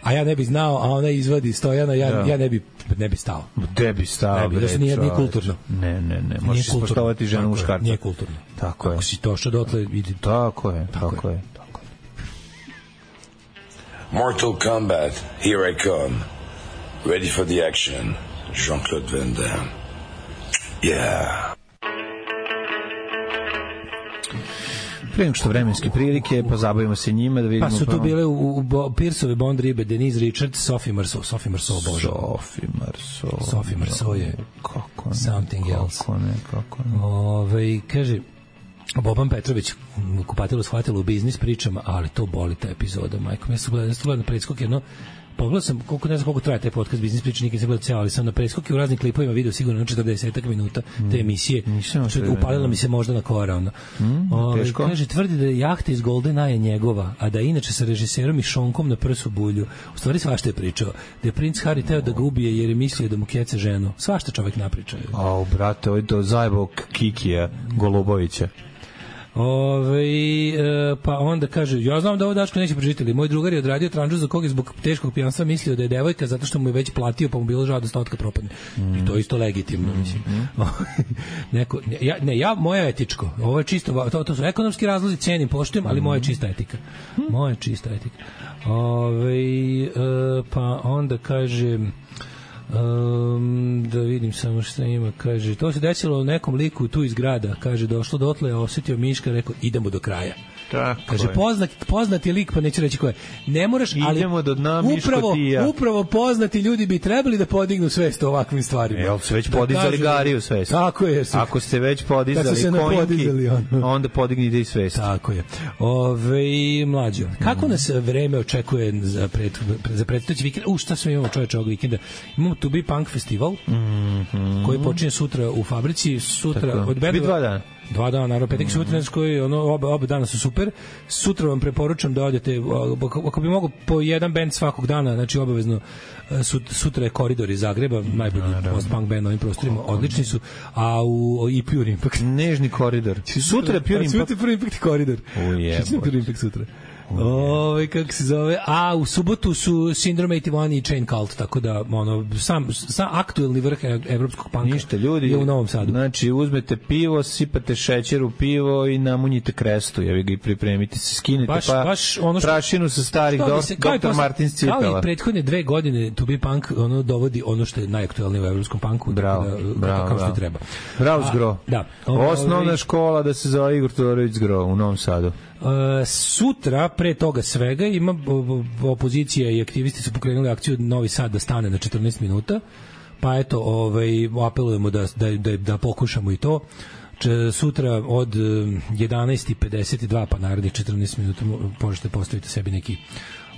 a ja ne bi znao, a ona izvadi Stojana, ja, ja ne bi ne bi stao. Ne bi stao. Ne bi, da se nije, nije kulturno. Ne, ne, ne. Možeš ispoštovati ženu muškarca. Nije kulturno. Tako je. Ako si to što dotle vidi. Tako je, tako, tako je. Tako je. Mortal Kombat, here I come. Ready for the action. Jean-Claude Van Damme. Yeah. Pre nego što vremenske prilike, pa zabavimo se njima da vidimo. Pa su tu bile u, u, u Pierceove Bond ribe, Denise Richards, Sophie Marceau, Sophie Marceau, bože. Sophie Marceau. Sophie Marceau je kako ne, something kako else. Ne, kako ne. Ove, kaže, Boban Petrović kupatilo shvatilo u biznis pričama, ali to boli ta epizoda, majko. Ja sam gledao, gledao na predskok jedno, pogledao sam, koliko, ne znam koliko traje taj podcast biznis priča, nikad sam gledao ceo, ali sam na preskoku u raznim klipovima video sigurno na četrdeset minuta te emisije, što je upalila mi se možda na kora. Ono. Mm, Ove, kaže, tvrdi da je jahta iz GoldenEye njegova, a da je inače sa režiserom i Šonkom na prsu bulju. U stvari svašta je pričao. Da je princ Harry teo da ga ubije jer je mislio da mu kece ženu. Svašta čovek napričao. Au, brate, ovo je to zajebog Kikija Golubovića. Ove, e, pa onda kaže, ja znam da ovo Daško neće pročitali, moj drugar je odradio tranžu za kog je zbog teškog pijanstva mislio da je devojka zato što mu je već platio pa mu bilo žao da stotka propadne. Mm. I to je isto legitimno, mislim. Mm. Neko, ja, ne, ja, moja etičko, ovo je čisto, to, to su ekonomski razlozi, cenim, poštujem, ali moja je čista etika. Moja je čista etika. Ove, e, pa onda kaže... Um, da vidim vidim samo šta ima, kaže, to se desilo nekom liku tu iz grada, kaže, došlo dotle, osetio Miška, rekao, idemo do kraja. Tako kaže, je. poznat, poznati lik, pa neću reći ko je. Ne moraš, ali idemo do dna, Miško, upravo, ti i ja. upravo poznati ljudi bi trebali da podignu svest o ovakvim stvarima. Jel su već da podizali kažu, Gariju svest? Tako je. Su, ako ste već podizali se konjki, on. onda podignite i svest. Tako je. Ove, mlađo, kako mm. nas vreme očekuje za, pred, za predstojeći vikend? U, šta sve imamo, čoveče, ovog vikenda? Imamo To Be Punk festival, mm -hmm. koji počinje sutra u fabrici. Sutra, tako. od Bedova, dva dana. Dva dana, naravno, petak, mm. sutra, koji, ono, oba, oba dana su super. Sutra vam preporučam da odete, ako bi mogo po jedan band svakog dana, znači obavezno, sutra je Koridor iz Zagreba, najbolji post-punk band na ovim prostorima, odlični su, a u i Pure Impact. Nežni Koridor. Sutra je Pure Impact. Sutra je Pure Impact Koridor. Ujebo. Sutra je Pure Impact sutra. Ove, kako se zove, a u subotu su Syndrome osamdeset jedan i Chain Cult, tako da ono, sam, sam aktuelni vrh evropskog panka. Ništa, ljudi, je u Novom Sadu. Znači, uzmete pivo, sipate šećer u pivo i namunjite krestu, jevi ga i pripremite se, skinete baš, pa baš ono što, prašinu sa starih se, doktor Martin Cipela. Kao i prethodne dve godine To Be Punk ono dovodi ono što je najaktuelnije u evropskom punku, bravo, da, bravo, kao što bravo. treba. Bravo Zgro. Da. Osnovna škola da se zove Igor Todorović Zgro u Novom Sadu. Uh, sutra, pre toga svega, ima opozicija i aktivisti su pokrenuli akciju Novi Sad da stane na četrnaest minuta, pa eto, ovaj, apelujemo da, da, da, da pokušamo i to. Če, sutra od jedanaest i pedeset dva pa narednih četrnaest minuta možete postaviti sebi neki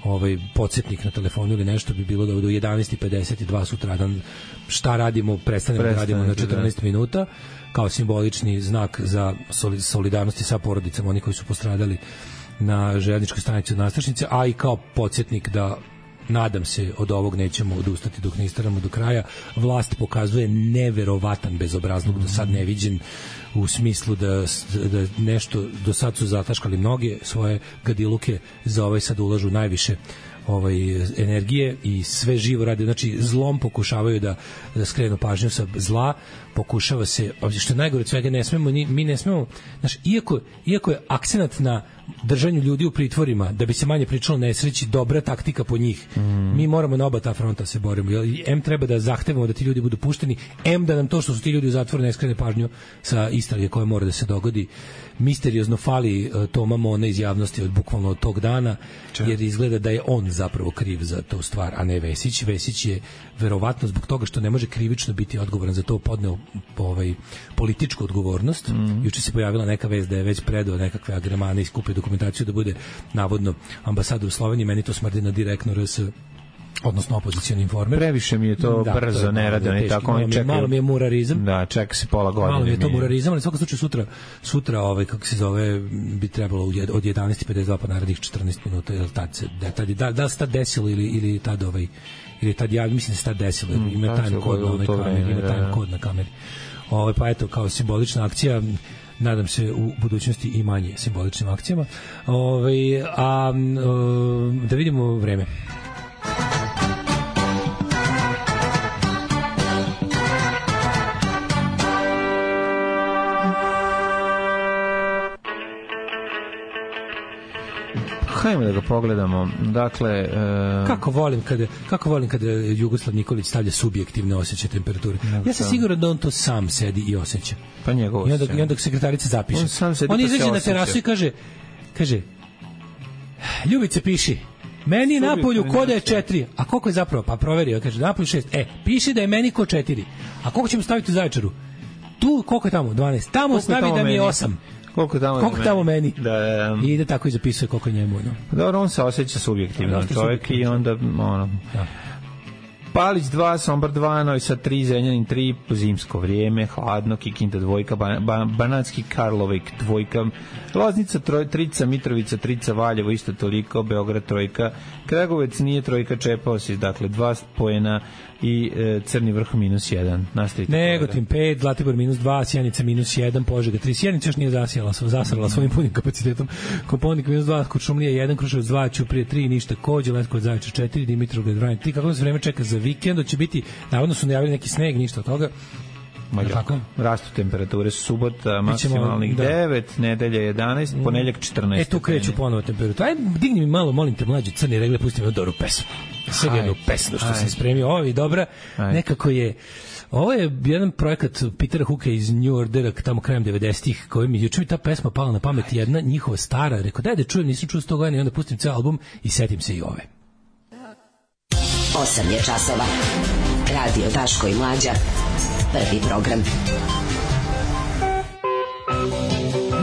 ovaj podsjetnik na telefonu ili nešto, bi bilo da do jedanaest i pedeset dva sutradan šta radimo, prestanemo da radimo na četrnaest minuta, kao simbolični znak za solidarnosti sa porodicama oni koji su postradali na željezničkoj stanici od Nastrešnice, a i kao podsjetnik da nadam se od ovog nećemo odustati dok ne istaramo do kraja. Vlast pokazuje neverovatan bezobrazluk, do sad neviđen, u smislu da, da nešto, do sad su zataškali mnoge svoje gadiluke, za ovaj sad ulažu najviše ovaj energije i sve živo rade, znači zlom pokušavaju da, da skrenu pažnju sa zla, pokušava se, što je najgore od svega, ne smemo, mi ne smemo, znači, iako, iako je akcenat na držanju ljudi u pritvorima, da bi se manje pričalo nesreći, dobra taktika po njih, mm. mi moramo na oba ta fronta se borimo, em treba da zahtevamo da ti ljudi budu pušteni, em da nam to što su ti ljudi u zatvoru ne skrene pažnju sa istrage koja mora da se dogodi. Misteriozno fali uh, Toma Mona iz javnosti od bukvalno od tog dana, Če? jer izgleda da je on zapravo kriv za tu stvar, a ne Vesić. Vesić je verovatno zbog toga što ne može krivično biti odgovoran za to podneo ovaj, političku odgovornost. Mm. Juče se pojavila neka vest da je već predao nekakve agremane i skupio dokumentaciju da bude navodno ambasador u Sloveniji, meni to smrdi na direktno R S, odnosno opozicioni informer. Previše mi je to da, brzo, to je ne rade, oni tako oni čekaju. Malo mi je murarizam. Da, čeka se pola godine. Malo mi je to murarizam, ali svakako slučaju sutra, sutra ovaj, kako se zove, bi trebalo od jedanaest i pedeset dva pa narednih četrnaest minuta, jel tad se, da, tad, da, da se tad desilo ili, ili tad ovaj, ili tad ja, mislim da se tad desilo, mm, ima tajni kod na onoj kameri, ima tajni kod na kameri. Ovaj, pa eto, kao simbolična akcija, nadam se u budućnosti i manje simboličnim akcijama. Ovaj, a da vidimo vreme. Hajmo da ga pogledamo. Dakle, uh... kako volim kada kako volim kada Jugoslav Nikolić stavlja subjektivne osjećaje temperature. Ja sam siguran da on to sam sedi i osjeća. Pa njegovo. I onda i onda sekretarica zapiše. On sam sedi. On pa izađe na terasu i kaže kaže Ljubice, piši. Meni na polju koda je četiri. A koliko je zapravo? Pa proverio, kaže na polju šest. E, piši da je meni kod četiri. A koliko ćemo staviti u Zaječaru? Tu koliko je tamo? dvanaest. Tamo koliko stavi da mi je osam. Koliko tamo, koliko tamo meni. Da, da. I ide tako i zapisuje koliko njemu. No. Dobro, on se osjeća subjektivno, da, čovjek i onda ono... Da. Palić dva, Sombor dva, Novi Sad tri, Zrenjanin tri, zimsko vrijeme, hladno, Kikinda dvojka, ban, ban, Banatski Karlovik dvojka, Loznica troj, trica, Mitrovica trica, Valjevo isto toliko, Beograd trojka, Kragovec nije trojka, čepao si, dakle dva poena i e, Crni vrh minus jedan. Nastavite. Negotin pet, Zlatibor minus dva, Sjenica minus jedan, Požega tri. Sjenica još nije zasijala, zasrala svojim punim kapacitetom. Koponik minus dva, Kuršumlija jedan, Kruševac dva, Ćuprije tri, ništa, Kođe, Leskovac, Zaječar četiri, Dimitrovgrad dva, tri. Kako se vreme čeka za vikend, će biti, navodno su najavili neki sneg, ništa od toga. Tako? Rastu temperature, subota maksimalnih devet, nedelja jedanaest, ponedjeljak četrnaest. E, tu kreću ponovo temperatura. Aj, digni mi malo, molim te, mlađe crni regle, pusti mi dobru pesmu. Sve jednu pesmu što sam spremio. Ovo je dobra, nekako je Ovo je jedan projekat Petera Hooka iz New Ordera, tamo krajem devedesetih, koji mi juče mi ta pesma pala na pamet, jedna njihova stara, rekao daj da čujem, nisam čuo sto godina i onda pustim ceo album i setim se i ove. osam je časova. Radio Daško i Mlađa. Prvi program.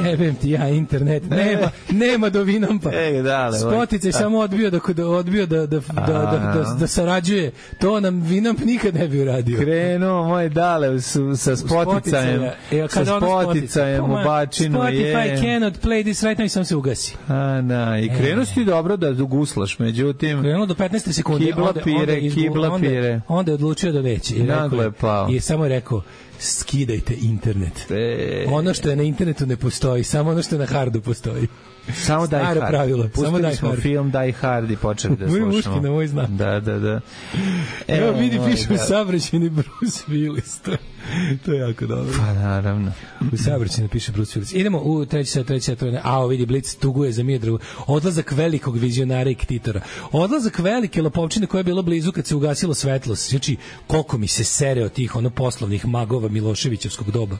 Jebem ti ja internet, nema, nema do Vinampa. E, dale, Spoticaj samo odbio da, da, odbio da, da, da, da, da, da sarađuje. To nam Vinamp nikad ne bi uradio. Krenuo moj dale su, sa Spoticajem. E, sa Spoticajem u bačinu. Spotify je. cannot play this right now i sam se ugasi. A, da, i krenuo si ti dobro da guslaš, međutim... Krenuo do petnaest sekundi. Kibla onda, pire, onda izgu, kibla onda, pire. Onda je odlučio da neće. I, Naglo je pao. I samo je rekao, skidajte internet. E... Ono što je na internetu ne postoji, samo ono što je na hardu postoji. Samo Die Hard. Pravilo. Pustili Samo smo Die film Die Hard i počeli da slušamo. slušamo. Moj muški na moj znak. Da, da, da. Evo, Evo vidi, piše da. u saobraćajni Bruce Willis. To, to je jako dobro. Pa naravno. U saobraćajni piše Bruce Willis. Idemo u treći sat, treći sat. A, vidi, Blic tuguje za Miodragu. Odlazak velikog vizionara i ktitora. Odlazak velike lopovčine koja je bila blizu kad se ugasilo svetlo. Znači, koliko mi se sere od tih ono poslovnih magova Miloševićevskog doba.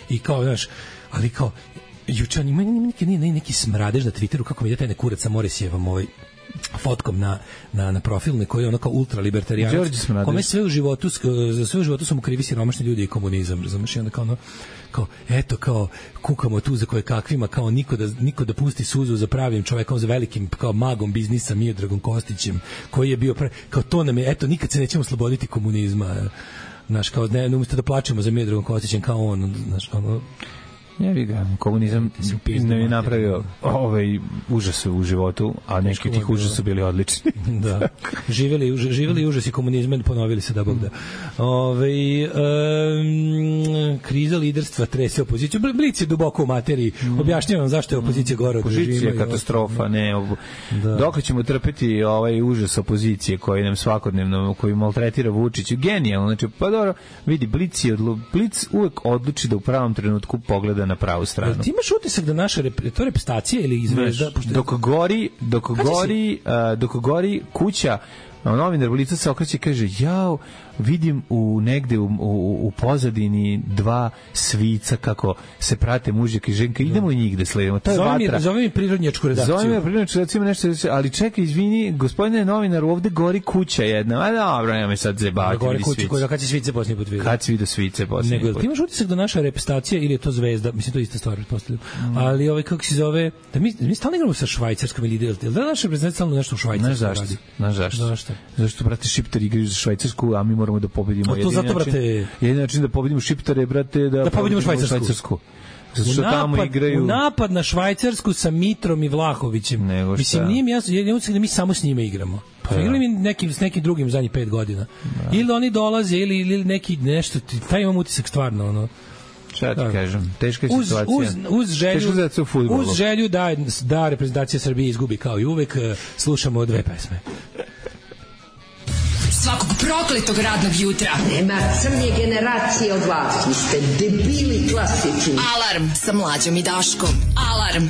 I kao, znaš, ali kao, juče on ima neki, neki, neki smradež na Twitteru, kako mi ide taj nekurac sa Morisjevom ovaj fotkom na, na, na profilne koji je ono kao ultralibertarijanac, kome sve u životu za sve u životu su mu krivi siromašni ljudi i komunizam, razumiješ, i onda kao ono kao, eto, kao, kukamo tu za koje kakvima, kao niko da, niko da pusti suzu za pravim čovekom, za velikim, kao magom biznisa Miodragom Kostićem, koji je bio, pravi, kao to nam je, eto, nikad se nećemo osloboditi komunizma, znaš, kao, ne, ne umjesto da plačemo za Miodragom Kostićem, kao on, znaš, ono, Jevi ga, komunizam ne je napravio ovaj užas u životu, a neki tih užasa su bili odlični. Da. Živeli, živeli užasi komunizma, ponovili se da Bog da. Ove, um, kriza liderstva trese opoziciju. Blic je duboko u materiji. Objašnjavam zašto je opozicija gore od režima. Opozicija je katastrofa, ne. Ob... Da. Dok ćemo trpeti ovaj užas opozicije koji nam svakodnevno, koji maltretira Vučić, genijalno. Znači, pa dobro, vidi, Blic, je odlu... Blic uvek odluči da u pravom trenutku pogleda na pravu stranu. Ti imaš utisak da naša rep, to reprezentacija ili izvezda dok gori, dok gori, uh, dok gori kuća, novinar Blica se okreće i kaže: "Jao, vidim u negde u, u, u pozadini dva svica kako se prate mužjak i ženka, idemo i njih da sledimo." To je vatra. Zove mi prirodnjačku redakciju. Zove mi prirodnjačku redakciju, nešto, ali čekaj, izvini, gospodine novinar, ovde gori kuća jedna. A dobro, nema me sad zebati. Gori kuća, koja kad će svice posljednji put vidio. Kad si vidio svice posljednji put. Nego, ti imaš utisak da naša reprezentacija ili je to zvezda, mislim to je ista stvar, pretpostavljam. Mm. Ali ovaj kako se zove, da mi mi stalno igramo sa Švajcarskom ili da da naša reprezentacija stalno nešto u Švajcarskoj radi. Znaš zašto? Zašto? Zašto brate Šiptari igraju za Švajcarsku, a mi moramo da pobedimo. To zato, brate, jedini način da pobedimo Šiptare, brate, da, da pobedimo Švajcarsku. Švajcarsku. Zato što napad, tamo igraju... U napad na Švajcarsku sa Mitrom i Vlahovićem. Nego mislim, nije mi jasno, je da mi samo s njima igramo. Pa igrali mi nekim, s nekim drugim zadnjih pet godina. Da. Ili oni dolaze, ili, ili neki nešto, taj imam utisak stvarno, ono. Šta ti kažem, teška je situacija. Uz, uz, uz želju, uz želju da, da reprezentacija Srbije izgubi kao i uvek, slušamo dve pesme. Svakog prokletog radnog jutra. Nema crnje generacije od vas. Vi ste debili klasični. Alarm sa Mlađom i Daškom. Alarm.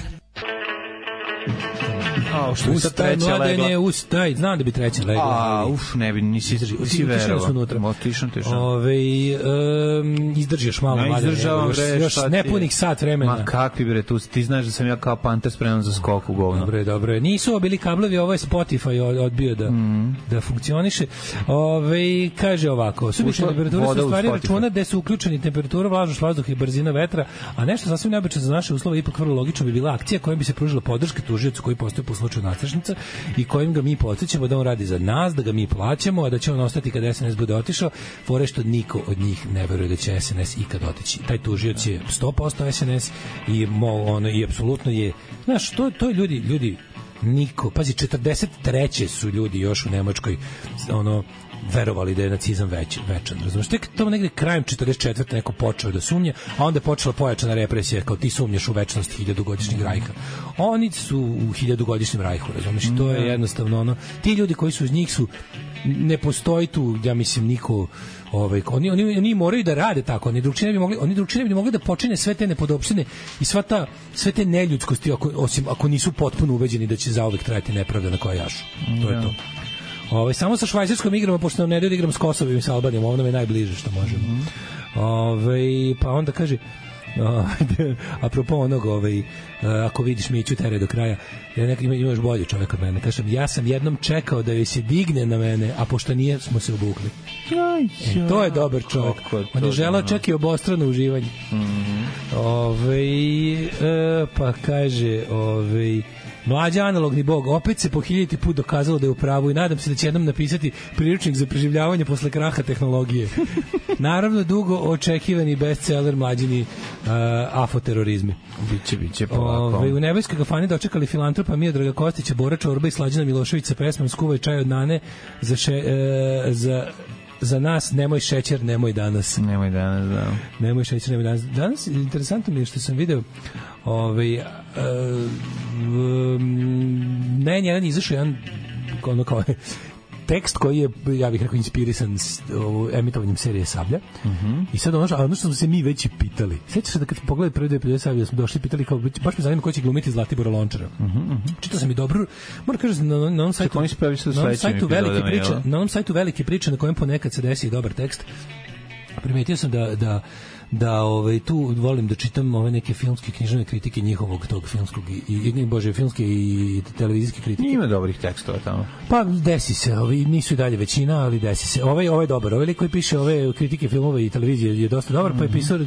A, što je sad treća legla? Ustaj, znam da bi treća legla. A, uf, ne bi, nisi, nisi verovao. Tišan, tišan. Ove, um, izdržiš malo. Ja izdržavam, još, bre, još nepunih sat vremena. Ma kakvi, bre, tu, ti znaš da sam ja kao panter spreman za skok u govno. Dobre, dobre. Nisu ovo bili kablovi, ovo je Spotify odbio da, mm. da funkcioniše. Ove, kaže ovako, subične temperature su stvari računa gde su uključeni temperatura, vlažnost vazduha i brzina vetra, a nešto sasvim neobično za naše uslove, ipak vrlo logično bi bila akcija kojom bi se pružila podrška tužiocu koji postoji po slučaju nastrešnica i kojim ga mi podsjećamo da on radi za nas, da ga mi plaćamo, a da će on ostati kada es en es bude otišao, fore što niko od njih ne veruje da će es en es ikad otići. Taj tužioc je sto posto es en es i mo, ono i apsolutno je, znaš, to to je ljudi ljudi niko, pazi, četrdeset treće su ljudi još u Nemačkoj ono verovali da je nacizam već, večan. Razumiješ, tek tamo negde krajem četrdeset četvrte neko počeo da sumnje, a onda je počela pojačana represija, kao ti sumnjaš u večnost hiljadugodišnjeg rajha. Oni su u hiljadugodišnjem rajhu, razumiješ, to je jednostavno ono, ti ljudi koji su uz njih su, ne postoji tu, ja mislim, niko, ovaj, oni, oni, oni moraju da rade tako, oni drugčije ne bi mogli, oni drugčije ne bi mogli da počine sve te nepodopštine i sva ta, sve te neljudskosti, ako, osim ako nisu potpuno ubeđeni da će zauvek trajati nepravda na koja jašu. To je to. Ovaj samo sa Švajcarskom igramo, pošto nam ne da igram s Kosovom i sa Albanijom, ovo nam je najbliže što možemo. Mm. Ovaj pa onda kaže apropo onog, ovaj, ako vidiš Miću tere do kraja, ja nekad ima, imaš bolji čovjek od mene. Kažem, ja sam jednom čekao da joj se digne na mene, a pošto nije, smo se obukli. E, to je dobar čovjek. On je želao čak i obostrano uživanje. Mm-hmm. Ove, e, pa kaže, ove, mlađi analogni bog, opet se po hiljaditi put dokazalo da je u pravu i nadam se da će jednom napisati priručnik za preživljavanje posle kraha tehnologije. Naravno, dugo očekivani bestseller mlađini uh, afoterorizmi. Biće, biće polako. Ove, u nebojskoj kafani dočekali filantropa Miodraga Kostića, Bora Čorba i Slađana Milošević sa pesmom Skuvaj čaj od Nane za, še, uh, za za nas nemoj šećer, nemoj danas. Nemoj danas, da. Nemoj šećer, nemoj danas. Danas, interesantno mi je što sam video ovaj, uh, um, ne, jedan izašao jedan ono kao tekst koji je, ja bih rekao, inspirisan s emitovanjem serije Sablja. Uh-huh. I sad ono što, ono što smo se mi već i pitali. Sjećaš se da kad pogledaj prvi dve epizode Sablja, smo došli i pitali kao, baš me zanima ko će glumiti Zlatibora Lončara. Uh-huh, uh-huh. Čitao sam i dobro, moram kažem, na, na onom sajtu, na onom sajtu velike priče, na onom sajtu velike priče na kojem ponekad se desi i dobar tekst. Primetio sam da, da da ovaj tu volim da čitam ove neke filmske književne kritike njihovog tog filmskog i, i bože filmske i televizijske kritike. Ima dobrih tekstova tamo. Pa desi se, ovi nisu i dalje većina, ali desi se. Ovaj ovaj dobar, ovaj lik koji piše ove kritike filmova i televizije je dosta dobar, mm-hmm. pa je pisao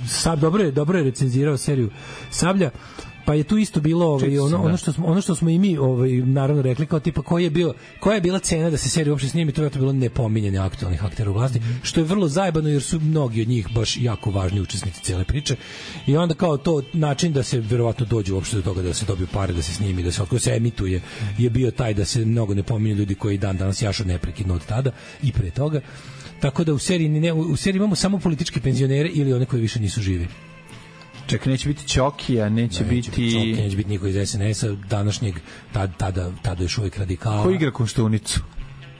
sad dobro je dobro je recenzirao seriju Sablja. Pa je tu isto bilo ovaj, ono, ono, što smo, ono što smo i mi ovaj, naravno rekli kao tipa koji je bio, koja je bila cena da se serija uopšte snimi, to je to bilo nepominjanje aktualnih aktera u vlasti, mm-hmm. što je vrlo zajebano jer su mnogi od njih baš jako važni učesnici cijele priče i onda kao to način da se verovatno dođe uopšte do toga da se dobiju pare, da se snimi, da se otko se emituje je bio taj da se mnogo ne pominju ljudi koji dan danas jašu neprekidno od tada i pre toga. Tako da u seriji, ne, u seriji imamo samo političke penzionere ili one koji više nisu živi. Ček, neće biti Čokija, neće, neće biti... biti Čokija, neće biti niko iz es en es-a, današnjeg, tada, tada, tada još uvijek radikala. Ko igra Koštunicu?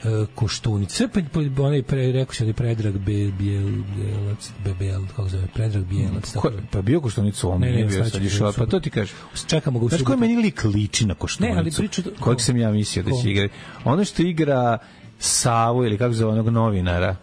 E, Koštunice, pa, pa onaj pre, rekao se, onaj Predrag Be, Bijel, Bijelac, Bebel, kako zove, Predrag Bijelac. Ko, pa bio Koštunicu, on ne, nije bio sad išao, pa to ti kažeš. Čekamo ga u subotu. Znaš koji meni lik liči na Koštunicu? Ne, ali priču... Kojeg sam ja mislio da će igrati? Ono što igra Savu, ili kako zove, onog novinara,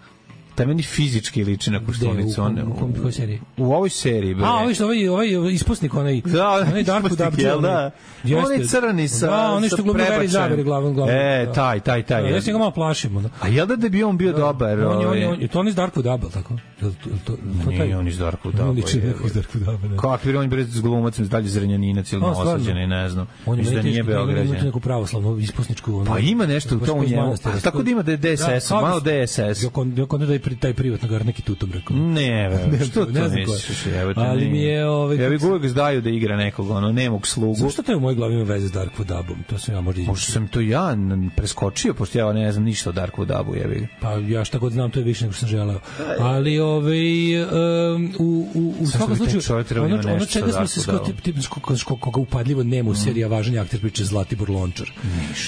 taj meni fizički liči na Koštunicu. U, u, u, u kojoj seriji? U ovoj seriji. Bre. A, ovaj, ovaj, ovaj ispusnik, onaj, da, onaj Darko Dabđe. Da, onaj crni sa da, onaj što glumi Veri Zabere glavom. glavom e, taj, taj, taj. Da, ja se ga malo plašimo. Da. A jel da bi on bio da, dobar? On je, on je, on je, to on iz Darko Dabel, tako? To, to, to, to nije on iz Darko Dabel. On liči neko iz Darko Dabel. Kakvi on bre s glumacem dalje Zrenjaninac ili Novosađeni, ne znam. On je nije Beograđan. On je neku pravoslavnu ispusničku. Pa ima nešto u tom njemu. Tako da ima da je D S S, malo D S S. Jok onda da je taj privatno gar neki tutom rekao. Ne, ne, što to ne misliš? Ali mi je ovaj ja bih uvek zdaju da igra nekog ono nemog slugu. Zašto to je u mojoj glavi ima veze s Dark Vodabom? To sam ja možda izmislio. Možda sam to ja preskočio, pošto ja ne znam ništa o Dark Vodabu, jebi. Pa ja šta god znam, to je više nego što sam želeo. Ali ovaj um, u u u svakom slučaju ono, ono čega smo se skoro koga upadljivo nema u seriji važan akter priče Zlatibor Lončar.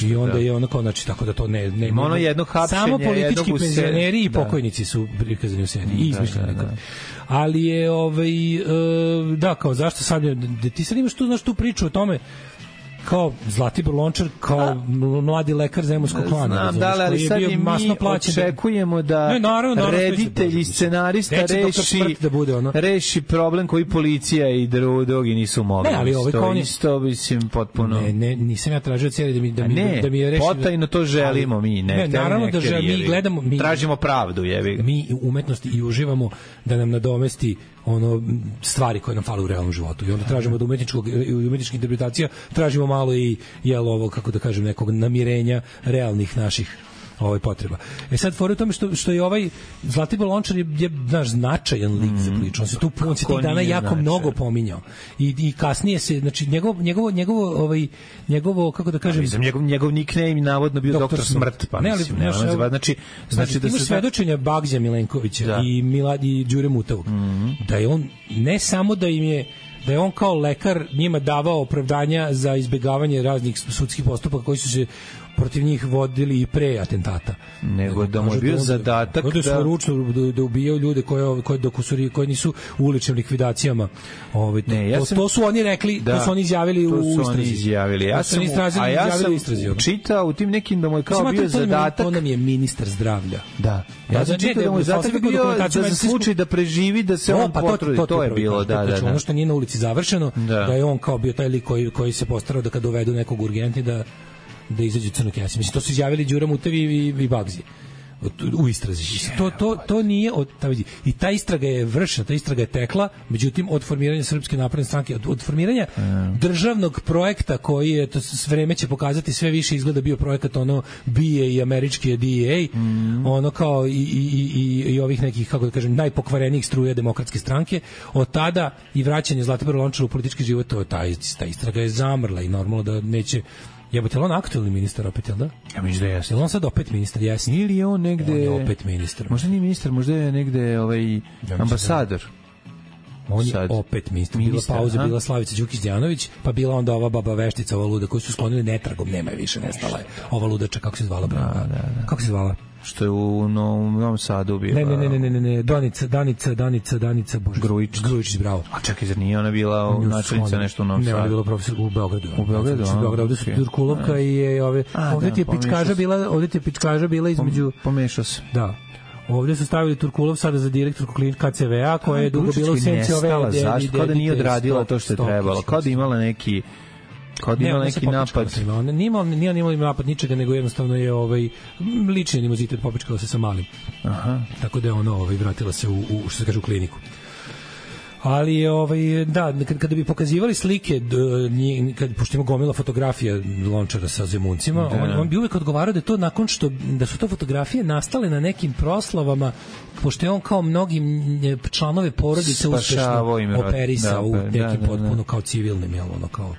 I onda je ono kao znači tako da to ne ne ono jedno hapšenje, samo politički penzioneri i pokojnici su prikazani u seriji. I izmišljeno da, da, da. Ali je ovaj e, da kao zašto sad da ti sad imaš tu znaš tu priču o tome kao Zlatibor Lončar kao A, mladi lekar zemunskog klana. Znam, da, ali sad je mi očekujemo da ne, naravno, naravno, reditelj i scenarista reši, da bude ono. reši problem koji policija i drugi nisu mogli. Ne, ali ovaj to isto mislim potpuno. Ne, ne, nisam ja tražio seriju da mi da mi ne, da mi je rešio. Potajno to želimo ali, mi, ne. Ne, naravno da želimo, mi gledamo, mi tražimo pravdu, jebi. Mi u umetnosti i uživamo da nam nadomesti ono stvari koje nam fale u realnom životu. I onda tražimo da umetničkog umetničkih interpretacija tražimo malo i jel ovo kako da kažem nekog namirenja realnih naših ovaj potreba. E sad fora u tome što što je ovaj Zlatibor Lončar je, je naš značajan lik mm-hmm. za priču. On se tu on se tih dana jako značaj. mnogo pominjao. I i kasnije se znači njegov njegovo njegovo ovaj njegovo kako da kažem mislim njegov njegov nickname navodno bio doktor, doktor Smrt, pa ne, ali, mislim, ne, znači znači, znači da se svedočenja Bagđa Milenkovića da. i Miladi Đure Mutavog mm-hmm. da je on ne samo da im je da je on kao lekar njima davao opravdanja za izbegavanje raznih sudskih postupaka koji su se protiv njih vodili i pre atentata. Nego da mu je bio zadatak da... Da su ručno da, da ubijaju ljude koje, koje, koje, koje nisu u uličnim likvidacijama. Ove, ne, ja to, sam, to su oni rekli, da, to su oni izjavili u istrazi. To su oni izjavili. Ja sam, izrazili, a ja sam istrazi, čitao u tim nekim da mu je kao Mislim, bio zadatak... On nam je ministar zdravlja. Da. Ja sam čitao da mu je zadatak bio da za slučaj da preživi, da se on potrudi. To je bilo, da, da. Ono što nije na ulici završeno, da je on kao bio taj lik koji, koji se postarao da kad dovedu nekog urgentni da, da izađe crno kese. Mislim, to su izjavili Đura Mutevi i, i Bagzi u istrazi. To, to, to nije od, ta vidi, i ta istraga je vršena, ta istraga je tekla, međutim od formiranja Srpske napredne stranke, od, od formiranja mm. državnog projekta koji je, to s vreme će pokazati, sve više izgleda bio projekat ono B A i američki D E A, mm. ono kao i, i, i, i ovih nekih, kako da kažem, najpokvarenijih struja demokratske stranke. Od tada i vraćanje Zlatiboru Lončaru u politički život, to, ta, ta istraga je zamrla i normalno da neće. Jebote, on aktuelni ministar opet, jel da? Ja mislim da jeste. Jel on sad opet ministar, jesni? Ili je on negde... On je opet ministar. Možda nije ministar, možda je negde ovaj, ja ambasador. On je sad opet ministar. Bila pauza, bila Slavica Đukić-Đanović, pa bila onda ova baba veštica, ova luda, koju su sklonili netragom, nema je više, nestala je. Ova ludača, kako se zvala? Da, da, da. Kako se zvala? Što je u Novom Sadu bila... Ne, ne, ne, ne, ne, ne, Danica, Danica, Danica, Danica, Bože. Grujičić. Grujičić, bravo. A čekaj, zar nije ona bila načelnica nešto u Novom Sadu? Ne, ona je bila profesor u Beogradu. U Beogradu, u Beogradu, ovde su Turkulovka i ove... Ovde ti je pičkaža bila, ovde ti je pičkaža bila između... Pomešao se. Da. Ovdje su stavili Turkulov sada za direktorku klinika K C V A, koja je dugo bila u senci ove... Zašto? Kao da nije odradila to što je trebalo. Kao da imala neki... Kao da imala neki napad. Nije imala, nije imala napad ničega, nego jednostavno je ovaj, lični animozitet, popičkala se sa malim. Aha. Tako da je ona ovaj, vratila se u, u, što se kaže, u kliniku. Ali ovaj da kad kada bi pokazivali slike kad pošto ima gomila fotografija Lončara sa Zemuncima, on, on bi uvek odgovarao da je to nakon što da su to fotografije nastale na nekim proslavama, pošto je on kao mnogi članove porodice uspešno operisao u nekim potpuno kao civilnim, jel ono kao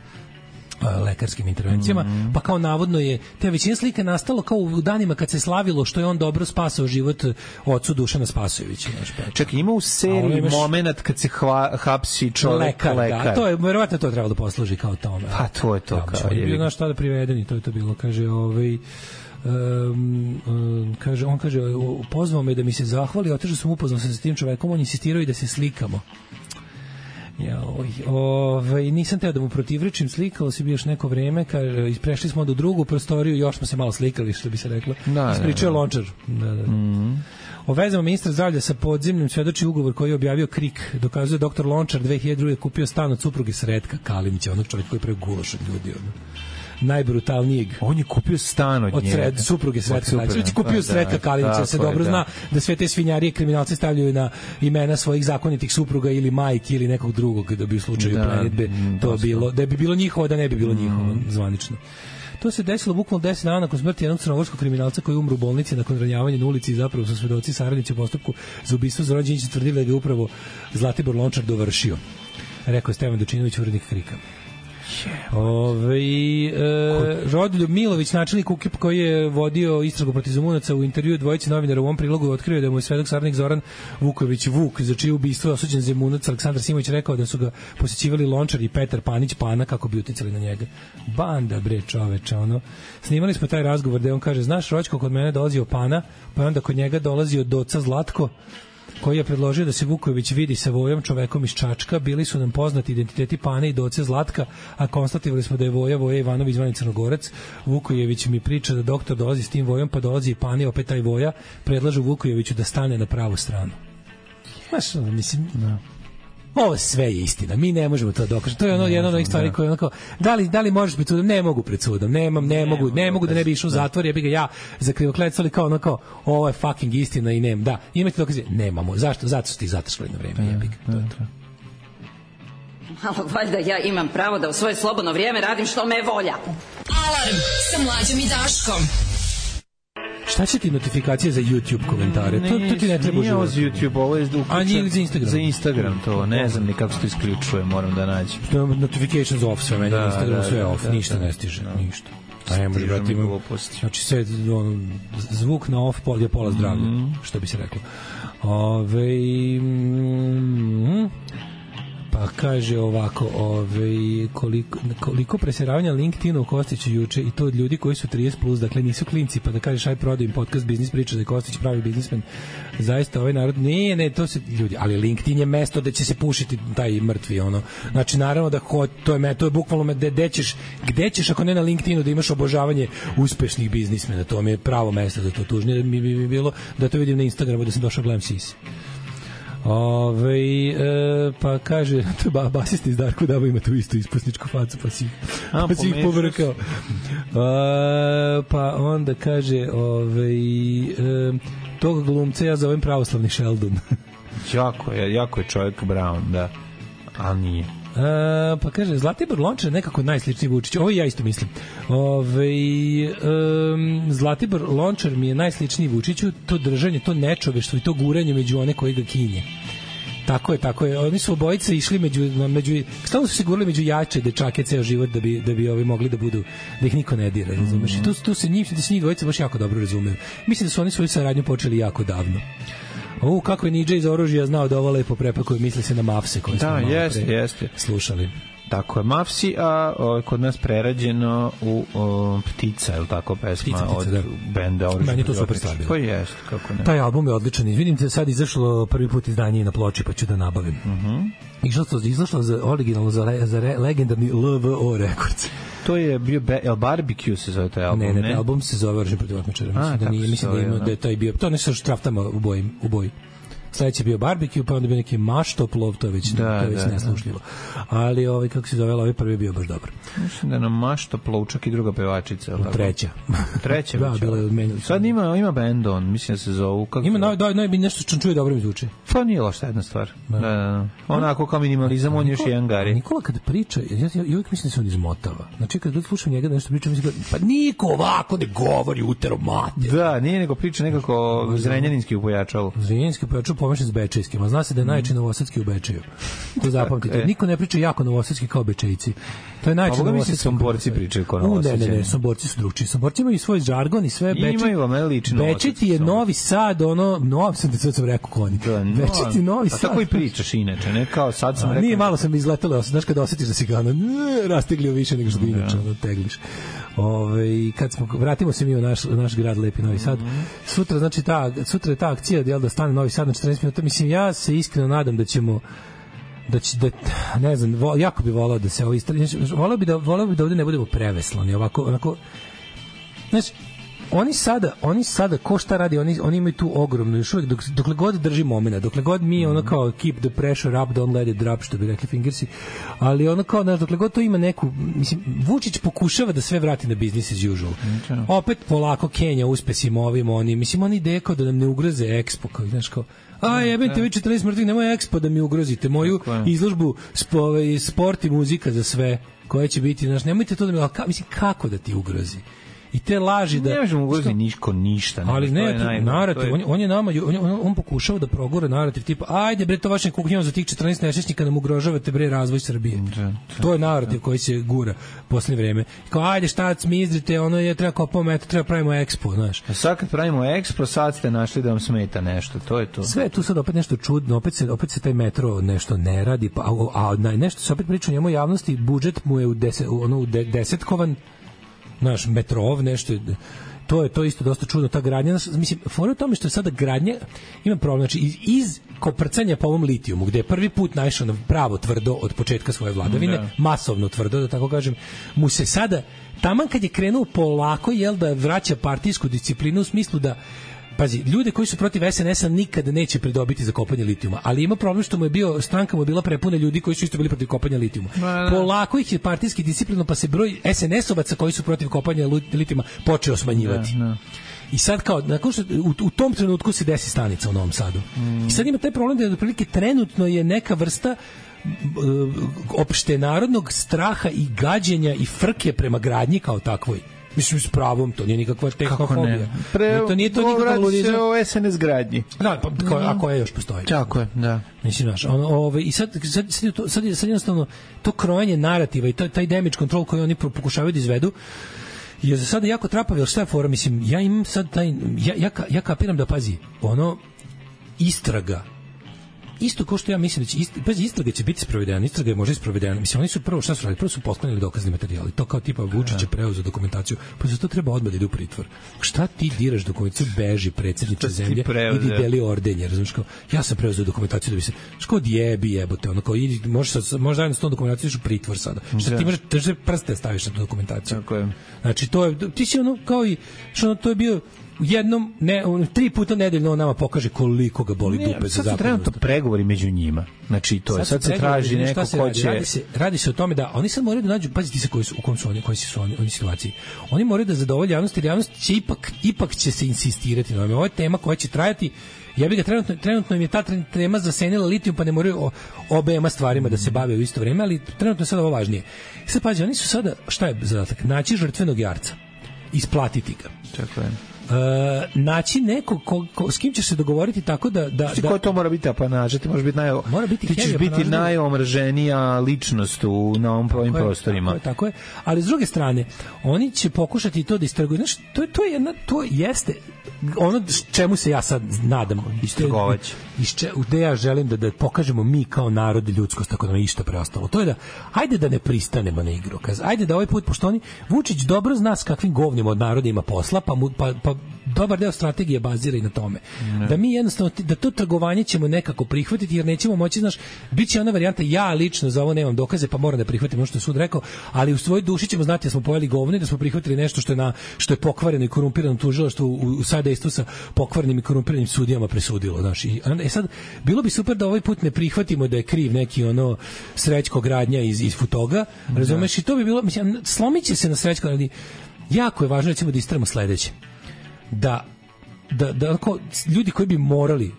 lekarskim intervencijama, mm-hmm. pa kao navodno je te većina slika nastalo kao u danima kad se slavilo što je on dobro spasao život ocu Dušana Spasojevića. Čekaj, ima u seriji imaš... moment kad se hva, hapsi čovek lekar, lekar. Da, to je, verovatno to je trebalo da posluži kao tome. Pa to je to. Da, kao je. Bio naš tada privedeni, to je to bilo, kaže, ovaj... Um, um, kaže, on kaže, pozvao me da mi se zahvali, otežao sam upoznao se sa tim čovekom, on insistirao i da se slikamo. Ja, ovaj nisam teo da mu protivrečim, slikalo se bi još neko vreme, kaže, prešli smo do drugu prostoriju, još smo se malo slikali, što bi se reklo. Da, ispričao Lončar. Da, da. Mm-hmm. O vezama ministra zdravlja sa podzemnim svedoči ugovor koji je objavio KRIK. Dokazuje doktor Lončar dve hiljade druge kupio stan od supruge Sretka Kalinića, onog čovjeka koji pravi gulaš od ljudi. Ono. Najbrutalnijeg. On je kupio stan od, od njega. Od supruge Sretka Kalinića. Već je kupio Sretka Kalinića, se dobro zna da sve te svinjarije kriminalci stavljaju na imena svojih zakonitih supruga ili majki ili nekog drugog, da bi u slučaju da, plenitbe to bilo, da bi bilo njihovo, da ne bi bilo njihovo, mm. zvanično. To se desilo bukvalno deset dana nakon smrti jednog crnogorskog kriminalca koji umro u bolnici nakon ranjavanja na ulici i zapravo su svedoci saradnici u postupku za ubistvo Zoran tvrdili da je upravo Zlatibor Lončar dovršio. Rekao je Stevan Dučinović, urednik KRIK-a. Ove, e, Rodoljub Milović, načelnik U K I P koji je vodio istragu protiv Zemunaca, u intervju dvojice novinara u ovom prilogu otkrio da mu je svedok saradnik Zoran Vuković Vuk, za čije ubistvo je osuđen Zemunac Aleksandar Simović, rekao da su ga posećivali Lončar i Petar Panić Pana kako bi uticali na njega. Banda bre čoveče, ono. Snimali smo taj razgovor da on kaže, znaš Roćko, kod mene dolazio Pana, pa onda kod njega dolazio Doca Zlatko, koji je predložio da se Vuković vidi sa Vojom, čovekom iz Čačka. Bili su nam poznati identiteti Pane i Doce Zlatka, a konstatovali smo da je Voja Voja Ivanović zvani Crnogorac. Vukojević mi priča da doktor dolazi s tim Vojom, pa dolazi i Pane, opet taj Voja. Predlažu Vukojeviću da stane na pravu stranu. Znaš, mislim... No. Ovo sve je istina. Mi ne možemo to dokažiti. To je ono jedna od onih stvari koje onako, da li da li možeš pred sudom? Ne mogu pred sudom. Nemam, ne, ne mogu, ne mogu da ne bi išao u zatvor, ja bih ga ja za krivokletstvo, ali kao ono kao ovo je fucking istina i nem. Da, imate dokaze? Nemamo. Zašto? Zato su ti zatršali na vreme, jebik. To je to. Malo valjda ja imam pravo da u svoje slobodno vrijeme radim što me volja. Alarm sa Mlađom i Daškom. Šta će ti notifikacije za YouTube komentare? Ne, to, to ti ne treba nije ovo za YouTube, ovo je uključen. A nije za Instagram? Za Instagram to, ne znam ni kako se to isključuje, moram da nađem. Notifications off, sve meni, da, Instagram sve da, off, da, ništa da, ne stiže, da. Ništa. A ne može, brati, imam, znači sve, on, zvuk na off je pola zdravlja, mm. što bi se reklo. Ove, mm, pa kaže ovako, ovaj, koliko, koliko preseravanja LinkedIna u Kostiću juče i to od ljudi koji su trideset plus, dakle nisu klinci, pa da kažeš aj prodaju im podcast biznis priča da je Kostić pravi biznismen. Zaista ovaj narod, ne, ne, to se ljudi, ali LinkedIn je mesto da će se pušiti taj mrtvi, ono. Znači, naravno da ho, to je, to je bukvalno gde, gde ćeš, gde ćeš ako ne na LinkedInu da imaš obožavanje uspešnih biznismena, to mi je pravo mesto za to. Tužnije mi bi bilo da to vidim na Instagramu da sam došao gledam sise. Ove, e, pa kaže ba, basista iz Darku Daba ima tu istu ispusničku facu pa si, A, pa si ih pobrkao. A, pa onda kaže ove, e, tog glumca ja zovem pravoslavni Sheldon. jako je, jako je čovjek Brown, da, ali nije. A, pa kaže Zlatibor Lončar nekako najsličniji Vučić. Ovo ja isto mislim. Ove, um, Zlatibor Lončar mi je najsličniji Vučiću, to držanje, to nečoveštvo i to guranje među one koji ga kinje. Tako je, tako je. Oni su obojice išli među među stalno su se gurali među jače dečake ceo život da bi da bi ovi mogli da budu da ih niko ne dira, razumeš? I tu tu se njih da se njih dvojica baš jako dobro razumeju. Mislim da su oni svoju saradnju počeli jako davno. O, kako je Nidža iz oružja znao da ovo lepo prepakuje, misli se na Mafse koje smo da, malo jeste, pre jeste. slušali. Tako je, Mafsi, a o, kod nas prerađeno u o, Ptica, je li tako pesma Ptica, Ptica, od da. Benda Oružja? Meni je to super stvar bilo. Pa jeste, kako ne. Taj album je odličan. Vidim te sad izašlo prvi put izdanje na ploči, pa ću da nabavim. Uh -huh. Izašlo, izašlo za originalno za, le, za re, legendarni L V O Records. To je bio be, El Barbecue se zove taj album, ne? Ne, ne, album se zove Oružje protiv otmičara. Mislim da nije, mislim da, ima, da je taj bio, to ne sa štraftama u boji, u boji. Sledeći je bio barbecue, pa onda bio neki maštoplov, to je već, da, to je već da, neslušljivo. Ali ovaj, kako se zove, ovaj prvi je bio baš dobar. Mislim da na maštoplov čak i druga pevačica. Tako? Treća. Treća da, bila je menjali. Sad ima, ima band on, mislim da se zovu. Kako ima noj, doj, noj, nešto što čuje dobro mi zvuči. Pa nije loša jedna stvar. Da. Da, da. Onako kao minimalizam, on još jedan gari. Nikola kad priča, ja, ja, ja uvijek mislim da se on izmotava. Znači kad slušam njega da nešto priča, mislim da, pa niko ovako ne govori utero mater. Da, nije nego priča nekako zrenjaninski upojačalo. Zrenjaninski upojačalo pomešan s bečejskim. A zna se da je najjači novosadski u Bečeju. To zapamtite. Niko ne priča jako novosadski kao Bečejci. To je najjači novosadski. Somborci pričaju kao novosadski. Ne, ne, ne, Somborci su drugčiji. Somborci imaju svoj žargon i sve. Imaju vam lično. Bečeti je Novi Sad, ono, Novi Sad, sad sam rekao konji. Bečeti Novi Sad. A tako i pričaš inače, ne kao sad sam rekao. Nije, malo sam izletelo, znaš kad osjetiš da si ga ono, rasteglio više nego što bi inače ono tegliš. Ove, kad smo, vratimo se mi u naš, naš grad Lepi Novi Sad. Sutra, znači, ta, sutra je ta akcija jel, da stane Novi Sad na četrnaest minuta. Mislim, ja se iskreno nadam da ćemo da će, da, ne znam, vo, jako bi volao da se ovo istrani. Volao bi da, volao bi da ovde ne budemo preveslani. Ovako, onako, znači, oni sada, oni sada ko šta radi, oni oni imaju tu ogromnu još uvek dok, dokle god drži momenat, dokle god mi ono kao keep the pressure up, don't let it drop, što bi rekli Fingersi, ali ono kao, znaš, dokle god to ima neku, mislim, Vučić pokušava da sve vrati na business as usual. Okay. Opet polako Kenja uspesima ovim, oni, mislim, oni ideje kao da nam ne ugroze Expo, kao, znaš, kao, a jebite vi četrnaest mrtvih, nemoj Expo da mi ugrozite, moju izložbu spo, sport i muzika za sve, koja će biti, znaš, nemojte to da mi, ka, mislim, kako da ti ugrozi? I te laži da ne možemo ugroziti niško ništa, ali ne, naj, narativ, je... on, on je nama on, on, on pokušao da progura narativ tipa ajde bre, to vašem kuhinjom za tih četrnaest nesrećnika nam ugrožavate bre razvoj Srbije. Da, da, to je narativ da. Koji se gura poslednje vreme. Kao ajde šta smizdrite, ono je treba kao pomet, treba pravimo Expo, znaš. A sad kad pravimo Expo, sad ste našli da vam smeta nešto, to je to. Sve je tu sad opet nešto čudno, opet se opet se taj metro nešto ne radi, pa a, a, a nešto se opet priča o njemu javnosti, budžet mu je u deset, ono u de, desetkovan. Naš metrov, nešto, to je to isto dosta čudno, ta gradnja, mislim, fora u tome što je sada gradnja, ima problem, znači iz, iz koprcanja po ovom litijumu, gde je prvi put naišao na pravo tvrdo od početka svoje vladavine, da. Masovno tvrdo, da tako kažem, mu se sada, taman kad je krenuo polako, jel da vraća partijsku disciplinu u smislu da pazi, ljude koji su protiv S N S-a nikada neće pridobiti za kopanje litijuma, ali ima problem što mu je bio, stranka mu je bila prepuna ljudi koji su isto bili protiv kopanja litijuma. Polako ih je partijski disciplino, pa se broj S N S-ovaca koji su protiv kopanja litijuma počeo smanjivati. Ne, ne. I sad kao, nakon što, u, u tom trenutku se desi stanica u Novom Sadu. Mm. I sad ima taj problem da je otprilike trenutno je neka vrsta opšte narodnog straha i gađenja i frke prema gradnji kao takvoj. Mislim, s pravom, to nije nikakva tehnofobija. Pre, to nije to nikakva ludizam. O S N S gradnji. Da, pa, ko, a koja još postoji? Tako je, da. Mislim, znaš, ono, ove, i sad, sad, sad, to, sad, sad jednostavno to krojanje narativa i taj, taj damage control koji oni pokušavaju da izvedu je za sada jako trapav, jer šta je fora, mislim, ja imam sad taj, ja, ja, ja kapiram da, pazi, ono, istraga isto kao što ja mislim da će ist, pazi, istraga će biti sprovedena, istraga je možda sprovedena. Mislim, oni su prvo šta su radili? Prvo su posklonili dokazni materijal. To kao tipa Vučić je preuzeo dokumentaciju, pa za to treba odmah da ide u pritvor. Šta ti diraš dokumentaciju, beži predsjedniče zemlje, idi deli ordenje, razumiješ, kao ja sam preuzeo dokumentaciju da bi se što odjebi jebote, ono kao idi, možeš možeš zajedno s tom dokumentacijom u pritvor sada. Šta ti možeš drže prste staviš na tu dokumentaciju. Tako je. Znači to je ti si ono kao i što to je bio jednom ne tri puta nedeljno nama pokaže koliko ga boli dupe za zakon. Trenutno pregovori među njima. Znači to je sad, sad se traži neko ko će radi se radi se o tome da oni sad moraju da nađu, pazite se koji su u kom su oni, koji su oni oni situaciji. Oni moraju da zadovolje javnost, jer javnost će ipak ipak će se insistirati na ovome. Ovo je tema koja će trajati. Ja bih ga trenutno trenutno im je ta tema zasenila litijum, pa ne moraju obema stvarima da se bave u isto vrijeme, ali trenutno je sad ovo važnije. Sad pazi, oni su sada šta je zadatak? Naći žrtvenog jarca. Isplatiti ga. Tako je. Uh, naći neko ko, ko, s kim ćeš se dogovoriti tako da da, da ko to mora biti apanaža, ti možeš biti naj mora biti ti ćeš biti najomraženija ličnost u na ovim prvim prostorima. Tako je, tako je, ali s druge strane oni će pokušati to da istraguju. Znaš, to je to je jedna to jeste ono čemu se ja sad nadam istragovać. Isče gde ja želim da da pokažemo mi kao narod ljudskost, tako da nam išta preostalo. To je da ajde da ne pristanemo na igru. Kaz, ajde da ovaj put, pošto oni Vučić dobro zna s kakvim govnima od naroda ima posla, pa mu, pa, pa dobar deo strategije bazira i na tome. Ne. Da mi jednostavno, da to trgovanje ćemo nekako prihvatiti, jer nećemo moći, znaš, bit će ona varijanta, ja lično za ovo nemam dokaze, pa moram da prihvatim ono što je sud rekao, ali u svojoj duši ćemo znati da smo pojeli govno i da smo prihvatili nešto što je, na, što je pokvareno i korumpirano tužilaštvo u, u sadejstvu sa pokvarenim i korumpiranim sudijama presudilo. Znaš. I, e sad, bilo bi super da ovaj put ne prihvatimo da je kriv neki ono Srećko Gradnja iz, iz Futoga, razumeš, i to bi bilo, mislim, slomit će se na Srećko, ali jako je važno, recimo, da istramo sledeće. Da, da, da ljudi koji bi morali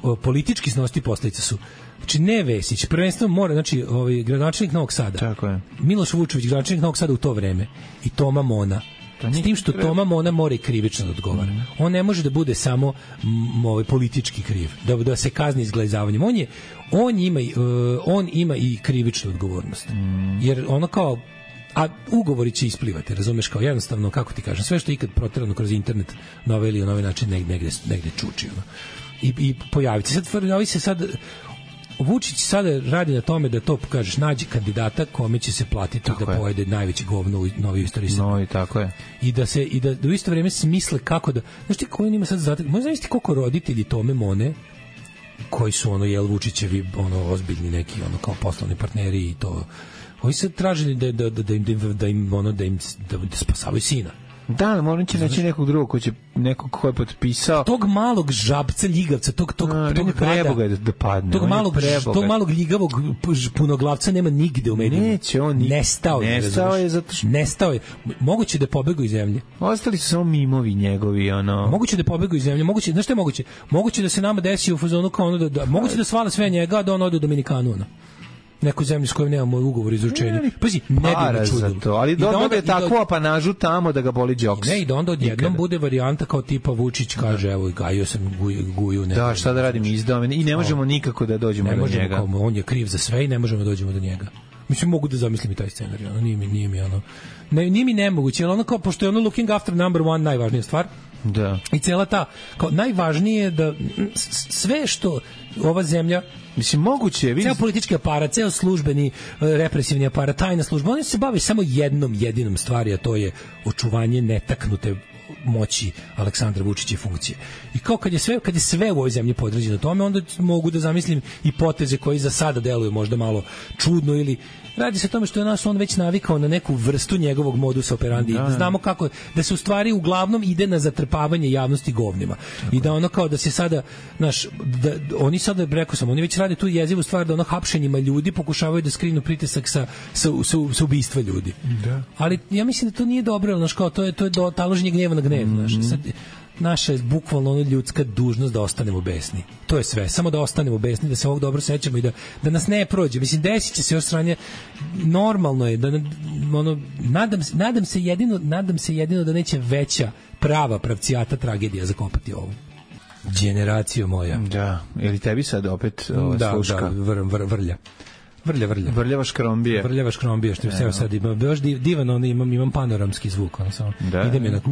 uh, politički snositi posledice su, znači ne Vesić, prvenstveno mora, znači ovaj gradonačelnik Novog Sada. Tako je. Miloš Vučević, gradonačelnik Novog Sada u to vreme, i Toma Mona. S tim što Toma Mona mora i krivično da odgovara. Mm. On ne može da bude samo m, ovaj politički kriv, da da se kazni izglazavanjem. On je on ima uh, on ima i krivičnu odgovornost. Mm. Jer ono kao a ugovori će isplivati, razumeš, kao jednostavno, kako ti kažem, sve što je ikad proterano kroz internet na ovaj ili na ovaj način negde, negde, negde čuči. Ono. I, i pojaviti se. Sad, ovi se sad, Vučić sada radi na tome da to, kažeš, nađe kandidata kome će se platiti tako da je. Pojede najveći govno u novoj istoriji Srbije. No, i tako je. I da se i da, da u isto vrijeme smisle kako da, znaš ti koji ima sad zadatak, možda zamisliti koliko roditelji Tome Mone, koji su ono jel Vučićevi ono ozbiljni neki ono kao poslovni partneri i to, oni se tražili da da da im da im ono da im da, da spasavaju sina. Da, moram će naći nekog drugog ko će nekog ko je potpisao tog malog žabca ljigavca, tog tog A, tog preboga da, da padne. Tog malog tog malog ljigavog punoglavca nema nigde u medijima. Neće on ni nestao je. Nestao je zato što nestao je. Moguće da je pobegao iz zemlje. Ostali su samo mimovi njegovi, ono. Moguće da je pobegao iz zemlje, moguće, znaš šta je moguće? Moguće da se nama desi u fazonu kao ono da, da moguće da svale sve njega da on ode u Dominikanu, ono. Neku zemlju s kojom nemamo ugovor izručenja. Pazi, ne bi me čudilo. To, ali da dobije takvu apanažu tamo da ga boli džoks. Ne, i da onda odjednom bude varijanta kao tipa Vučić kaže, evo, gajio sam guju, guju ne. Da, šta da radim, izdao me i ne možemo nikako da dođemo ne do možemo, njega. Kao, on je kriv za sve i ne možemo da dođemo do njega. Mislim, mogu da zamislim i taj scenarij, ono, nije mi, nije mi ono, ne, nije mi nemoguće, ali ono kao, pošto je ono looking after number one najvažnija stvar, da. I cela ta, kao najvažnije je da sve što ova zemlja, mislim, moguće je, ceo politički aparat, ceo službeni represivni aparat, tajna služba, oni se bave samo jednom jedinom stvari, a to je očuvanje netaknute moći Aleksandra Vučića i funkcije. I kao kad je sve kad je sve u ovoj zemlji podređeno tome, onda mogu da zamislim i poteze koji za sada deluju možda malo čudno, ili radi se o tome što je nas on već navikao na neku vrstu njegovog modusa operandi. Da, znamo kako da se u stvari uglavnom ide na zatrpavanje javnosti govnima. Tako. I da ono kao da se sada naš da oni sada, rekao sam, oni već rade tu jezivu stvar da ono hapšenjima ljudi pokušavaju da skrinu pritisak sa sa, sa, sa ubistva ljudi. Da. Ali ja mislim da to nije dobro, znači kao to je to je do taloženje gnjeva na gnev, mm-hmm. Znaš, sad, naša je bukvalno ono ljudska dužnost da ostanemo besni. To je sve. Samo da ostanemo besni, da se ovog dobro sećamo i da, da nas ne prođe. Mislim, desit će se još stranje. Normalno je da ono, nadam, nadam, se jedino, nadam se jedino da neće veća prava pravcijata tragedija zakopati ovu. Generacija moja. Da. Ili tebi sad opet ova da, sluška? Da, vr, vr, vrlja. Vrlja, vrlja. Vrljava škrombije. Vrljava škrombije, što je sve sad ima. Baš divan, ono, imam, imam panoramski zvuk. Ono, samo. Da. Idem je onako,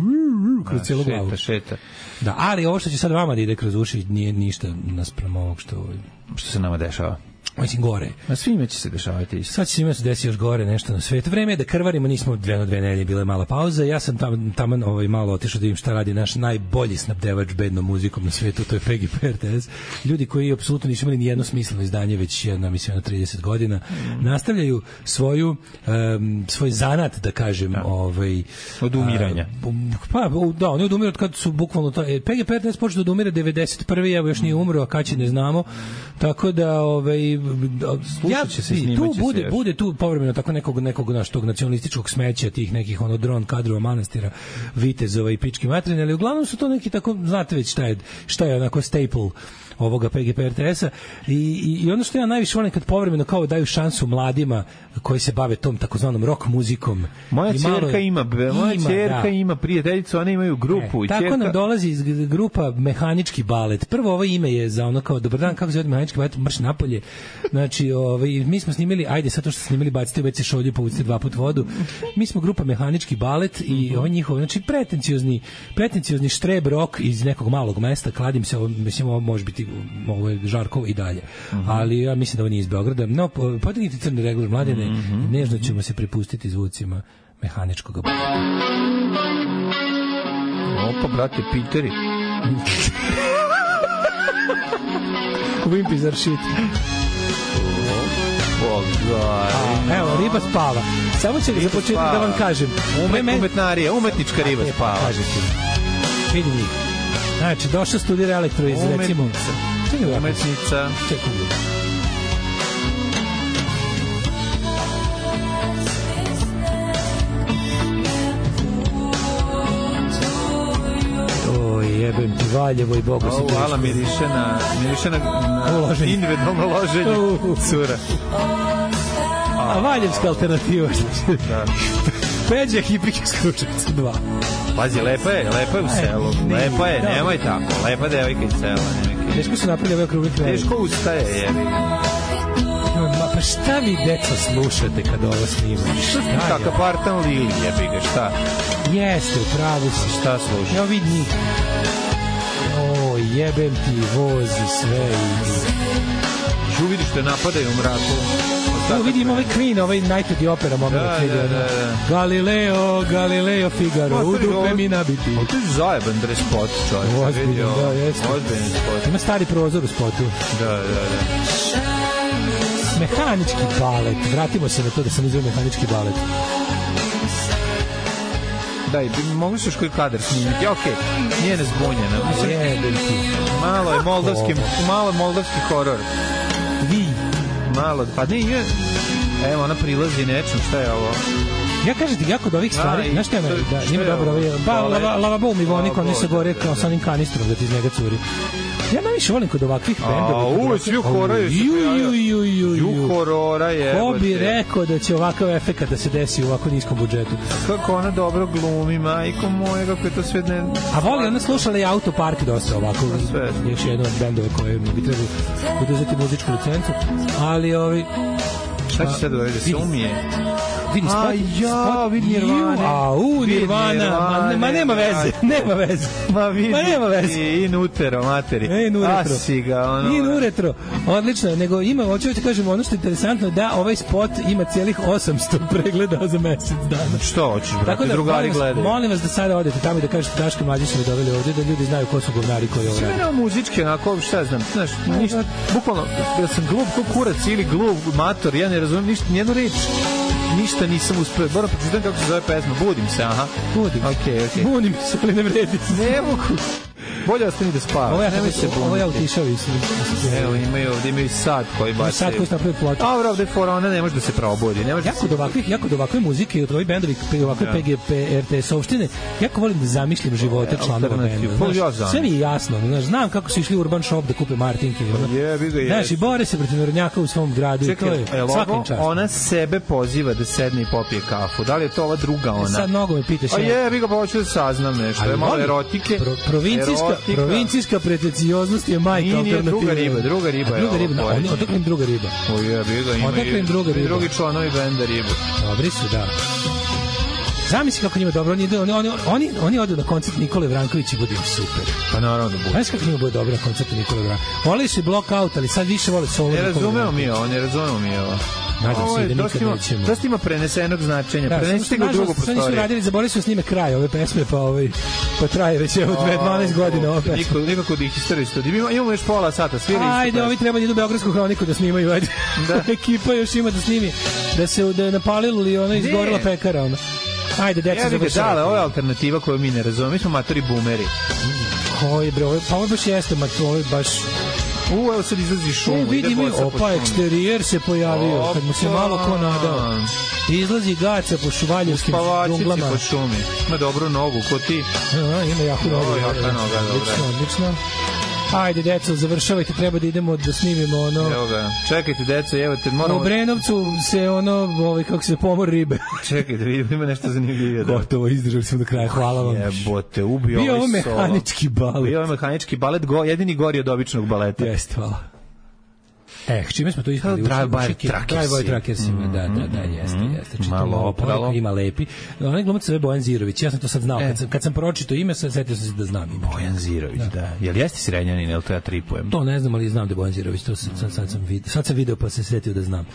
kroz cijelu glavu. Šeta, šeta. Da, ali ovo što će sad vama da ide kroz uši nije ništa naspram ovog što... Što se nama dešava? Mislim, gore. A svima će se dešavati isto. Sad će svima se desi još gore nešto na svetu. Vreme je da krvarimo, nismo dve na dve nedelje, bila je mala pauza. Ja sam tamo, tamo ovaj, malo otišao da vidim šta radi naš najbolji snabdevač bednom muzikom na svetu, to je P G P R T S. Ljudi koji apsolutno nisu imali ni jedno smisleno izdanje već jedna, mislim, na trideset godina, mm. nastavljaju svoju, um, svoj zanat, da kažem, da. Ovaj, od umiranja. Uh, pa, da, oni odumiru od kad su bukvalno to... P G P R T S počeo da umire devedeset prve. Evo još nije umro, a kad će ne znamo. Tako da, ovaj, ja, će se, tu bude, se bude tu povremeno tako nekog, nekog naš, tog nacionalističkog smeća, tih nekih ono dron kadrova manastira, vitezova i pički materine, ali uglavnom su to neki tako, znate već šta je, šta je onako staple ovoga P G P R T S-a i, i, i ono što ja najviše volim kad povremeno kao daju šansu mladima koji se bave tom takozvanom rock muzikom. Moja ćerka ima, moja ćerka da. ima prijateljicu, one imaju grupu. E, i tako ćerka... nam dolazi iz grupa Mehanički balet. Prvo ovo ime je za ono kao dobar dan, kako se zove Mehanički balet, marš napolje. Znači, ovaj, mi smo snimili, ajde sad to što snimili, bacite u ve ce šolju, povucite dva put vodu. Mi smo grupa Mehanički balet i mm-hmm. ovo njihov, znači pretenciozni, pretenciozni štreb rock iz nekog malog mesta, kladim se, ovo, mislim, ovo može biti ovo je Žarkovo i dalje. Mm-hmm. Ali ja mislim da ovo nije iz Beograda. No, podignite crni regler, mladene, mm-hmm. nežno ćemo se prepustiti zvucima Mehaničkog baleta. Opa, brate, Piteri. Wimpy zar shit. Oh, God. Evo, riba spava. Samo će za početak da vam kažem. Umet, umetnarija, umetnička riba e, spava. Kažete. Vidi njih. Znači, došao studira elektro iz, recimo... Umetnica. Umetnica. Čekaj. Jebem ti Valjevo i Boga se hvala, miriše na, miriše na, na individualno loženje uh. cura. A, a Valjevska alternativa. Da. Peđa hipike s Kručevca dva. Pazi, lepa je, lepa je u selu. Lepa je, nemoj tako. Lepa devojka iz sela. Teško su napravili ove okrugli kraj. Teško ustaje, jebi. Ma pa šta vi, deco, slušate kad ovo snimate? Šta? Kaka partan Lili, jebi ga, šta? Jeste, upravo si. Šta slušaš? Evo vidi njih. O, jebem ti vozi sve i... Žu vidiš te napadaju u mraku. Evo vidim ovaj Queen, ovaj Night at the Opera moment. Da, da, da, da. Galileo, Galileo Figaro, u dupe mi nabiti. O, to je zajeban dres spot, čovječ. Ozbiljno, da, jeste. Ozbiljno spot. Ima stari prozor u spotu. Da, da, da. Mehanički balet. Vratimo se na to da sam izveo Mehanički balet. Da, i mogu se još koji kadar snimiti. Okej, okay. Nije nezbunjena. Jebem ti. Malo je moldavski, malo je moldavski horor. Vi. Malo, pa ne, je... Evo, ona prilazi nečem, šta je ovo? Ja kažem ti, jako od ovih stvari, znaš šta je meni, da, njima dobro, ovaj, ba, lava, lavabo mi vonik, oni se gore kao sa onim kanistrom da ti iz njega curi. Ja najviše volim kod ovakvih bendova. A, uve, svi horaju se prijavljaju. Ju horora je. Ko bi rekao da će ovakav efekat da se desi u ovako niskom budžetu? Kako ona dobro glumi, majko moje, kako je to sve ne... A voli, ona slušala i Autopark dosta ovako. Još jedan od bendova koje bi trebali uduzeti muzičku licencu. Ali ovi... Šta će sad da se umije? Vidi spot, a ja, vidi Nirvane. A u Nirvana, ma, ma nema veze, nema veze. Ma vidi, ma nema veze. I Nutero, materi. E, Nuretro. Asi ga, ono. I Nuretro. Odlično, nego ima, hoću ti kažem, ono što je interesantno da ovaj spot ima cijelih osamsto pregleda za mesec dana. Što hoćeš, brate, tako da, drugari molim gledaju. Molim vas da sada odete tamo i da kažete Daško Mlađi su me doveli ovdje, da ljudi znaju ko su govnari koji ovo radi. Sve nema muzičke, onako, šta znam, znaš, ništa, bukvalno, da sam glup ko kurac ili glup mator, ja ne razumijem ništa, nijednu reč. Ništa nisam uspeo. Moram pročitam kako se zove pesma. Budim se, aha. Budim. Okej, okay, okej. Okay. Budim se, ali ne vredi. Ne mogu. Bolje ostani da spava. Ovo ja, ovo ja utišao i se. Evo, imaju ovdje, imaju sad koji baš... Sad koji se napravi ploču. A, ovdje je fora, ona ne može da se probudi. Ne može jako, do ovakvih, jako do ovakve muzike i od ovih bendovi, ovakve ja. P G P R T S-ovštine, jako volim da zamišljam živote ja, članova benda. Ja sve mi je jasno. Znaš, znam kako su išli u Urban Shop da kupe Martinke. Je, bi ga je. Znaš, i bore se protiv narodnjaka u svom gradu. Čekaj, i to je svakim častom. Ona sebe poziva da sedne i popije kafu. Da li je to ova druga ona? E, sad mnogo me pitaš. A je, bi ga hoću da saznam nešto. Je malo erotike. Pro, provincijska, provincijska pretencioznost je majka alternativa. Druga riba, druga riba je. Druga riba, odakle im druga riba. O je, bi ga ima. Odakle im druga riba. Drugi članovi benda ribu. Dobri su, da. Zamisli kako njima dobro, oni, idu, oni, oni, oni, oni odu na koncert Nikole Vrankovića i bude im super. Pa naravno da bude. Znaš kako njima bude dobro na koncertu Nikole Vrankovića? Volili su i block out, ali sad više vole solo. Ne razumemo mi ovo, ne razumemo mi ovo. Nadam se da nikad ima, nećemo. Dosta ima prenesenog značenja. Da, Prenesite ga u drugu prostoriju. Oni su radili, zaboravili su snime kraj ove pesme, pa, ovaj, pa traje već evo dvanaest godina ova pesma. Niko, nikako da ih istoriju studiju. Imamo, imamo još pola sata, svirali isto. Ajde, ovi treba da idu u Beogradsku hroniku da snimaju. Ajde. Da. Ekipa još ima da snimi. Da se da je napalilo li ona izgorila pekara. Ona. Ajde, deca završava. Ja bih ovo je alternativa koju mi ne razumemo. Mi smo matori boomeri. Oj, bre, pa ovo baš jeste, ovo je baš... U, evo sad izlazi šumu. E, vidi mi, opa, eksterijer se pojavio, opa, kad mu se malo ko nadao. Izlazi gaca po šuvaljevskim džunglama. Po šumi. Ima dobru nogu, ko ti? A, ima jaku nogu. O, jaka noga, dobra. Odlično, odlično. Ajde, deco, završavajte, treba da idemo da snimimo ono... Evo ga, čekajte, deco, evo te, moramo... U Brenovcu se ono, ovaj, kako se pomor ribe. Čekajte, vidimo, ima nešto zanimljivije. Gotovo, izdržali smo do kraja, hvala vam. Jebote, ubio ovaj solo. Bio ovo mehanički balet. Bio ovo mehanički balet, go, jedini gori od običnog baleta. Jeste, hvala. E, čime smo to ispali? Drive-by Truckers. Drive-by Truckersima, da, da, da, jeste, jeste. Malo opralo. Ima lepi. Onaj glumac se zove Bojan Zirović, ja sam to sad znao. Kad sam, kad sam pročitao ime, sad setio sam se da znam ime. Bojan Zirović, da. da. Jel jeste Srenjanin, jel to ja tripujem? To ne znam, ali znam da je Bojan Zirović, to sad, sad, sam, vid, sad sam video pa se setio da znam.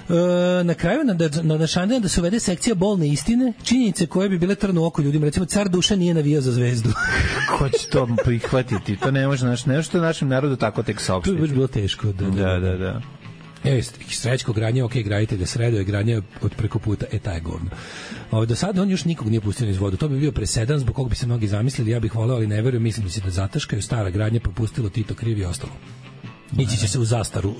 E, na kraju na, na, na Šandena da se uvede sekcija bolne istine, činjenice koje bi bile trn u oko ljudima. Recimo, car Duša nije navijao za Zvezdu. Ko će to prihvatiti? To ne može, naš, ne može to našem narodu tako tek saopštiti. To je bilo teško. Da, da, da. da. E, Srećko Granje, ok, graditelj, Sredo je Granje od preko puta, e, taj je govno. O, do sada on još nikog nije pustio iz vodu. To bi bio presedan, zbog koga bi se mnogi zamislili, ja bih voleo, ali ne verujem, mislim da se da zataškaju, stara Granje popustilo, Tito krivi i ostalo. Ići će se u zastaru,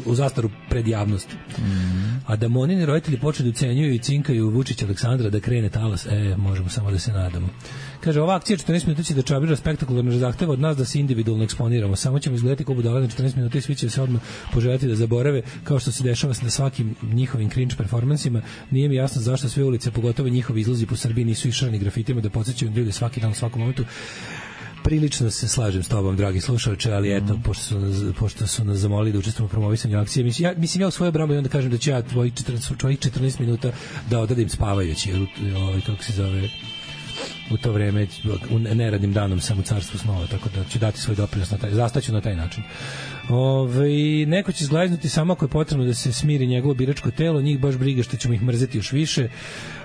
u zastaru pred javnosti. Mm. A da Monini roditelji počnu da ucenjuju i cinkaju Vučića Aleksandra da krene talas, e, možemo samo da se nadamo. Kaže, ova akcija četrnaest minuta će da čabira spektakularno zahteva od nas da se individualno eksponiramo. Samo ćemo izgledati kao budale na četrnaest minuta i svi će se odmah poželjeti da zaborave, kao što se dešava na svakim njihovim cringe performansima. Nije mi jasno zašto sve ulice, pogotovo njihovi izlazi po Srbiji, nisu išrani grafitima da podsjećaju ljude svaki dan u svakom momentu. Prilično se slažem s tobom, dragi slušalče, ali eto, mm. pošto, su nas, pošto su nas zamolili da učestvujemo u promovisanju akcije, mislim ja, mislim, ja u svojoj brambu i onda kažem da ću ja tvojih četrnaest, četrnaest minuta da odadim spavajući, ovaj, kako se zove, u to vreme, u neradnim danom sam u carstvu snova, tako da ću dati svoj doprinos na taj, zastaću na taj način. Ove, neko će zglajznuti samo ako je potrebno da se smiri njegovo biračko telo, njih baš briga što ćemo ih mrzeti još više.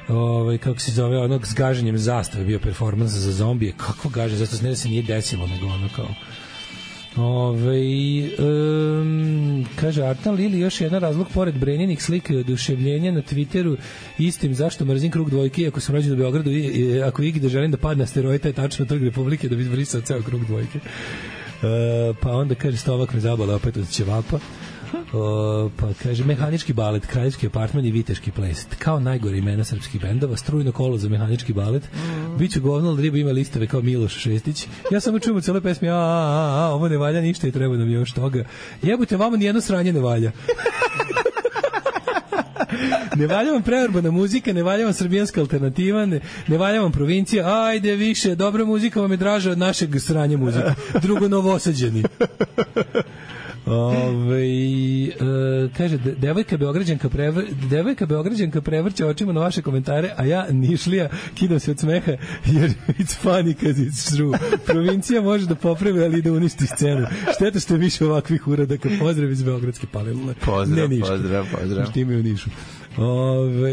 Ovaj, kako se zove, onog s gaženjem zastave bio performans za zombije, kako gaže zastave, ne da se nije desilo, nego ono kao Ove, um, kaže Artan Lili, još jedan razlog pored Brenjinih slika i oduševljenja na Twitteru istim zašto mrzim krug dvojke, ako sam rođen u Beogradu i, i ako igi da želim da padne asteroid, je tačno Trg Republike da bi izbrisao ceo krug dvojke. Uh, pa onda kaže Stovak me zabala opet od ćevapa. O, pa kaže mehanički balet, kraljevski apartman i viteški ples, kao najgore imena srpskih bendova, strujno kolo za mehanički balet. Mm. Biću govno, ali riba ima listove kao Miloš Šestić. Ja samo čujem u celoj pesmi a, a, a, ovo ne valja ništa i treba nam još toga. Jebute, vama nijedno sranje ne valja. Ne valja vam preurbana muzika, ne valja vam srbijanska alternativa, ne, ne valja vam provincija, ajde više, dobra muzika vam je draža od našeg sranja muzika. Drugo, novosađeni. Ove, e, kaže devojka Beograđanka prevr, devojka Beograđanka prevrće očima na vaše komentare, a ja Nišlija kidam se od smeha jer it's funny cause it's true. Provincija može da popravi, ali da uništi scenu. Šteta što je više ovakvih uradaka. Pozdrav iz Beogradske palilule. Pozdrav, ne pozdrav, pozdrav. Što imaju u Nišu. Ove,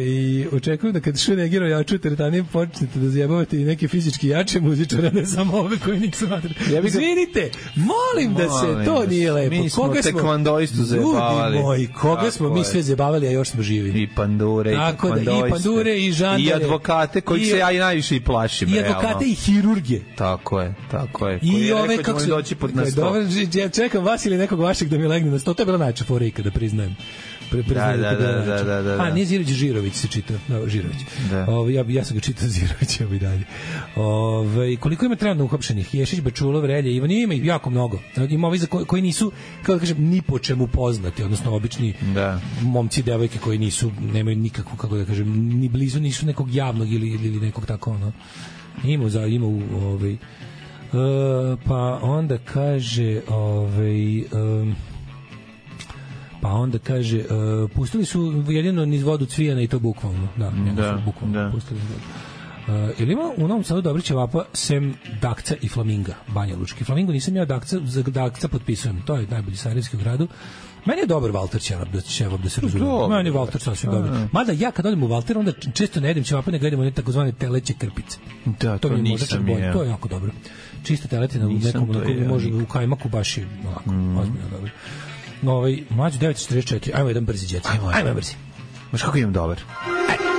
očekujem da kad Šunegiro jaču teretanije počnete da zjebavate i neke fizički jače muzičare, ne samo ove koji nisu nadre. Ja Izvinite, molim da se, to nije lepo. Mi smo tekvandoistu zjebavali. Ljudi moji, koga tako smo mi sve zjebavali, a još smo živi. I pandure, tako i tekvandoiste. Da, i pandure, i žandare. I advokate, kojih i, se ja i najviše i plašim. I advokate realno. I hirurge. Tako je, tako je. I koji ove, rekao, kako se... doći pod na sto. Dobro, ja čekam vas ili nekog vašeg da mi legne na sto. To je bila najča fora ikada, priznajem. Pre, pre, da, da, da, da, da, da. A, nije Zirović, Žirović se čita. No, Žirović. Da. Ove, ja, ja sam ga čitao Zirović, evo i dalje. Ove, koliko ima trenutno uhapšenih? Ješić, Bečulov, Relje, Ivan, ima ih jako mnogo. Ima ovi za koji, koji nisu, kao da kažem, ni po čemu poznati, odnosno obični da. Momci, devojke koji nisu, nemaju nikakvu, kako da kažem, ni blizu, nisu nekog javnog ili, ili nekog tako, ono. Ima, za, ima u, ovaj, uh, pa onda kaže, ovaj, um, pa onda kaže, uh, pustili su jedino niz vodu Cvijana i to bukvalno. Da, da, bukvalno da. Pustili vodu. Uh, ili ima u Novom Sadu dobri ćevapa sem Dakca i Flaminga, Banja Lučki. Flamingo nisam ja, Dakca, za Dakca potpisujem, to je najbolji sarajevski u gradu. Meni je dobar Valter ćevap da, ćevap, da se razumije. Meni je Valter sasvim dobar. Mada ja kad odem u Valter, onda često ne jedem ćevapa, nego jedem one takozvane teleće krpice. Da, to, to nisam je. To je jako dobro. Čista teletina u nekom, onako, može u kajmaku, baš je onako, mm. ozbiljno dobro. No, ovaj, mlađu devet četrdeset četiri, ajmo jedan brzi djec. Ajmo, ajmo brzi. Maš kako imam dobar? Ajmo.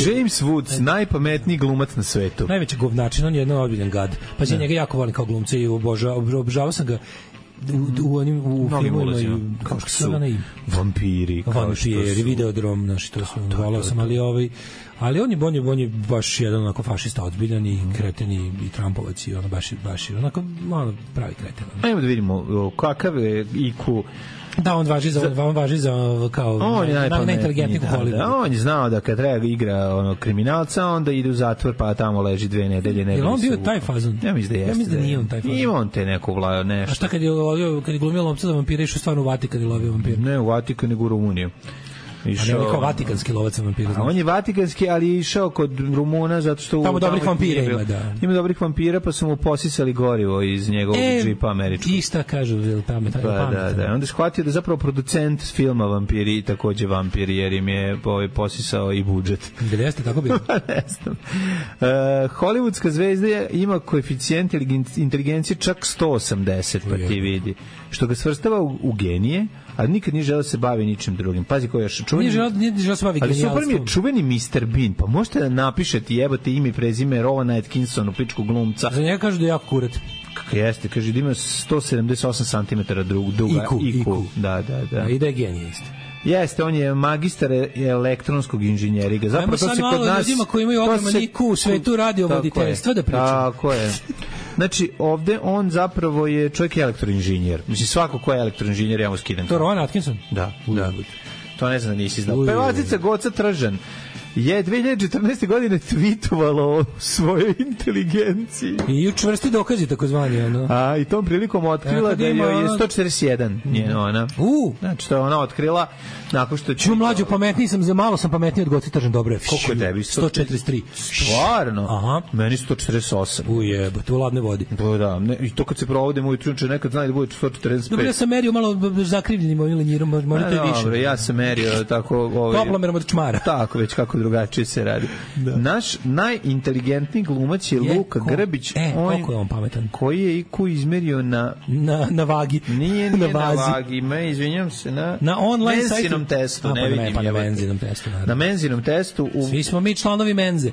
James Woods, najpametniji glumac na svetu. Najveći govnačin, on je jedan ozbiljan gad. Pa ja njega jako volim kao glumca i obožavao obožavao sam ga u, u onim u filmovima kao što su vampiri, vampiri, Videodrom, znači to su volao sam, ali ovaj ali on je on je on je baš jedan onako fašista ozbiljan i kreten i Trumpovac i ono baš baš onako malo pravi kreten. Ajmo da vidimo kakav je I Q. Da, on važi za, on važi za kao on je najinteligentniji da, da, on je znao da kad treba igra ono kriminalca, onda ide u zatvor pa tamo leži dve nedelje. Ne, je on bio taj fazon? Ja mislim da jeste. Ja mislim da nije on taj fazon. Ima on te neku vlajo nešto. A šta kad je lovio, kad je glumio lovca za vampire, išao stvarno u Vatikan i lovio vampire? Ne, u Vatikan nego u Rumuniju. Išao, a ne, kao vatikanski lovac vampira. A on je vatikanski, ali je išao kod Rumuna zato što... Tamo dobrih vampira ima, da. Ima dobrih vampira, pa su mu posisali gorivo iz njegovog e, džipa američkog. I šta kažu, pametan. Pa, da, da. Onda je shvatio da zapravo producent filma Vampiri takođe vampir, jer im je ovaj, posisao i budžet. Da li jeste tako bilo? Ne znam. Uh, Hollywoodska zvezda ima koeficijent inteligencije čak sto osamdeset, pa ti vidi. Što ga svrstava u, u genije, a nikad nije želeo da se bavi ničim drugim. Pazi koji je čuveni... Nije želeo, nije želeo da se bavi genijalstvom. Ali super mi je čuveni mister Bean, pa možete da napišete jebote ime i prezime Rowena Atkinsona, pičku glumca. Za njega kažu da je jako kurat. Kako jeste, kaže da ima sto sedamdeset osam centimetara duga I Q. I Q. Da, da, da. A i da je genije isto. Jeste, on je magistar elektronskog inženjeriga. Zapravo to se kod nas... Ljudima koji imaju ogroman I Q u svetu radiovoditeljstva da pričaju. Tako je. Znači, ovde on zapravo je čovjek elektroinženjer. Mislim, svako ko je elektroinženjer, ja mu skidam. To je Rowan Atkinson? Da, da. To ne znam da nisi znao. Pevačica Goca Tržan je dve hiljade četrnaeste. godine tweetovalo o svojoj inteligenciji. I učvrsti dokazi, takozvani. Ono. A, i tom prilikom otkrila da joj je sto četrdeset jedan. Njena ona. U. Znači, to je ona otkrila nakon što... Ču mlađu, pametniji sam, za malo sam pametniji od Goci Tržan, dobro je. Koliko je tebi? sto četrdeset tri. Stvarno? Aha. Meni sto četrdeset osam. Ujebo, to u ladne vodi. Da, da. Ne, i to kad se provodim ujutru, nekad znaju da bude sto četrdeset pet. Dobro, ja sam merio malo zakrivljenim ovim lenjirom, možda to je više. Dobro, ja sam merio tako... Ovaj, toplomerom od čmara. Tako, već kako drugačije se radi. Da. Naš najinteligentniji glumac je, je Luka ko, Grbić. E, on, koliko je on pametan? Koji je I Q izmerio na... Na, na vagi. Nije, nije na, na vagi. Me, izvinjam se, na... Na online menzinom sajtu. testu. A, ne, ne vidim. Pa na menzinom testu. Naravno. Na menzinom testu. U... Svi smo mi članovi menze.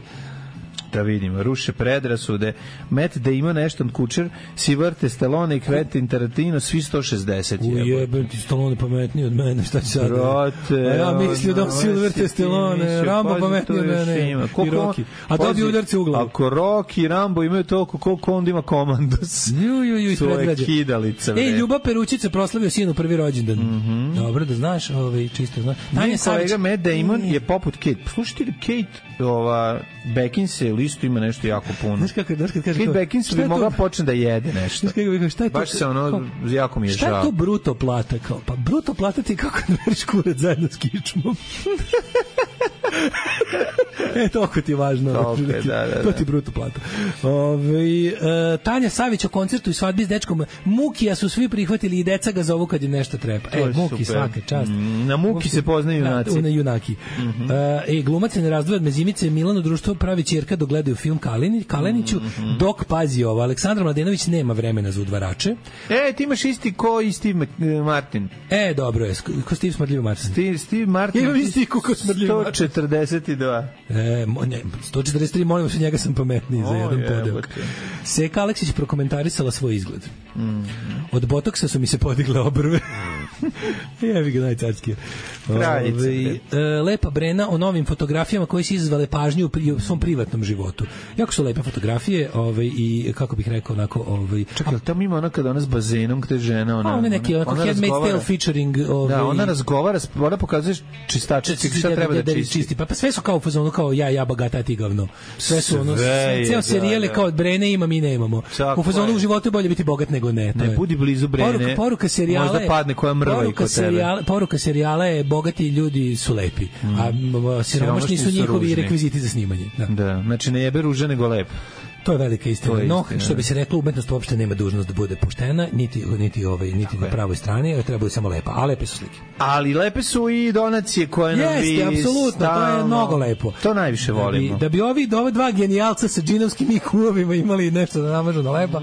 Da vidimo, ruše predrasude. Matt Damon, Ashton Kutcher, Sylvester Stallone i Quentin Tarantino, svi sto šezdeset. Ujebem ti, Stallone pametniji od mene, šta će sad? Brate, a ja mislio da Sylvester Stallone, Rambo pametniji od mene i Rocky. A dobio udarce u glavu. Ako Rocky i Rambo imaju toliko, koliko onda ima komandos. Ju, ju, ju, svoje kidalice. Ej, Ljuba Perućica proslavio sinu prvi rođendan. Mm -hmm. Dobro, da znaš, ovaj, čisto znaš. Tanja kolega Matt Damon je poput Kate. Slušajte, Kate, ova, Beckinsale isto ima nešto jako puno. Znaš kako, znaš kad kaže... Kate Beckinsale bi mogla počne da jede nešto. Znaš kako bi, šta je to? Baš se ono, kao, jako mi je žao. Šta je to bruto plata? Kao, pa bruto plata ti kako da veriš kuret zajedno s kičmom. E, toliko ti je važno. Toliko je, da, da, da. To ti je bruto plata. Ove, uh, Tanja Savić o koncertu i svadbi s dečkom. Mukija su svi prihvatili i deca ga zovu kad im nešto treba. E, Muki, svaka čast. Mm, na Muki, Muki se poznaju junaci. Na junaki. Mm -hmm. uh, e, glumac se ne razdvoje od Mezimice, Milano društvo pravi ćerka dok gledaju film Kaleni, Kaleniću, mm -hmm. dok pazi ovo. Aleksandar Mladenović nema vremena za udvarače. E, ti imaš isti ko i Steve Martin. E, dobro je. Ko Steve Smrdljiv Martin? Steve, Steve Martin. Ja imam isti ko Smrdljiv Martin. sto četrdeset dva. E, ne, sto četrdeset tri, molim se, njega sam pametniji za jedan podeok. Seka Aleksić prokomentarisala svoj izgled. Mm -hmm. Od botoksa su mi se podigle obrve. Jebi ga najcarski. Kraljica. Ove, lepa Brena o novim fotografijama koje su izazvale pažnju u, pri, u svom privatnom životu. Jako su lepe fotografije, ove, i kako bih rekao onako, ovaj. Čekaj, tamo ima ona kada ona s bazenom gde žena ona. A ona neki onako Handmaid's Tale featuring, ovaj. Da, ona razgovara, ona pokazuje čistačice šta treba da čisti. Pa, pa sve su kao u fazonu kao ja ja bogata ti govno. Sve su ono sve, ceo serijale kao Brene ima mi nemamo. U fazonu u životu je bolje biti bogat nego ne. Ne budi blizu Brene. Poruka, poruka serijala možda padne koja mrva i kod serijala, tebe. Poruka serijala je bogati ljudi su lepi, mm. a siromašni su njihovi ružni rekviziti za snimanje. Da, da, znači ne jebe ruže nego lep. To je velika istina. Je no, istina. Što bi se reklo, umetnost uopšte nema dužnost da bude poštena, niti niti ovaj niti na pravoj strani, ali treba samo lepa. A lepe su slike. Ali lepe su i donacije koje nam vi. Jeste, apsolutno, to je mnogo lepo. To najviše volimo. Da bi, da bi ovi ove dva genijalca sa džinovskim I Q-ovima imali nešto da namažu na lepa.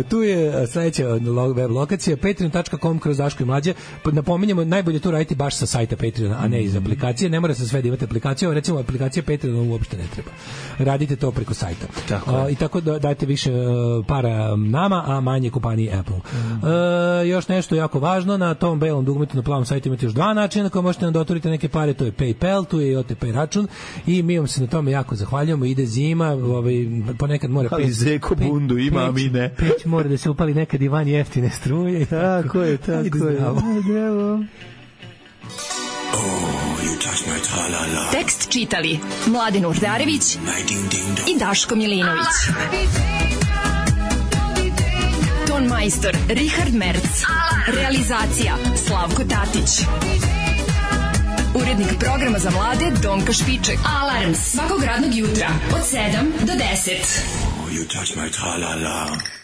Tu je sledeća web lokacija patreon tačka com kroz Daško i Mlađe. Napominjemo, najbolje to raditi baš sa sajta Patreona, a ne iz aplikacije. Ne mora se sve da imate aplikaciju, recimo aplikacija Patreona uopšte ne treba. Radite to preko sajta. Tako i tako da dajte više uh, para nama, a manje kompaniji Apple. Mm. Uh, još nešto jako važno, na tom belom dugmetu na plavom sajtu imate još dva načina na koje možete nam doturiti neke pare, to je PayPal, tu je i O T P račun i mi vam se na tome jako zahvaljujemo, ide zima, ovaj, ponekad mora ali Zeko bundu ima, a mi ne. Peć mora da se upali nekad i van jeftine struje. Tako je, tako je. Tekst čitali Mladen Urdarević i Daško Milinović. Ton majstor Richard Merc. Realizacija Slavko Tatić. Urednik programa za mlade Donka Špiček. Alarms svakog radnog jutra od sedam do deset. Oh, you touch my tra-la-la.